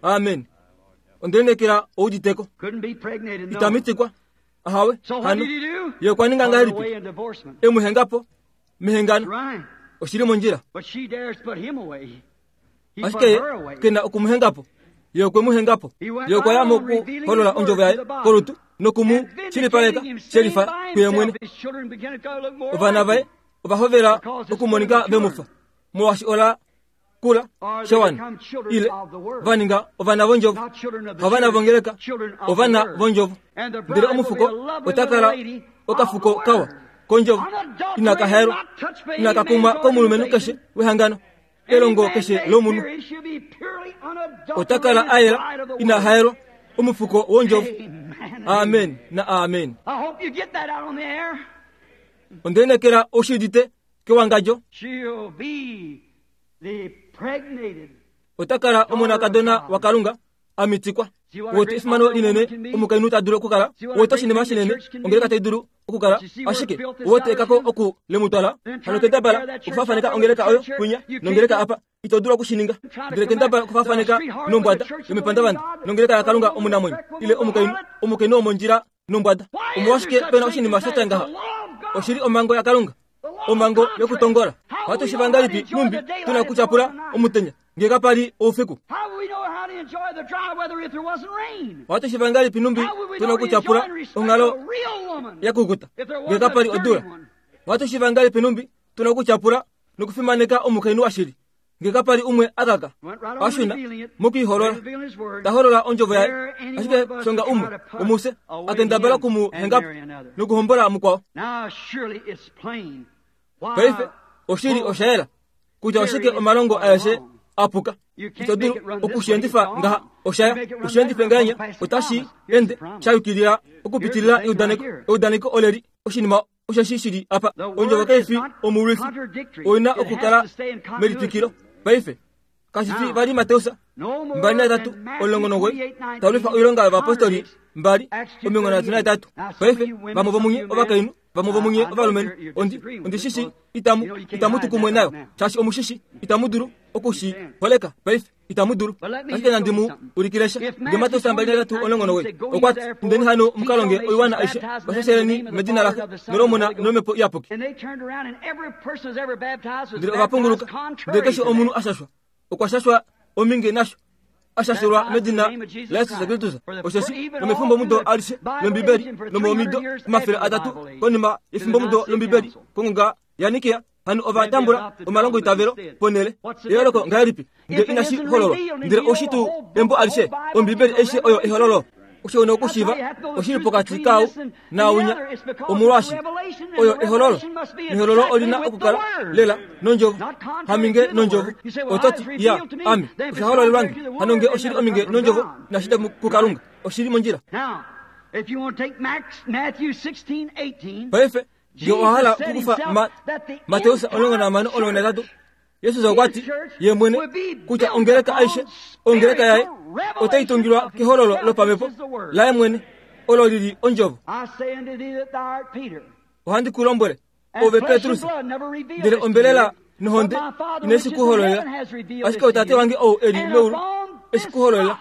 Amen. Ondelinekela ouditeko. Couldn't be pregnated, no. Itamitikwa. Ahawe hano ye okwa ninga ngahelipi e mu henga po mehengano oshili mondjila ashike ye kena okumuhengapo ye okwe mu hengapo ye okwa ya mokuholola ondjovo yaye kolutu nokumu shilipaleka shelifa kuye mwene ovana vaye ovahovela okumonika vemufa molwaashi ola kula shawana ile vaninga ovana vondjovo havana vongeleka ovana vondjovo ndele omufuko otakala okafuko kawa kondjovo inakahaelwa inakakumwa komulumenhu keshe wehangano elongo keshe lomunhu otakala ayela inahaelwa omufuko wondjovo. Amen na amen. Ondenekela oshidite kewangadjo otakala omonakadona wakalunga amitikwa wote efimano linene omukainhu ta dulu okukala wote oshinima shinene ongeleka tai dulu okukala ashike wote ekako oku lemutwala hano kendabala okufafaneka ongeleka oyo kwinya nongeleka apa ito dulu okushininga ndele kendabala okufafaneka nombwada yomepandavanda nongeleka yakalunga omunamwenyo ile omukainhu omukainhu womondjila nombwada omolwashike pena oshinima shatya ngaha oshili omhango yakalunga omhango yokutongola ohatu shiva ngahelipi numbi tuna kutyapula omutenya ngee kapali oufiku ohatu shiva ngahelipi numbi tuna kutyapula onghalo yakukuta ngee kapali odula ohatu shiva ngahelipi numbi tuna kutyapula nokufimaneka omukainhu washili ngee kapali umwe akaka ashuna mokuiholola taholola ondjovo yaye ashike shonga umwe omuse akendabala kumuhengapo nokuhombola mukwao. Paife oshili oshayela kutya oshike omalongo aeshe apuka ito dulu okushiendifa ngaha oshaya ushiendife ngahenya otashi ende shayukilila okupitilila eudaneko eudaneko oleli oshinima osheshi shili apa ondjovo kaifi omulwifi oina okukala melitwikilo. Paife kashifi vali Mateus mbali naitatu omulongo nomugoyi talwifa oilonga yovapostoli mbali omilongo nhatu naitatu. Paife vamwe vomunye ovakainhu vamwe vomunye ovalumenhu ondi ondishishi itamu itamu tukumwe nayo shaashi omushishi itamu dulu okushiholeka. Paife itamu dulu ashike nandi mu ulikilesha nge Mateus mbali naitatu omulongo nomugoyi okwati indeni hano mukalonge oiwana aishe vashasheleni medina laxe nolomona nolomhepo iyapuki. Ndele ovapunguluka ndele keshe omunhu ashashwa okwa shashwa ominge nasho ashashelwa medina la Yesus Kristus osheshi nomefimbomudo alishe lombibeli nomomido omafele atatu konima yefimbomudo lombibeli kongonga yaNikea hano ovatambula omalongo itavelo ponele eyooloko ngahelipi nge inashi hololwa ndele oshitu embo alishe ombibeli aishe oyo ehololo osho nokushiva oshili pokati kau naunya omolwashi oyo ehololo nehololo olina okukala lela nondjovo haminge nondjovo ototi ya ame oshahololelwange hano nge oshili ominge nondjovo nashida kukalunga oshili mondjila. Paife nge owahala okukufa Mateus omulongo nahamano omulongo naitatu Yesus okwati ye mwene kutya ongeleka aishe ongeleka yaye otai tungilwa kehololo lopamhepo laye mwene olo lili ondjovo. Ohandi ku lombwele ove Petrus ndele ombelela nohonde ineshi kuhololela ashike otate wange ou eli meulu eshi kuhololela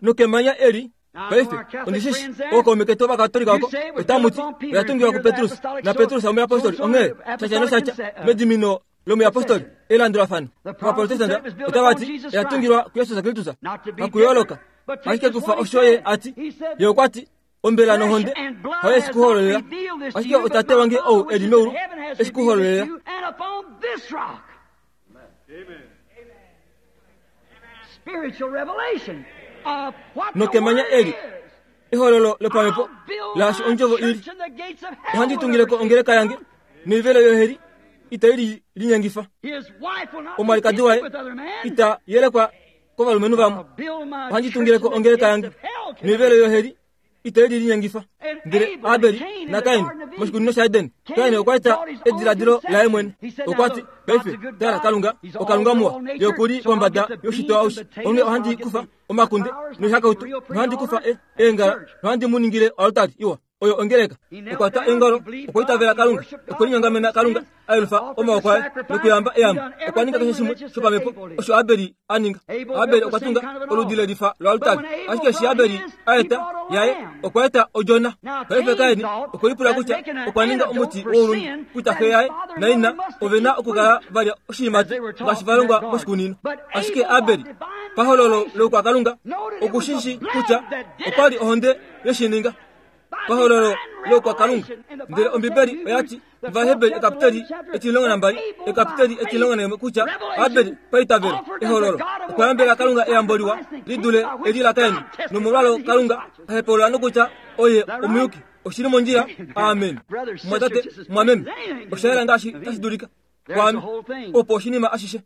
nokemanya eli. Paife ondishishi ookaume ketu ovakatolika oko otamuti oyatungilwa kuPetrus na Petrus omuyapostoli onghee shasha noshatya medimino lomuyapostoli elandulafano. Ovaprotestanta otavati oyatungilwa kuYesus Kristus hakuyooloka ashike kufa osho ye ati ye okwati ombela nohonde hayo eshi kuhololela ashike otate wange ou eli meulu eshi kuhololela. Nokemanya eli ehololo lopamhepo laashi ondjovo ili ohandi tungileko ongeleka yange noivelo yoheli itai linyengifa omwalikadi waye ita yelekwa kovalumenhu vamwe ohandi tungileko ongeleka yange noivelo yoheli itai linyengifa. Ndele Abeli naKain moshikunino shaEden Kain okwa eta ediladilo laye mwene okwati paife tala Kalunga okalunga muwa ye okuli pombada yoshitwa aushe onghee ohandi kufa omakunde noihakautu nohandi kufa eengala nohandi mu ningile oaltari iwa Oyo ongeleka okwa twa eongalo, okwa itavela Kalunga, okwa linyongamena Kalunga, a yelufa omaoko aye nokuyamba eyambo. Okwa ninga keshe shimwe shopamhepo osho Abeli a ninga. Abeli okwa tunga oludi lelifa loaltari, ashike eshi Abeli a eta yaye okwa eta odjona. Paife Kaini okwe lipula kutya okwa ninga omuti woulunde, kutya xe yaye naina ove na okukala valya oshiimati ngaashi va longwa moshikunino. Ashike Abeli pahololo loukwakalunga okushishi kutya okwa li ohonde yeshininga pahololo loukwakalunga. Ndele Ombibeli oya ti Ovaheberi ekapiteli etilongo nambali ekapiteli etilongo naimwe kutya Abeli paitavelo ehololo okwa yambela Kalunga eyambo liwa li dule eli la Kaini, nomolwalo Kalunga a hepaulula nokutya oye omuyuki. Oshili mondjila. Amen. Mwatate, mwameme, osha yela ngaashi tashi dulika kwaame opo oshinima ashishe.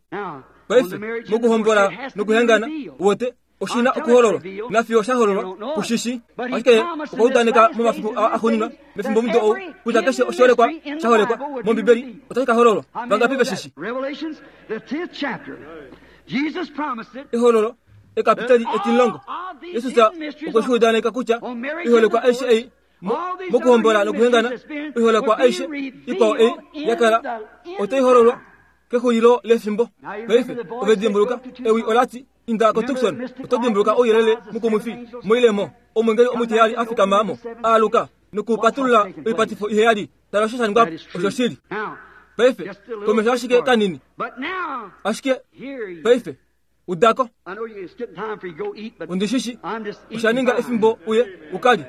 Paife mokuhombola nokuhengana wote oshina okuhololwa nafiyo sha hololwa kushishi. Ashike okwa udaneka momafiku axuuninwa mefimbo mudo ou kutya keshe oshiholekwa sha holekwa mOmbibeli otashi ka hololwa. Vangapi veshishi? Ehololo ekapiteli etilongo. Jesus okwe shi udaneka kutya iholekwa aishe ei mokuhombola nokuhengana, iholekwa aishe ikwao ei yakala otai hololwa kexulilo lefimbo. Paife ove dimbuluka ewi olati inda ko Tucson, oto dimbuluka ouyelele mukumwifi moilemo omwengeli omutiheyali a fikama mo aaluka nokupatulula oipatifo iheyali. Tala osho sha ningwa osho shili. Paife komesho ashike kanini, ashike paife udako undishishi osha ninga efimbo uye ukali,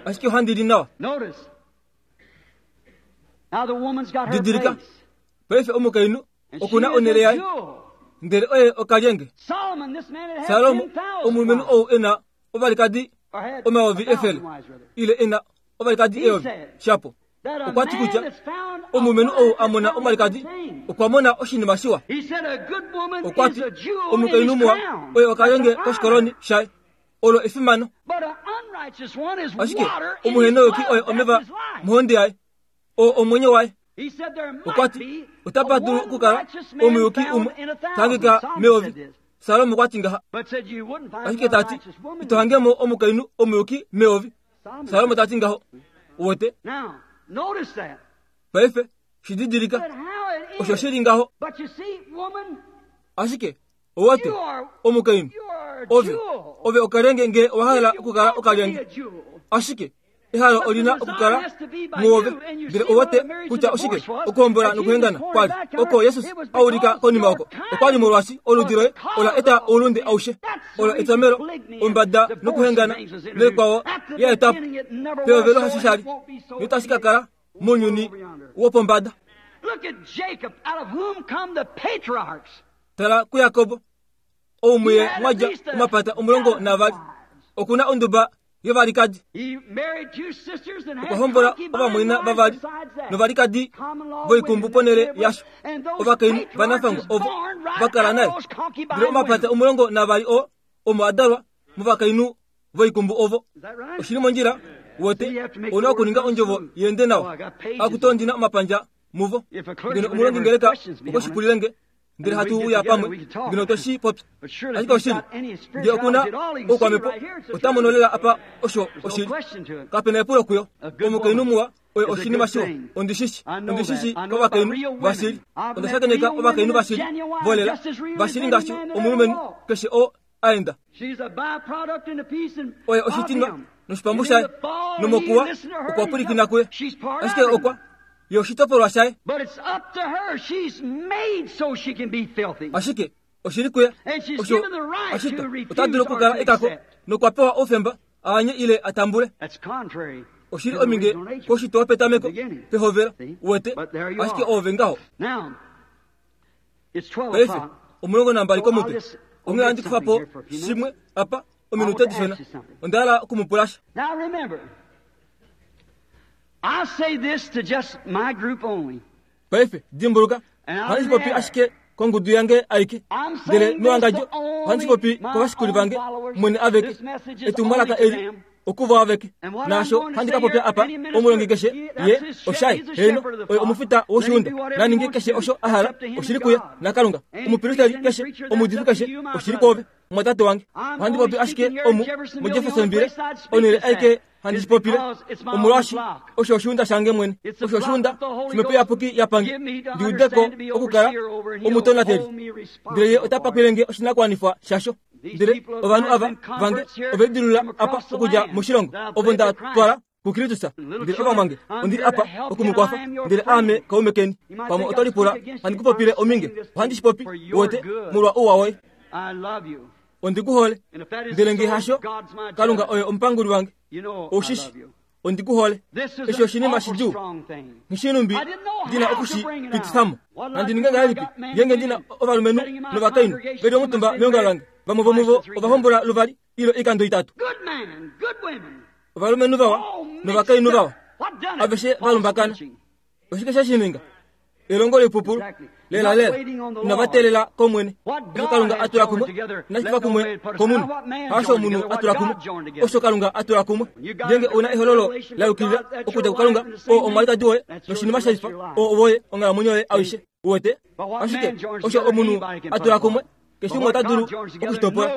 ashike ohandi li nawa. Didilika paife omukainhu okuna onhele yaye, ndele oye okalyenge. Salomo omulumenhu ou ena ovalikadi omayovi efele ile ena ovalikadi eyovi shapo, okwa ti kutya omulumenhu ou a mona omalikadi okwa mona oshinima shiwa. Okwa ti omukainhu muwa oye okalyenge koshikoloni shaye, olo efimano. Ashike omuhenoyoki oye omeva mohonde yaye, oo omwenyo waye. Okwa ti otapa dulu okukala omuyuki umwe tangika meyovi. Salomo okwa ti ngaha, ashike tati ito hangemo omukainhu omuyuki meyovi. Salomo tati ngaho. Wote paife shididilika osho shili ngaho. Ashike owote omukainhu ove ove okalyenge nge owa hala okukala okalyenge, ashike ehalo olina okukala muove. Ndele owote kutya oshike okuhombola nokuhengana kwali oko Jesus a ulika konima oko okwali molwaashi oludi loye ola eta oulunde aushe, ola etomelo ombada nokuhengana noikwao ya etapo peovelo hasho shali notashi ka kala mounyuni wopombada. Tala kuYakobo ou muye mwadja omapata omulongo navali, okuna onduba yovalikadi. Okwa hombola ovamwaina vavali novalikadi voikumbu ponhele yasho. Ovakainhu vanafangwa ovo va kala naye. Ndele omapata omulongo navali oo omo a dalwa movakainhu voikumbu ovo. Oshili mondjila wote ouna okuninga ondjovo yende nawa akutondina omapandja muvo. Ngeno omulongi ngeleka okweshipulilenge ndele hatu uya pamwe ngeno toshi popya. Ashike oshili nge okuna oukwamhepo ota mono lela apa osho oshili. Kapena epulo kuyo. Omukainhu muwa oye oshinima shiwa. Ondishishi ondishishi kovakainhu vashili. Onda shakeneka ovakainhu vashili volela vashili ngaashi omulumenhu keshe oo a enda. Oye oshitinwa noshipambu shaye nomokuwa okwa pwilikina kuye, ashike okwa ye oshitopolwa shaye. Ashike oshili kuye osho ashitwa ota dulu okukala ekako nokwa pewa oufemba aanye ile atambule. Oshili ominge koshitwa petameko pehovelo wete, ashike ove ngaho. Paife omulongo nambali komutwe onghee handi kufa po shimwe apa ominute dishona. Onda hala okumupulasha. I say this to just my group only. Paife dimbuluka ohandi popi ashike kongudu yange aike, ndele mewangadjo ohandi popi kovashikuli vange mwene aveke. Etumwalaka eli okuvo aveke. Naasho handi ka popya apa omulongi keshe ye oshaye heno oye omufita woshiunda naninge keshe osho a hala oshili kuye naKalunga. Omupilisteli keshe omuudifi keshe oshili kwoove mwatate wange. Ohandi popi ashike omu muJeffersonville onhele aike handi shi popile omolwashi osho oshiunda shange mwene osho oshiunda shomhepo iyapuki yapange ndiudeko okukala omutonateli ndele ye ota pakwilenge oshinakuwanifwa shasho ndele ovanhu ava vange ovedilula apa okudja moshilongo ovo nda twala kuKristus ndele ovamwange ondili apa okumukwafa ndele aame kaume keni pamwe oto lipula handi kupopile ominge ohandi shi popi wote molwa ouwa woye ondikuhole ndele nge hasho Kalunga oye omupanguli wange oushishi ondikuhole eshi oshinima shidjuu ngishinumbi ndina okushipitifamo nandi ninge ngahelipi ngenge ndina ovalumenhu novakainhu veli omutumba meongalo lange vamwe vomuvo ovahombola luvali ilo ikando itatu ovalumenhu vawa novakainhu vawa aveshe valumbakana oshike shashininga elongo lipupulu lela lela inavatelela komwene osho Kalunga atula kumwe inashifa kumwe komunhu hasho omunhu atula kumwe osho Kalunga atula kumwe ngenge una ehololo la yukilila okudja kuKalunga oo omwalikadi woye noshinima shalifa oo woye onghalamwenyo yoye aishe uwete ashike osho omunhu atula kumwe keshe umwe ota dulu okushitopola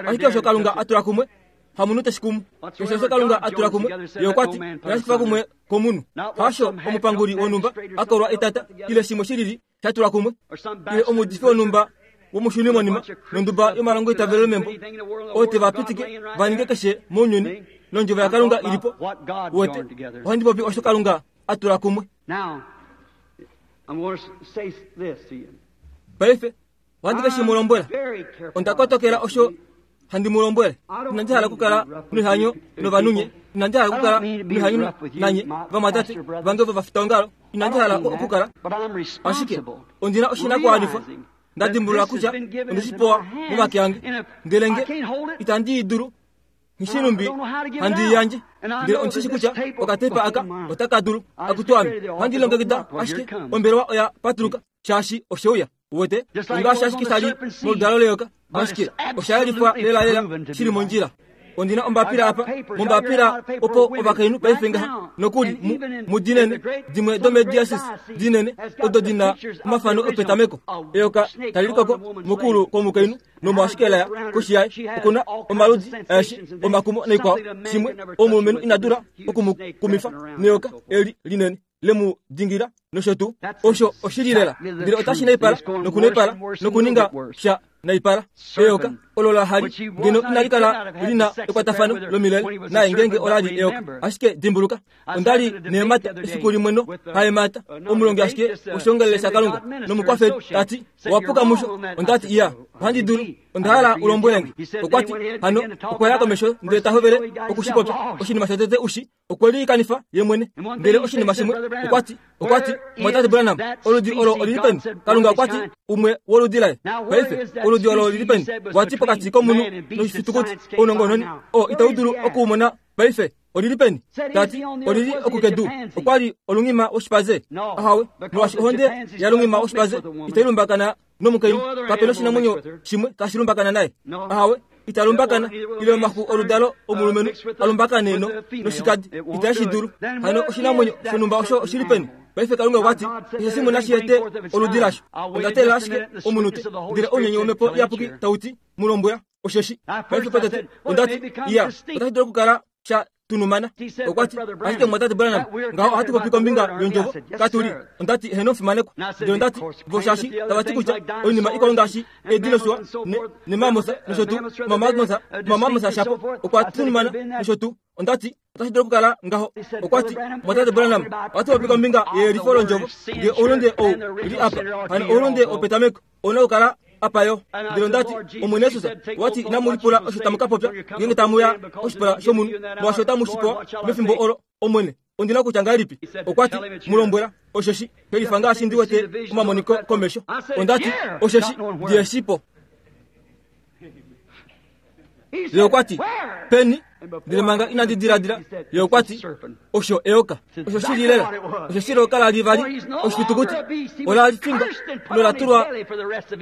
ashike osho Kalunga atula kumwe hamunhu teshi kumu keshe osho Kalunga atula kumwe ye okwati inashifa kumwe komunhu hasho omupanguli wonhumba akolwa etata ile shimwe shilili shatula kumwe ile omuudifi wonhumba womushuni monima nonduba yomalongo itavelo membo oo tevapitike vaninge keshe mounyuni nondjovo yaKalunga ilipo uwete ohandi popi osho Kalunga atula kumwe paife ohandi ke shi mu lombwela onda kotokela osho handi mu lombwele inandi hala okukala noihanyo novanunye inandi hala okukala noihanyo nanye vamwatate vange ovo vafitaongalo inandi hala okukala ashike ondina oshinakuwanifwa ndadimbulula kutya ondishipewa momake ange ndele nge itandi i dulu ngishinumbi handi iyandje ndele ondishishi kutya okatepa aka otaka dulu akutwame ohandi longekida ashike ombelewa oya patuluka shaashi osheuya uwete ongaashi ashike shali moludalo leyoka ashike oshayelifwa lelalela shili mondjila ondina ombapila apa mombapila opo ovakainhu paife ngaha nokuli mudinene dimwe domediasis dinene odo dina omafano opetameko eyoka tali likoko mokulu kwomukainhu nomo ashike laya koshi yaye okuna omaludi aeshe omakumo naikwao shimwe omulumenhu ina dula okumukumifa neyoka eli linene lemu dingila nosho tuu osho oshili lela ndele otashi naipala nokunaipala nokuninga sha naipala eyoka olo la hali ngeno inali kala lina ekwatafano lomilele naye ngenge olali eyoka ashike dimbuluka ondali neemata efiku limwe no haemata omulongi ashike oshiongelele shaKalunga nomukwafeli tati owapuka musho ondati iya ohandi dulu onda hala ulombwelenge okwati hano okwaya komesho ndele tahovele okushipopya oshinima shotete ushi okwe liikanifa ye mwene ndele oshinima shimwe okwati okwati mwatate Branham oludi olo olili peni Kalunga okwati umwe woludi laye paife oludi olo olili peni wati pokati komunhu noshifitukuti ounongononi oo itau dulu okuumona paife olili peni tati olili okukedu okwali olungima woshipaze ahawe molwaashi ohonde yalungima woshipaze itailumbakana nomukainhu kapena oshinamwenyo shimwe tashi lumbakana naye ahawe italumbakana ile omaxu oludalo omulumenhu alumbakane no noshikadi itashi dulu hano oshinamwenyo shonhumba osho oshili peni paife Kalunga okwati keshe shimwe nashi ete oludi lasho ondatelela ashike omunute ndele ounyenye womhepo iyapuki tauti mulombwela osheshi paife potete ondati iya otashi dulu okukala sha tunumana okwati ashike mwatate Branham ngaho ohatu popi kombinga yondjovo katuli ondati heno omufimanekwa ndele ondati voshaashi tavati kutya oinima ikwao ngaashi edinosua nemamosa nosho tuu mamamosa mamamosa shapo okwa tunumana nosho tuu ondati otashi dulu okukala ngaho okwati mwatate Branham ohatu popi kombinga yeyelifo londjovo nge oulunde ou li apa hano oulunde opetameko ouna okukala apa yo ndele ondati Omwene Yesus wati inamu lipula osho tamu ka popya ngenge tamuya oshipala shomunhu molwaashi otamu shi pewa mefimbo olo Omwene ondina kutya ngahelipi okwati mulombwela osheshi pelifa ngaashi ndi wete omamoniko komesho ondati osheshi ndiyeshipo ye okwati peni ndele manga inandi diladila ye okwati osho eyoka osho shili lela osho shili oka la vali oshifitukuti ola lifingwa nola tulwa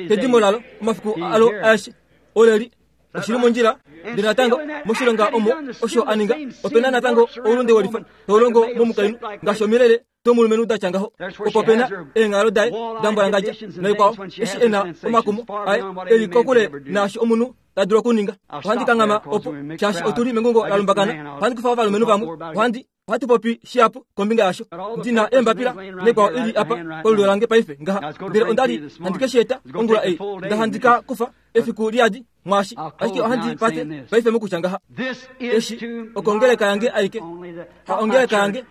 kedimo lalo omafiku alo aeshe oleli oshili mondjila ndele natango moshilonga omo osho aninga opena natango oulunde wolifa toulongo momukainhu ngaashi omilele tomulumenhu datya ngaho opo pena eenghalo daye dambwalangadja naikwao eshi ena omakumo aye eli kokule naashi omunhu ta dulu okuninga. Ohandi kanghama opo shaashi otuli mengungo la lumbakana. Ohandi kufa ovalumenhu vamwe. Ohandi ohatu popi shihapu kombinga yasho. Ndina eembapila nekwao ili apa kolulyo lange paife ngaha. Ndele ondali handi ke shi eta ongula ei. Nda handi ka kufa efiku liyadi mwaashi. Ashike ohandi pate paife mokutya ngaha. Eshi okongeleka yange aike. Ha ongeleka yange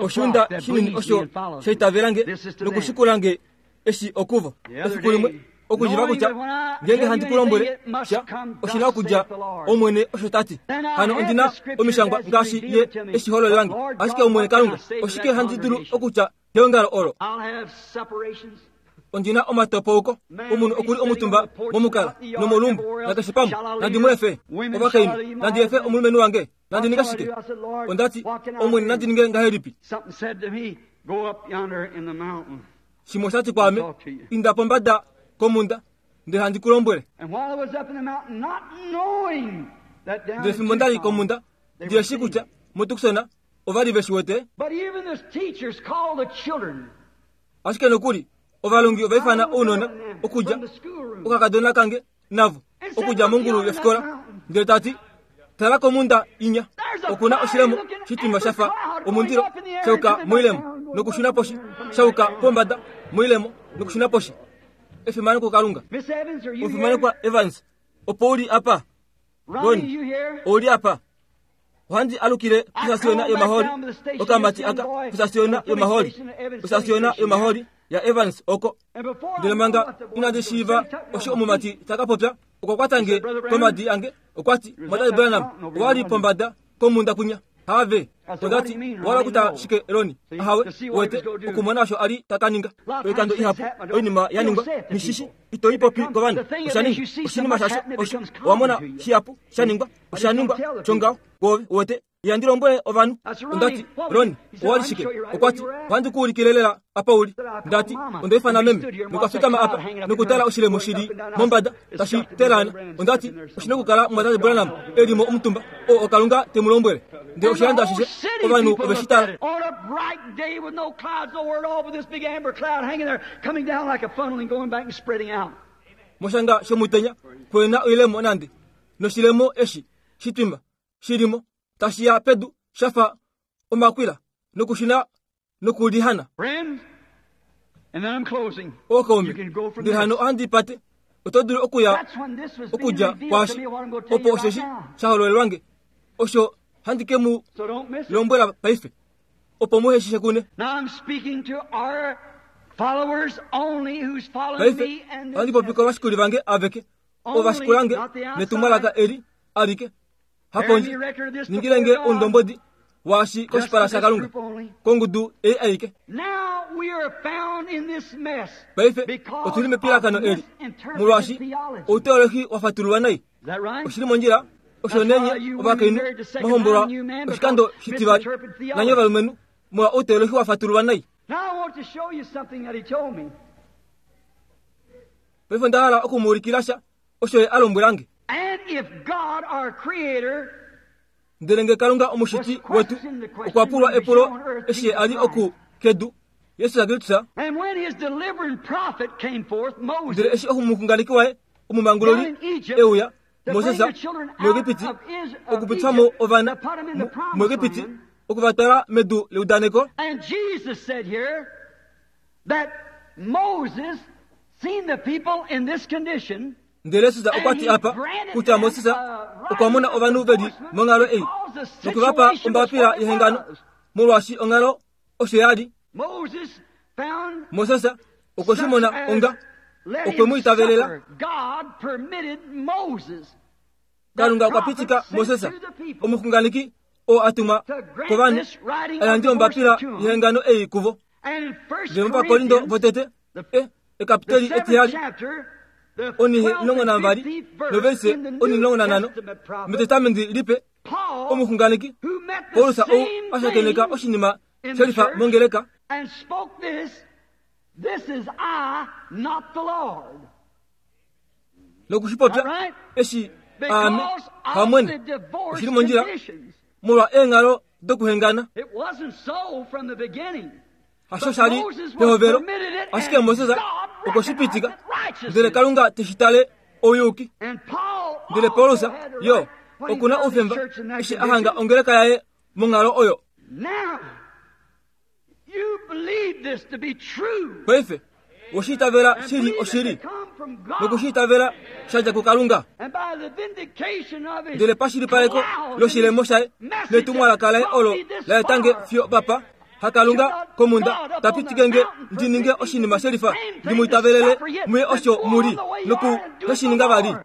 oshiunda shinini osho shaitavelange nokushikulange eshi okuvo. Efiku limwe okujiva kutya ngenge handi kulombwele sha oshina okudja Omwene osho tati. Hano ondina omishangwa ngaashi ye eshi hololelange. Ashike Omwene Kalunga oshike handi dulu okutya keongalo olo. Ondina omatopouko omunhu okuli omutumba momukala nomolumbu nakeshe pamwe. Nandi mu efe ovakainhu, nandi efe omulumenhu wange, nandi ninga shike? Ondati Omwene nandi ninge ngahelipi? Shimwe oshati kwaame, inda pombada komunda ndele handi kulombwele. Ndele fimbo ndali komunda ndiye shi kutya muTucson ovali ve shi wete. Ashike nokuli ovalongi ovaifana ounona okudja okakadona kange navo okudja mongulu yofikola ndele tati tala komunda inya okuna oshilemo shitima shafa omundilo shauka moilemo nokushuna poshi shauka pombada moilemo nokushuna poshi. Efimano kuKalunga. Efimano kwa Evans. Opo uli apa Ron, uli apa. Ohandi alukile kusasiona yomaholi okamati aka kusasiona yomaholi kusasiona yomaholi ya Evans oko. Ndele manga inandi shiiva osho omumati takapopya okwa komadi ange okwati Mwatate Branham owali pombada komunda kunya have. Ondati wala kuta shike Roni ahawe wete okumona osho ali takaninga oikando ihapu oinima yaningwa mishishi itoipopi kovanhu oshaninga oshinima shasho osho owamona shihapu shaningwa oshaningwa chongao gove wete yandilombwele ovanhu. Ondati Roni owali shike? Okwati ohandi kuulikilelela apa uli. Ndati ondaifana meme nokwafikama apa nokutala oshilemo shili mombada tashi telana. Ondati oshina okukala Mwatate Branham elimo omutumba o okalunga temulombwele. Ndele oshilando ashishe ovanhu oveshitala. On a bright day with no clouds nowhere at all, but this big amber cloud hanging there, coming down like a funnel and going back and spreading out. Moshanga shomutenya kwena oilemo nande noshilemo eshi shitwima shilimo tashiya pedu shafa omakwila nokushina nokulihana. Friends, and then I'm closing. Okaume ndele hano ohandi pate oto dulu okuya okudja kwashi opo osheshi shahololelwange osho handi ke mu lombwela paife opo muheshishe kune. Now I'm speaking to our followers only who's following paife me and ohandi popi kovashikuli vange aveke ovashikulange netumwalaka eli alike haponje ningilenge oundombodi waashi koshipala shaKalunga kongudu ei aike. Now we are found in this mess paife otuli mepilakano eli molwaashi outeolohi wafatululwa nai. Oshili mondjila osho nenye ovakainhu mwahombolwa oshikando shitivali nanye ovalumenhu molwa outeolohi wafatululwa nai. Now I want to show you something that he told me. Paife onda hala okumuulikila sha osho ye a lombwelange. And if God our creator ndele nge Kalunga omushiti wetu okwa pulwa epulo eshi ali oku kedu Yesu Kristus, and when his delivering prophet came forth, Moses, ndele eshi omuxunganeki waye omumanguloli euya Moses muEgipiti okupitwamo ovana muEgipiti okuvatwala medu leudaneko. And Jesus said here that Moses seen the people in this condition. Ndele Jesus okwati apa kutya Moses okwamona ovanhu veli monghalo ei nokuvapa ombapila yehengano molwaashi onghalo osho yali. Moses found Moses okweshimona onga okwe mu itavelela. God permitted Moses. Kalunga okwa pitika Moses omuxunganeki oo atumwa kovanhu ayandje ombapila yehengano ei kuvo. Ndele muVakorinto votete e ekapiteli etihali onihe omulongo nambali noverse oni omulongo nanhano metestamenti lipe omuxunganeki Paulus ou ashakeneka oshinima shelifa mongeleka and spoke this, this is I, not the Lord. Nokushipopya eshi aame Because of hamwene the divorce oshili mondjila conditions. molwa eenghalo dokuhengana. It wasn't so from the beginning. Hasho shali pehovelo ashike Moses okweshipitika ndele Kalunga teshitale ouyuki. And Paul Ndele Paulus yo okuna oufemba eshi a hanga ongeleka yaye monghalo oyo. Paife oshiitavela shili oshili nokushiitavela shadja kuKalunga. Ndele pashilipaleko loshilemo shaye netumwalaka laye olo laetange fiyo papa hakalunga komunda tapitikenge ndi ninge oshinima shelifa ndi muitavelele muye osho muli noku noshininga vali.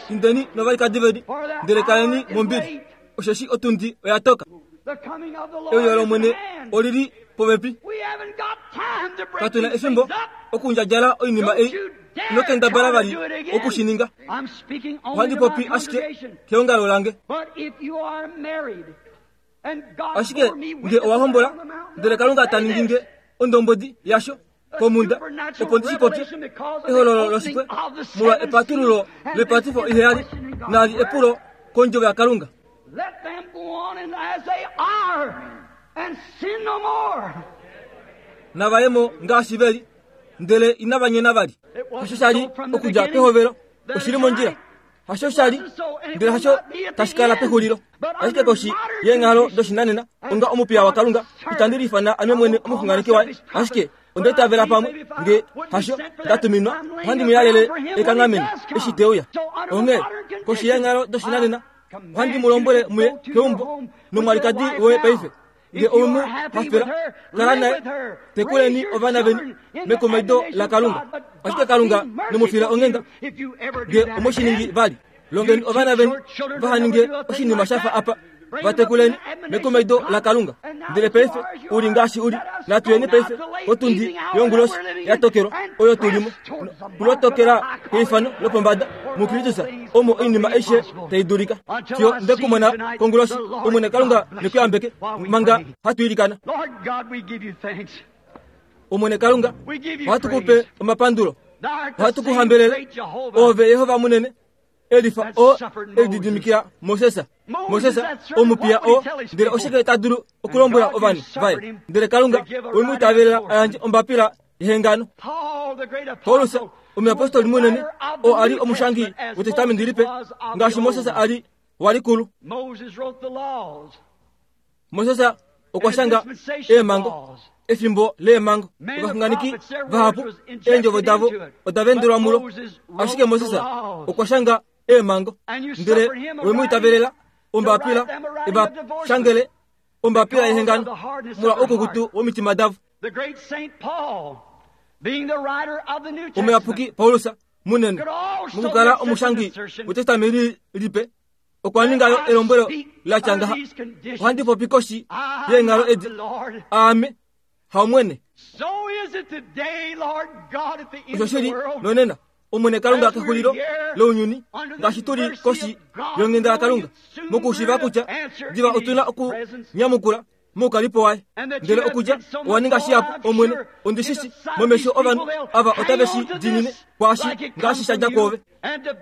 Indeni novalikadi veni ndele kaleni mombili osheshi otundi oya toka. Euyo lOmwene olili popepi. Katuna efimbo okundjadjala oinima ei inokendabala vali okushininga. Ohandi popi ashike keongalo lange. Ashike nge owa hombola ndele Kalunga ta ningi nge ondombodi yasho komunda opo ndi shi popye ehololo loshipwe molwa epatululo lepatifo iheyali nali epulo kondjovo yaKalunga. Let them go on and as they are and sin no more. Navayemo ngaashi veli ndele inava nyena vali. Hasho shali okudja pehovelo oshili mondjila. Hasho shali ndele hasho tashi kala pexulilo. Ashike koshi yeenghalo doshinanena onga omupiya waKalunga itandi liifana ame mwene omuxunganeki waye. Ashike onda itavela pamwe nge hasho ndatuminwa ohandi mu yalele ekanghameno eshi te uya. Onghee koshi yeenghalo doshinanena ohandi mu lombwele muye keumbo nomwalikadi woye paife. Nge omu hafela kala naye tekuleni ovana veni mekomedo laKalunga. Ashike Kalunga nemufila onghenda nge omoshiningi vali. Longeni ovana veni vahaninge oshinima shafa apa vatekuleni mekomedo laKalunga. Ndele paife uli ngaashi uli natuyeni paife otundi yonguloshi yatokelwa oyo tulimo kulotokela keifano lopombada muKristus omo oinima aishe tai dulika. Fiyo ndekumona konguloshi Omwene Kalunga nekuyambeke manga hatu ilikana. Omwene Kalunga ohatu kupe omapandulo ohatu kuhambelele ove Yehova munene elifa o elididimikila Moses. Moses omupiya o ndele oshike ta dulu okulombwela ovanhu vaye. Ndele Kalunga wemwiitavelela ayandje ombapila yehengano. Paulus omuyapostoli munene o ali omushangi wetestamenti lipe ngaashi Moses ali walikulu. Moses okwa shanga eemhango efimbo leemhango ovaxunganeki vahapu eendjovo davo oda vendelwa mulo. Ashike Moses okwa shanga eemhango ndele wemwiitavelela ombapila eva shangele ombapila yehengano molwa oukukutu womitima davo. Omuyapuki Paulus munene mokukala omushangi wetestamenti lipe okwa ningayo elombwelo latya ngaha. Ohandi popi koshi yeenghalo edi aame haumwene. Osho shili nonena Omwene Kalunga kexulilo lounyuni ngaashi tuli koshi yonghenda yaKalunga mokushiiva kutya diva otuna okunyamukula moukalipo waye. Ndele okudja owa ninga shihapu Omwene ondishishi momesho ovanhu ava otave shi diinine kwaashi ngaashi shadja kwoove.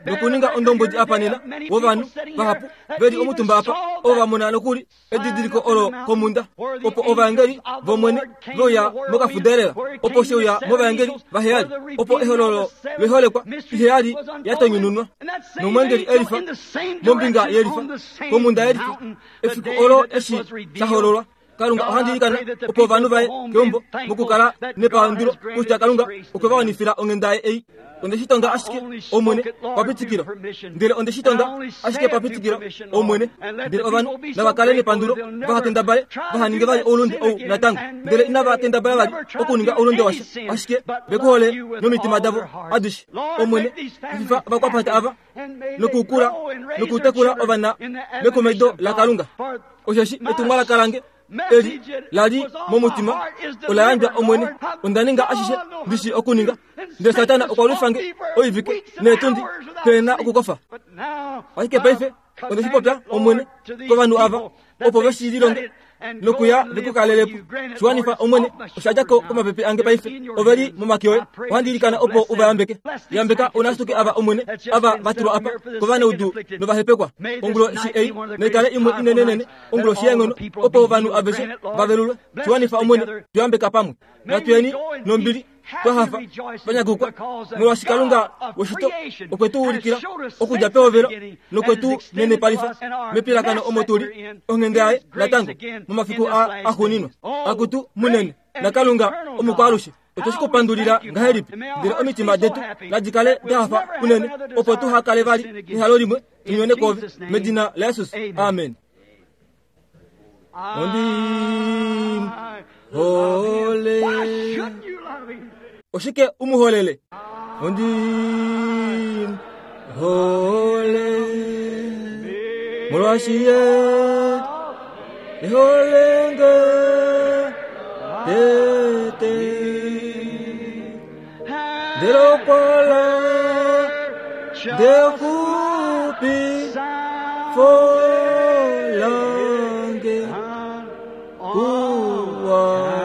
Nokuninga ondombodi apa nena wovanhu vahapu veli omutumba apa ovo va mona nokuli edidiliko olo komunda opo ovaengeli vOmwene veuya mokafudelela opo sheuya movaengeli vaheyali opo ehololo leholekwa iheyali yatonyununwa nomwengeli elifa mombinga yelifa komunda yelifa efiku olo eshi shahololwa. Kalunga ohandi ilikana opo ovanhu vaye keumbo mokukala nepandulo kutya Kalunga okwe va wanifila onghenda yaye ei. Onde shi tonga ashike Omwene papitikilo ndele onde shi tonga ashike papitikilo Omwene ndele ovanhu nava kale nepandulo vahakendabale vahaninge vali oulunde ou natango ndele inava kendabala vali okuninga oulunde washa ashike vekuhole nomitima davo adishe. Omwene fifa ovakwapata ava nokukula nokutekula ovana mekomedo laKalunga. Osheshi etumwalaka lange eli lali momutima ola yandjwa Omwene. Onda ninga ashishe ndishi okuninga ndele Satana okwa lwifange oivike neetundi pena okukofa. Ashike paife onde shi popya Omwene kovanhu ava opo veshi lilonge nokuya vekukalelepo. Shiwanifa Omwene osha dja ko komapepe ange paife oveli momake oye. Ohandi ilikana opo uvayambeke. Yambeka ounasuke ava Omwene ava vatulwa apa kovanaudu novahepekwa. Onguloshi ei naikale imwe inenenene onguloshi yeenghono opo ovanhu aveshe vavelulwe. Shiwanifa Omwene tuyambeka pamwe. Natuyeni nombili twa hafa twanyakukwa molwaashi Kalunga weshito okwe tu ulikila okudja pehovelo nokwe tu nenepalifa mepilakano omo tuli onghenda yaye natango momafiku a axuuninwa. Akutu munene naKalunga omukwaalushe otwe shi kupandulila ngahelipi, ndele omitima detu nadi kale da hafa unene opo tuha kale vali nehalo limwe tunyone kove medina laJesus. Amen. Ondi hole. Oshike umuholele? Ondi hole molwaashi ye eholenge tete ndele okwala ndekupi folange kuwaka.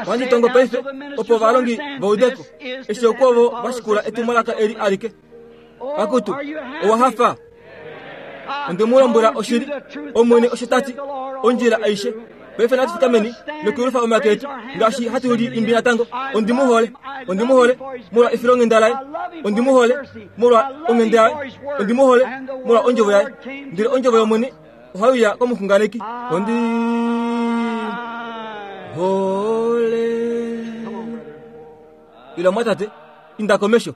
Wanditongo paife opo valongi vaudeko eshi okwovo vashikula etumwalaka eli alike. Akutu owa hafa. Onde mu lombwela oshili Omwene osho tati ondjila aishe. Paife natu fikameni nokuyulufa omake etu ngaashi hatu li imbi natango. Ondi mu hole, ondi mu hole molwa efilonghenda laye, ondi mu hole molwa onghenda yaye, ondi mu hole molwa ondjovo yaye. Ndele ondjovo yOmwene ohaiuya komuxunganeki. Ondi hole. Ila mwatate, inda komesho.